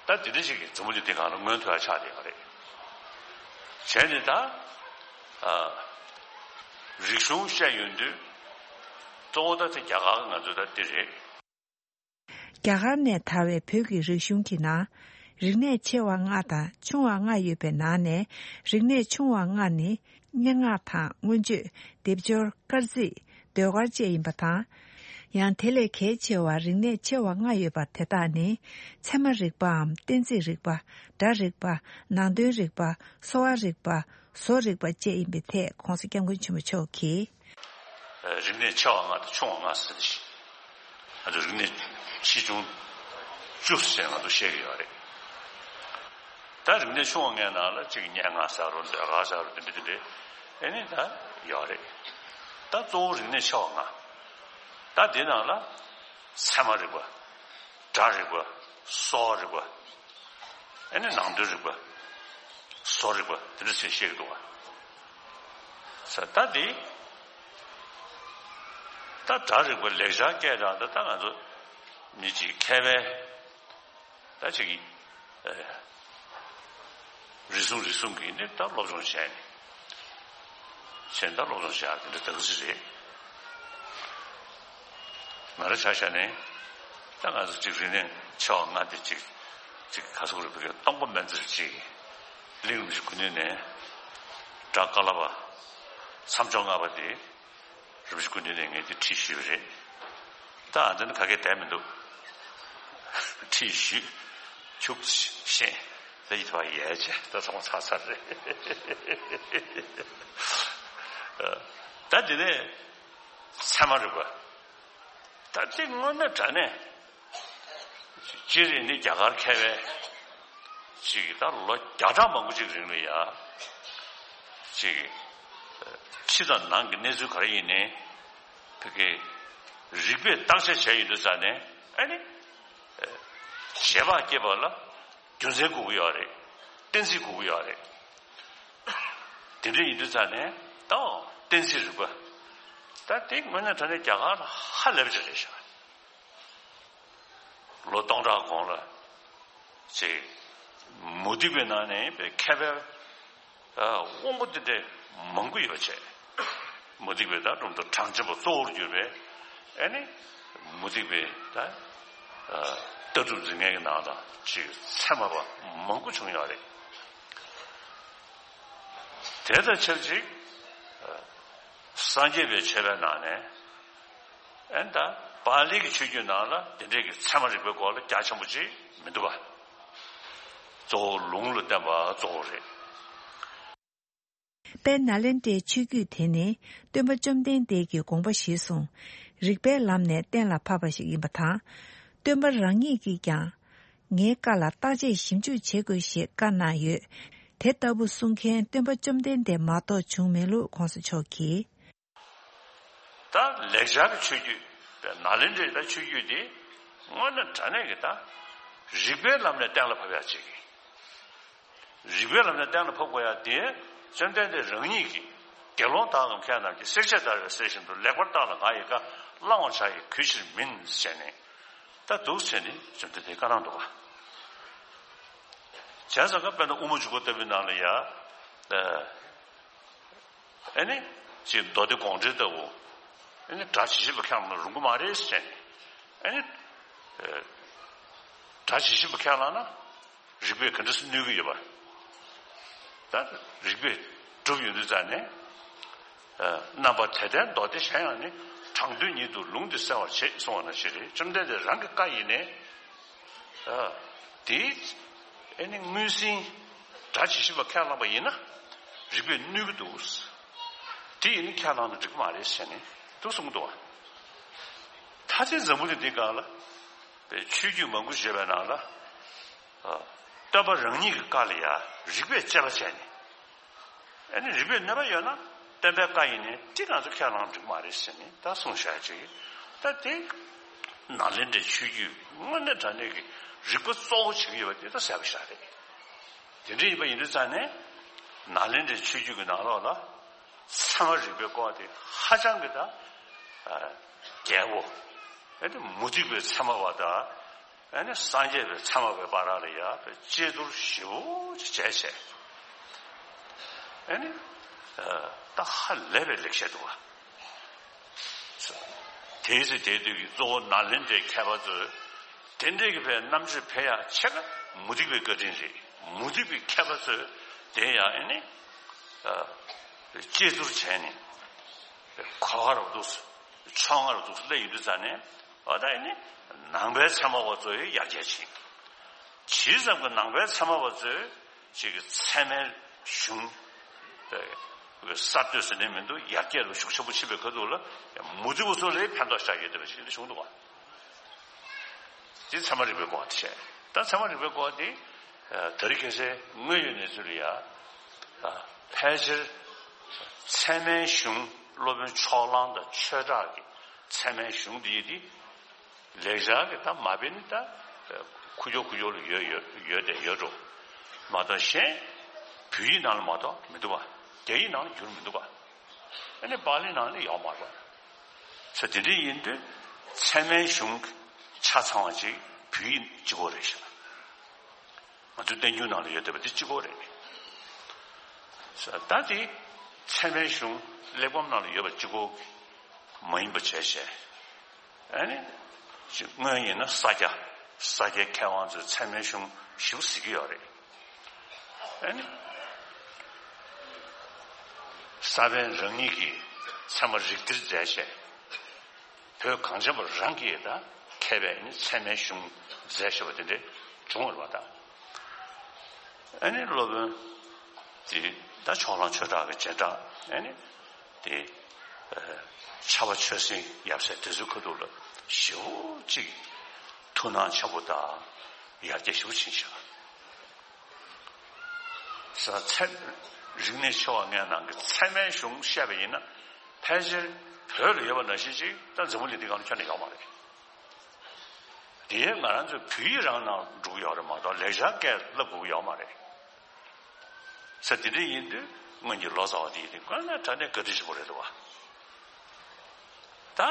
ད་དེ་འདྲ་ཞིག་གིས་འཛམ་བུ་གླིང་འདི་སྒང་ལ་མངོན་ཐུབ་ཡ་ཆགས་བསྡད་ཡོད་རེད། བྱས་ནས་ད་ཨ་རིག་གཞུང་བཤད་ཡོང་དུས་གཙོ་བོ་ད་དེ་རྒྱ་གར་གྱི་ང་ཚོ་ད་འདི་རེད། རྒྱ་གར་ནས་དར་བའི་བོད་ཀྱི་རིག་གཞུང་གི་ནང་རིག་གནས་ཆེ་བ་ལྔ་དང་ཆུང་བ་ལྔ་ཡོད་པའི་ནང་ནས་རིག་གནས་ཆུང་བ་ལྔ་ནི། སྙན་ངག་དང་མངོན་བརྗོད། སྡེབ་སྦྱོར། སྐར་རྩིས། ཟློས་གར་བཅས་ཡིན་པ་དང་། ཡང་དེ་ལས་གལ་ཆེ་བ་རིག་གནས་ཆེ་བ་ལྔ་ཡོད་པ་དེ་དག་ནི། ཚད་མ་རིག་པའམ་གཏན་ཚིགས་རིག་པ། སྒྲ་རིག་པ། ནང་དོན་རིག་པ། གསོ་བ་རིག་པ། བཟོ་རིག་པ་བཅས་ཡིན་པའི་ཐད་༸གོང་ས་༸སྐྱབས་མགོན་ཆེན་པོ་མཆོག་གིས། རིག་གནས་ཆེ་བ་ལྔ་དང་ཆུང་བ་ལྔ་ཟེར་ཞིང་། ང་ཚོ་རིག་གནས་ཆེ་ཆུང་བཅུ་ཟེར་ང་ཚོ་བཤད་ཀྱི་ཡོད་རེད། ད་རིག་གནས་ཆུང་བ་ལྔའི་ནང་ལ་གཅིག་སྙན་ངག་ཟེར་རོ་ཟློས་གར་ཟེར་རོ་དེ་འདྲ་དེ་འདྲ་ཨེ་ནི་ད་ཡོད་རེད། ད་གཙོ་བོ་རིག་གནས་ཆེ་བ་ལྔ། ད་དེ་ནང་ལ་ཚད་མ་རིག་པ། སྒྲ་རིག་པ། གསོ་བ་རིག་པ། ཨེ་ནི་ནང་དོན་རིག་པ། བཟོ་རིག་པ་དེ་འདྲ་ཟེར་བཤད་ཀྱི་འདུག་བ། ས་ད་དེ། ད་སྒྲ་རིག་པ་ལེགས་སྦྱར་སྐད་གྲགས་ད་ད་ང་ཚོ་མི་གཅིག་མཁས་པའི་ད་ཅིག་གིས་ཨེ་རིག་གཞུང་རིག་གཞུང་གི་ནི་ད་སློབ་སྦྱོང་བྱས་ནས་བྱས་ད་སློབ་སྦྱོང་བྱས་དེ་འདྲ་ད་ག་ཚོད་རེད། ང་རང་ཆ་བཞག་ནས་ད་ང་ཚོ་ཅིག་རིག་གནས་ཆེ་བ་ལྔ་དེ་ཅིག་ཅིག་ག་ཚོད་རེད་བོད་སྐད་སྟོང་པ་སྨན་རྩིས་ཅིག་གླིང་རིན་པོ་ཆེ་སྐུ་མདུན་ནས་སྒྲ་ཀ་ལ་པ་མཚམས་སྦྱོར་ལྔ་པ་དེ། རིན་པོ་ཆེ་སྐུ་མདུན་ནས་ངས་འདི་ཁྲིད་ཞུས་པ་རེད། ད་ཨ་འདི་ནི་ག་གེ་བསྡད་མི་འདུག་ཁྲིད་ཞུས། ཆུག་ཤེས། ད་ཡིད་བ་ཡལ་བྱས་ད་ཚང་མ་ཚར་ཚར་རེད། ད་དེ་ནས་ཚད་མ་རིག་པ། ད་དེ་དངོས་གནས་དྲང་གནས་སྤྱིར་ནི་རྒྱ་གར་མཁས་པའི་ཅིག་ད་ལོ་བརྒྱ་ཕྲག་མང་པོ་ཅིག་རིང་ལ་ཡ་ཅིག་ཕྱི་དང་ནང་གི་གནས་ཚུལ་ག་རེ་ཡིན་ནའི་བོད་ཀྱི་རིག་པས་བརྟག་དཔྱད་བྱས་ཡོད་དུས་ཙང་ནས་ཨ་ནི་རྗེས་དཔག་སྐྱེས་པ་ལ་རྒྱུ་མཚན་དགོས་ཀྱི་ཡོད་རེད། གཏན་ཚིགས་དགོས་ཀྱི་ཡོད་རེད། དེ་འདྲ་ཡིན་དུས་ཙང་ནས་ད་གཏན་ཚིགས་རིག་པ། ད་དེ་དངོས་གནས་དྲང་གནས་རྒྱ་གར་ལ་ཧ་ལས་པ་ཅིག་རེད་ཤག་ལོ་སྟོང་ཕྲག་གོང་ལ་ཅིག་མུ་སྟེགས་པའི་ནང་ནས་པའི་མཁས་པའི་དབང་པོ་འདི་འདྲ་མང་པོ་ཡོད་པ་བྱས། མུ་སྟེགས་པའི་ད་གྲུབ་མཐའ་གྲངས་ཅན་པ་གཙོ་བོར་གྱུར་པའི་ཨ་ནི་མུ་སྟེགས་པའི་ད་ལྟ་གྲུབ་འཛིན་མཁན་གྱི་ནང་ལ་ཅིག་ཚད་མ་པ་མང་པོ་བྱུང་ཡོད་རེད། དེ་དང་ཆབས་ཅིག་སངས་རྒྱས་པའི་ཆོས་པའི་ནང་ནས་ཨེ་ད་པཱ་ལི་གི་ཆོས་བརྒྱུད་ནང་ལ་དེ་འདྲས་ཀྱི་ཚད་མ་རིག་པའི་སྐོར་ལ་རྒྱ་ཆེན་པོ་ཅིག་མི་འདུག་པ། གཙོ་བོ་ལུང་ལ་བརྟེན་པ་གཙོ་བོ་རེད། དཔལ་ནཱ་ལེནྡྲའི་ཆོས་བརྒྱུད་དེ་ནི་སྟོན་པ་བཅོམ་ལྡན་འདས་ཀྱི་དགོངས་པ་གཞིར་བཟུང་། རིགས་པའི་ལམ་ནས་གཏན་ལ་ཕབ་པ་ཞིག་ཡིན་པ་དང་། སྟོན་པ་རང་ཉིད་ཀྱིས་ཀྱང་། ངའི་བཀའ་ལ་བརྟག་དཔྱད་ཞིབ་འཇུག་བྱེད་དགོས་ཞེས་བཀའ་གནང་ཡོད། དེ་ལྟ་བུ་གསུང་མཁན་སྟོན་པ་བཅོམ་ལྡན་འདས་མ་གཏོགས་བྱུང་མེད་ལུགས་གོང་ས་མཆོག་གིས། ད་ལེགས་སྦྱར་གྱི་ཆོས་བརྒྱུད་ནཱ་ལེནྡྲའི་ད་ཆོས་བརྒྱུད་དེ་དངོས་གནས་དྲང་གནས་ཀྱི་ད་རིགས་པའི་ལམ་ནས་གཏན་ལ་ཕབ་ཡག་ཅིག་རིགས་པའི་ལམ་ནས་གཏན་ལ་ཕབ་དགོས་ཡག་དེ་བཅོམ་ལྡན་འདས་རང་ཉིད་ཀྱིས་དགེ་སློང་དག་གམ་མཁས་རྣམས་ཀྱིས་བསྲེགས་བཅད་བརྡར་བའི་གསེར་བཞིན་དུ་ལེགས་པར་བརྟགས་ལ་ང་ཡི་བཀའ་བླང་བར་བྱ་ཡི་གུས་ཕྱིར་མིན་ཟེར་ནས་ད་འདུག་ཟེར་ནས་བཅོམ་ལྡན་འདས་བཀའ་གནང་འདུག་ག་བྱས་ཙང་ཀ་དཔེར་ན་དབུ་མ་འཇུག་པ་ལྟ་བུའི་ནང་ལ་ཡ། ཨེ་ནི། ཅིག་མདོ་སྡེ་དགོངས་འགྲེལ་ལྟ་བུ། ཨེ་ནི་སྒྲ་ཇི་བཞིན་པ་ཁས་བླངས་ན་རུང་གི་མ་རེད་ཟེར་ནས། ཨེ་ནི། སྒྲ་ཇི་བཞིན་པ་ཁས་བླངས་ན། རིགས་པས་ག་འདྲ་སེ་གནོད་ཀྱི་ཡོད་པ། ད་རིགས་པས་གྲུབ་ཡོང་དུས་ཙང་ནས། རྣམ་པ་དེ་ལྟའི་མདོ་སྡེ་གཞན་ཡང་ནི་དྲང་དོན་ཉིད་དུ་ལུང་འདི་གསལ་བར་བྱེད་གསུངས་པ་ནང་བཞིན་རེད། བཅོམ་ལྡན་འདས་རང་གི་བཀའ་ཡིན་ནའི། དེ་ཨེ་ནི་དངོས་ཟིན་སྒྲ་ཇི་བཞིན་པ་ཁས་བླངས་པ་ཡིན་ན་རིགས་པས་གནོད་ཀྱི་འདུག་དེ་ཡིན་ན་ཁས་བླངས་ན་འགྲིག་གི་མ་རེད་ཟེར་ནས་འདུག་གསུངས་འདུག་བ། ད་ཆ་འཛམ་བུ་གླིང་འདིའི་སྒང་ལ་པའི་ཆོས་བརྒྱུད་མང་པོ་ཞིག་ཡོད་པའི་ནང་ལ། སྟོན་པ་རང་ཉིད་ཀྱི་བཀའ་ལ་ཡང་རིགས་པས་དཔྱད་པ་བྱས་ནས། ཨ་ནི་རིགས་པས་གནོད་པ་ཡོད་ན་སྟོན་པའི་བཀའ་ཡིན་ནའི་དེ་ང་ཚོ་ཁས་བླངས་འགྲིག་མ་རེད་ཟེར་ནས་ད་གསུངས་བཞག་ཅིག་ད་དེ་ནཱ་ལེནྡྲའི་ཆོས་བརྒྱུད་དངོས་གནས་དྲང་གནས་ཀྱི་རིགས་པ་གཙོ་བོ་བྱེད་ཀྱི་ཡོད་པ་དེ་ད་གསལ་པོ་ཞིག་རེད། དེ་འདྲ་ཡིན་པ་ཡིན་དུས་ཙང་ནས་ནཱ་ལེནྡྲའི་ཆོས་བརྒྱུད་ཀྱི་ནང་ལོགས་ལ་ཚད་མ་རིག་པའི་སྐོར་དེ་ཧ་ཅང་གི་ད་རྒྱལ་པོ་ཨ་ནི་མུ་སྟེགས་པའི་ཚད་མ་བ་དང་། ཨ་ནི་སངས་རྒྱས་པའི་ཚད་མ་བའི་བར་ལ་ཡ་དཔེ་དཔྱད་བསྡུར་ཞིབ་པོ་ཅིག་བྱས་བྱས། ཨ་ནི་ད་ཧ་ལས་པའི་ལེགས་བཤད་འདུག་བ། དེའི་ཚེ་དེའི་དུས་ཀྱི་གཙོ་བོ་ནཱ་ལེནྡྲའི་མཁས་པ་ཚོས་དེ་འདྲའི་གི་པའི་རྣམ་དཔྱོད་འཕེལ་ཡག་ཆེ་ན་མུ་སྟེགས་པའི་བཀའ་དྲིན་རེད། མུ་སྟེགས་པའི་མཁས་པ་ཚོས་དེ་ཡང་ཨ་ནི་དཔྱད་བསྡུར་བྱས་ནས་གོ་བ་རུ་འདུག་ཕྱོགས་སྔ་རུ་འདུག་སླེབས་ཡོང་དུས་ཙང་ནས་ཨ་ད་ཨ་ནི་ནང་པའི་ཚད་མ་བ་ཚོ་ཡི་ཡར་རྒྱས་ཕྱིན། ཇི་ཙམ་གྱི་ནང་པའི་ཚད་མ་བ་ཚོས་ཅིག་གི་ཚད་མའི་གཞུང་གསར་གཏོད་ཟེར་ནས་མི་འདུག་ཡར་རྒྱས་ལ་ཤུགས་ཆེན་པོ་ཕྱིན་པའི་ཁ་ཐུག་ལ་མུ་སྟེགས་པ་ཚོ་ལ་ཕན་ཐོགས་བཞག་ཡོད་བསྡད་པ་ཞིག་འདི་བྱུང་འདུག་བ། འདི་ཚད་མ་རིག་པའི་སྐོར་དེ་བྱས། ད་ཚད་མ་རིག་པའི་སྐོར་དེ་ད་རེས་ཁ་སང་དངོས་ཡོད་གནས་ཚུལ་ལ་ཡ། ཕལ་ཆེར་ཚད་མའི་གཞུང་སློབ་དཔོན་ཕྱོགས་གླང་དང་ཆོས་གྲགས་ཀྱི་ཚད་མའི་གཞུང་འདི་ཡི་དེ། ལེགས་སྦྱར་གྱི་ད་མ་དཔེ་ནི་ད་ཁུ་བྱོག་ཁུ་བྱོག་ལ་ཡོད་ཡོད་ཡོད་དེ་ཡོད་འགྲོ། མ་གཏོགས་གཞན་བོད་ཡིག་ནང་ལ་མ་གཏོགས་མི་འདུག་པ། རྒྱ་ཡིག་ནང་ལ་བསྒྱུར་མི་འདུག་པ། ཨ་ནི་པཱ་ལི་ནང་ལ་ཡོད་མ་རེད། ས་དེ་འདྲ་ཡིན་དུས་ཚད་མའི་གཞུང་ཆ་ཚང་བ་ཅིག་བོད་ཡིག་གཅིག་པོ་རེད་ཤག་ང་ཚོའི་བསྟན་འགྱུར་ནང་ལ་ཡོད་བསྡད་པ་འདི་གཅིག་པོ་རེད། ད་དེ་ཚད་མའི་གཞུང་གླེགས་བམ་ནང་ལ་ཡོད་པ་གཅིག་པོ་མ་ཡིན་པ་བྱས་བྱས། ཨ་ནི། སྔོན་ཡིན་ན་ས་སྐྱ། ས་སྐྱའི་མཁས་དབང་ཚོས་ཚད་མའི་གཞུང་ཞིབ་གཟིགས་ཀྱི་ཡོད་རེད། ཨ་ནི། ས་པཎ་རང་ཉིད་ཀྱིས་ཚད་མ་རིགས་གཏེར་མཛད་བྱས། བོད་གངས་ཅན་པ་རང་གིས་ད་ ཕལ་པའི་ཚད་མའི་གཞུང་མཛད་བཞག་པ་དེ་འདྲ་བྱུང་བ་རེད་པ། ད་ཨ་ནི་སློབ་དཔོན་དེ་ད་ཕྱོགས་གླང་ཆོས་གྲགས་ཀྱི་རྗེས་འབྲང་ཨ་ནི་དེ་ཕྱྭ་པ་ཆོས་སེང་ཡབ་སྲས་དེ་ཚོའི་ཁ་ཐུག་ལ་ཞེ་པོ་ཅིག་ཐུགས་སྣང་ཆེན་པོ་དང་ཡར་རྒྱས་ཞེ་པོ་ཕྱིན་ཤག་ས་ཚད། རིག་གནས་ཆེ་བ་ལྔའི་ནང་གི་ཚད་མའི་གཞུང་བཤད་པ་ཡིན་ན། ཕལ་ཆེར་བོད་ལ་ཡོད་པ་ནང་བཞིན་ཅིག་ད་འཛམ་བུ་གླིང་འདི་སྒང་ལ་ཁྱོན་ནས་ཡོད་མ་རེད། དེ་ང་རང་ཚོའི་བོད་ཡིག་རང་ནང་འགྲོ་གི་ཡོད་རེད་མ་གཏོགས་ལེགས་སྦྱར་སྐད་བསླབ་དགོས་ཀྱི་ཡོད་མ་རེད། ས་དེ་འདྲ་ཡིན་དུས་སྔོན་གྱི་ལོ་ཙཱ་བ་དེ་ཡིན་དུས་དངོས་གནས་དྲང་གནས་བཀའ་དྲིན་ཆེན་པོ་རེད་འདུག་བ། ད་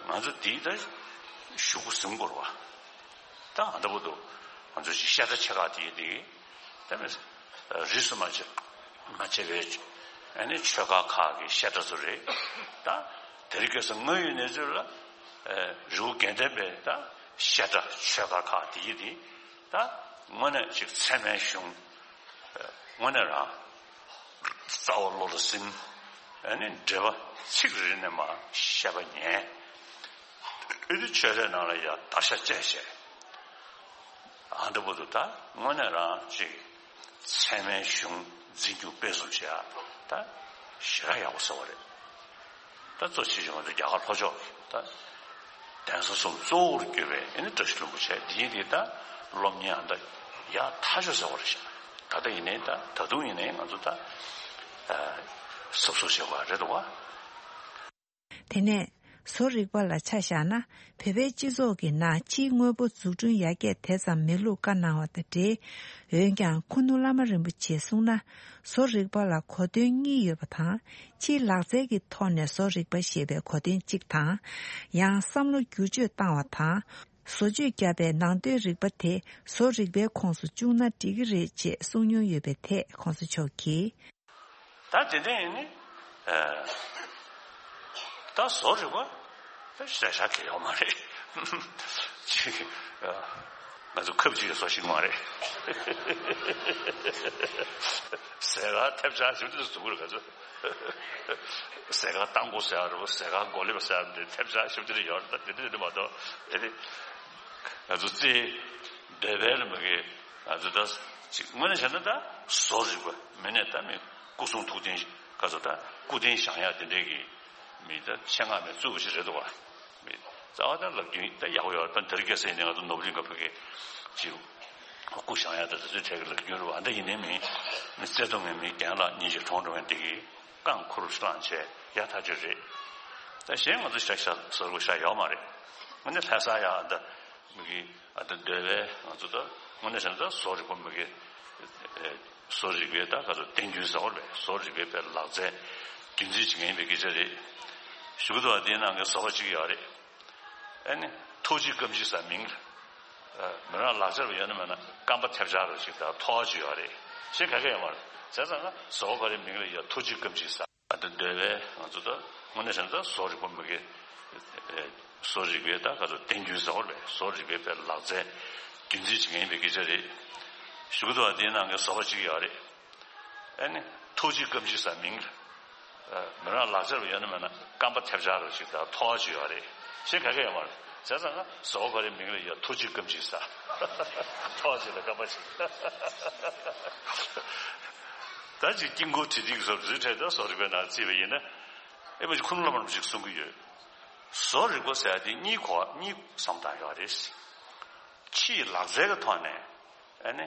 ང་ཚོ་དེའི་ད་གཞུག་གུ་ཟིན་དགོས་རེད་བ། ད་ཨ་འདྲ་པོ་འདུག་ང་ཚོ་ཅིག་བཤད་གྲྭ་ཆེ་ཁག་དེ་ཡིན་དུས་ད་མི་རིས་སུ་མ་ཆད་མ་ཆད་པའི་ཨ་ནི་ཆོས་ཁ་ཁག་གི་བཤད་གྲྭ་ཚོ་རེད། ད་དེ་རིང་ཁ་སང་དངོས་ཡོད་གནས་ཚུལ་ལ་རི་བོ་དགེ་ལྡན་པའི་ད་བཤད་གྲྭ་ཆོས་ཁ་ཁག་དེ་ཡིན་དུས། ད་དངོས་གནས་ཅིག་ཚད་མའི་གཞུང་། དངོས་གནས་རང་རྩ་བ་བློ་ལ་ཟིན། ཨ་ནི་འགྲེལ་པ་ཚིག་རེ་རེ་ནས་མར་བཤད་པ་ཉན། ཨེ་དེ་ཆོས་རའི་ནང་ལ་ཡ་བརྡར་ཤ་བཅད་བྱས། ཨ་འདྲ་པོ་འདུག་ད་དངོས་གནས་རང་ཅིག་ཚད་མའི་གཞུང་འཛིན་སྐྱོང་སྤེལ་གསུམ་བྱེད་ཡ་ད་ཞེ་དྲག་ཡག་པོ་ཟེར་བ་རེད། ད་གཙོ་ཆེ་ཤོས་ང་ཚོ་རྒྱ་གར་ལྷོ་ཕྱོགས་ཀྱི་ད་གདན་ས་གསུམ་གཙོ་བོར་གྱུར་པའི་ཨེ་ནི་བཀྲ་ཤིས་ལྷུན་པོ་ཆེ་དེའི་དེ་ད་སློབ་གཉེར་ཨ་ད་ཡག་ཐག་ཆོད་ཟེར་བ་རེད་ཤག་ད་ལྟ་ཡིན་ནའི་ད་ད་དུང་ཡིན་ནའི་ང་ཚོ་ད་གཟབ་གཟབ་བྱེད་དགོས་རེད་འདུག་བ། དེ་ནས་བཟོ་རིག་པ་ལ་ཆ་བཞག་ན། བོད་པའི་སྤྱི་ཚོགས་ཀྱི་ནང་ཕྱིའི་དངོས་པོ་འཛུགས་སྐྲུན་ཡར་རྒྱས་དེ་ཙམ་མེད་ལུགས་བཀའ་གནང་བ་དང་འབྲེལ། འོན་ཀྱང་ཁུ་ནུ་བླ་མ་རིན་པོ་ཆེས་གསུངས་ན། བཟོ་རིག་པ་ལ་གོ་དོན་གཉིས་ཡོད་པ་དང་། ཕྱིའི་ལག་རྩལ་གྱི་ཐོག་ནས་བཟོ་རིག་པ་ཞེས་པའི་གོ་དོན་གཅིག་དང་། ཡང་བསམ་བློ་བསྒྱུར་བཅོས་བཏང་བ་དང་། བཟོ་བཅོས་བརྒྱབ་པའི་ནང་དོན་རིག་པ་དེ་བཟོ་རིག་པའི་ཁོངས་སུ་བཅུག་ན་འགྲིག་གི་རེད་ཅེས་གསུངས་མྱོང་ཡོད་པའི་ཐད་གོང་ས་མཆོག་གིས། ད་དེ་འདྲ་ཡིན་ནི། ཨ། ད་བཟོ་རིག་པ་ད་ཞེ་དྲག་གལ་ཡོད་མ་རེད། ཅིག་ཨ། ང་ཚོ་ཁབ་ཅིག་གི་བཟོ་ཤེས་མ་རེད། ཟས་ཁང་ཐེབས་ཆག་ཞིབ་ཏུ་བཟོ་གི་རེད་ང་ཚོ། ཟས་ཁང་རྟ་མགོ་ཟེར་བ་རེད། ཟས་ཁང་གོ་ལེབ་ཟེར་བ་འདི་ཐེབས་ཆག་ཞིབ་ཏུ་ཡོད་རེད། ད་དེ་འདྲ་དེ་འདྲ་མ་གཏོགས་དེ་ནི་ང་ཚོ་རྩེད་འདོད་པའི་ལ་མ་གི་ང་ཚོ་ད་ཅིག་དངོས་གནས་བྱས་ན་ད་བཟོ་རིག་པ་མི་ནས་ད་མི་སྐུ་གསུང་ཐུགས་རྟེན་ག་ཚོད་ད་སྐུ་རྟེན་བཞེངས་ཡག་དེ་འདྲའི་གི་མི་ད་ཆེད་མངགས་མི་བཙུགས་པ་ཞིག་རེད་འདུག་བ། མི་རྩ་བ་ད་ལབ་རྒྱུ་ད་ཡག་པོ་ཡོད་རེད། ད་འདིར་སྐྱེས་ས་ཡིན་ནའི་ང་ཚོ་ནོར་བུ་གླིང་ག་ཕ་གི་ཅིག་སྐུ་བཞེངས་ཡག་ད་དེ་ཚོའི་གྲས་ཀྱི་ལབ་རྒྱུ་རེད་བ། ད་ཡིན་ནའི་མི་མི་བརྩེ་དུང་ངན་མི་རྒན་ལགས་ཉིན་ཞིག་གྲོངས་འགྲོ་མཁན་དེ་གི་རྐང་ཁུར་བླངས་བྱས་ཡག་ཐག་ཆོད་རེད། ད་གཞན་ང་ཚོ་ཤ་ཤ་ཟོར་བ་ཤ་ཡོད་མ་རེད། ང་ནི་ལྷ་ས་ཡག་ད་མི་གི་ཨ་ད་འདོད་པའི་ང་ཚོ་ད་དངོས་གནས་བྱས་ན་ད་བཟོ་རིག་པ་མི་གི་ཨེ་བཟོ་རིག་པའི་ད་ག་ཚོད་བསྟན་རྒྱུན་ཟེར་བ་རེད། བཟོ་རིག་པའི་དཔེ་ལག་རྩལ་རྒྱུན་འཛིན་བྱེད་མཁན་ཡིན་པའི་སྐད་ཆ་རེད། ཞུ་གི་འདུག་བ། དེའི་ནང་གི་བཟོ་པ་གཅིག་ཡོད་རེད། ཨ་ནི་ཐོག་གཅིག་སྐམ་གཅིག་ཟེར་མིང་ལ། མི་རང་ལག་ཆར་བ་ཡོད་ན་མེད་ན་སྐམ་པ་ཐེབས་ཆག་རོ་ཞིག་དང་ཐོག་ཅིག་ཡོད་རེད། ཞེས་ག་གེ་ཡོད་མ་རེད། བྱས་ཙང་ན་བཟོ་པ་ག་རེ་མིང་ལ་ཡ་ཐོག་གཅིག་སྐམ་གཅིག་ཟེར། ཨ་ད་འདོད་པའི་ང་ཚོ་ད་དངོས་གནས་བྱས་ན་ད་བཟོ་རིག་པ་མི་གི་བཟོ་རིག་པའི་ད་ག་ཚོད་བསྟན་རྒྱུན་ཟེར་བ་རེད། བཟོ་རིག་པའི་དཔེ་ལག་རྩལ་རྒྱུན་འཛིན་བྱེད་མཁན་ཡིན་པའི་སྐད་ཆ་རེད། ཞུ་གི་འདུག་བ། དེའི་ནང་གི་བཟོ་པ་གཅིག་ཡོད་རེད། ཨ་ནི་ཐོག་གཅིག་སྐམ་གཅིག་ཟེར་མིང་ལ། མི་རང་ལག་ཆར་བ་ཡོད་ན་མེད་ན་སྐམ་པ་ཐེབས་ཆག་རོ་ཞིག་དང་ཐོག་ཅིག་ཡོད་རེད། ཞེས་ག་གེ་ཡོད་མ་རེད། བྱས་ཙང་ན་བཟོ་པ་ག་རེ་མིང་ལ་ཡ་ཐོག་གཅིག་སྐམ་གཅིག་ཟེར། ཐོག་ཅིག་ལ་སྐམ་པ་ཅིག་ད་ཅིག་དཀྱིལ་འཁོར་བྲིས་ཏིག་བཟོ་རུ་འཕྲད་ད་བཟོ་རིག་པའི་ནང་བརྩིས་པ་ཡིན་ན། ཨེ་མ་ཅིག་ཁུ་ནུ་བླ་མ་རིན་པོ་ཆེས་གསུང་གི་ཡོད། བཟོ་རིག་པ་ཟེར་ཡ་དེ་གཉིས་གོ་གཉིས་བསམ་སྟངས་ཡོད་རེད། ཕྱིའི་ལག་རྩལ་གྱི་ཐོག་ནས་ཨ་ནི་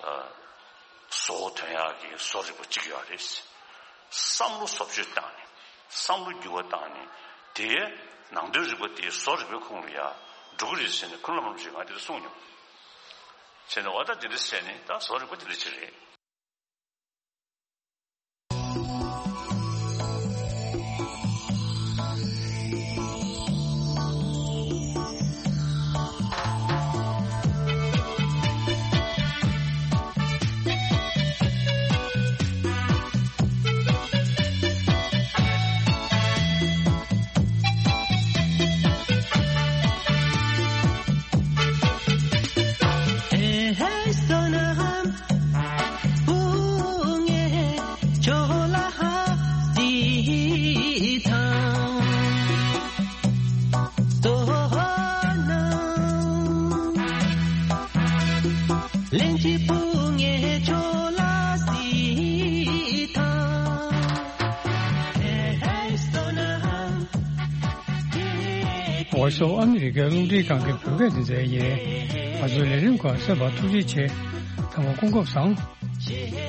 ཨ་བཟོ་བོ་ཐོན་ཡག་གི་བཟོ་རིག་པ་གཅིག་ཡོད་རེད། བསམ་བློ་བཟོ་བཅོས་བཏང་ནས་བསམ་བློ་འགྱུར་བ་བཏང་ནས་དེའི་ནང་དོན་རིག་པ་དེ་བཟོ་རིག་པའི་ཁོངས་ལ་ཡ་འགྲོ་གི་རེད་ཟེར་ནས་ཁུ་ནུ་བླ་མ་རིན་པོ་ཆེས་ང་དེ་འདྲ་གསུངས་མྱོང་། བྱས་ནས་འོ་ད་དེ་འདྲ་བྱས་ནས་ད་བཟོ་རིག་པ་དེ་འདྲ་ཅིག་རེད། Voice of America རླུང་འཕྲིན་ཁང་གི་བོད་སྐད་སྡེ་ཚན་ཡིན། ང་ཚོའི་ལས་རིམ་ཁག་གསན་པར་ཐུགས་རྗེ་ཆེ། ཚང་མ་སྐུ་ཁམས་བཟང་།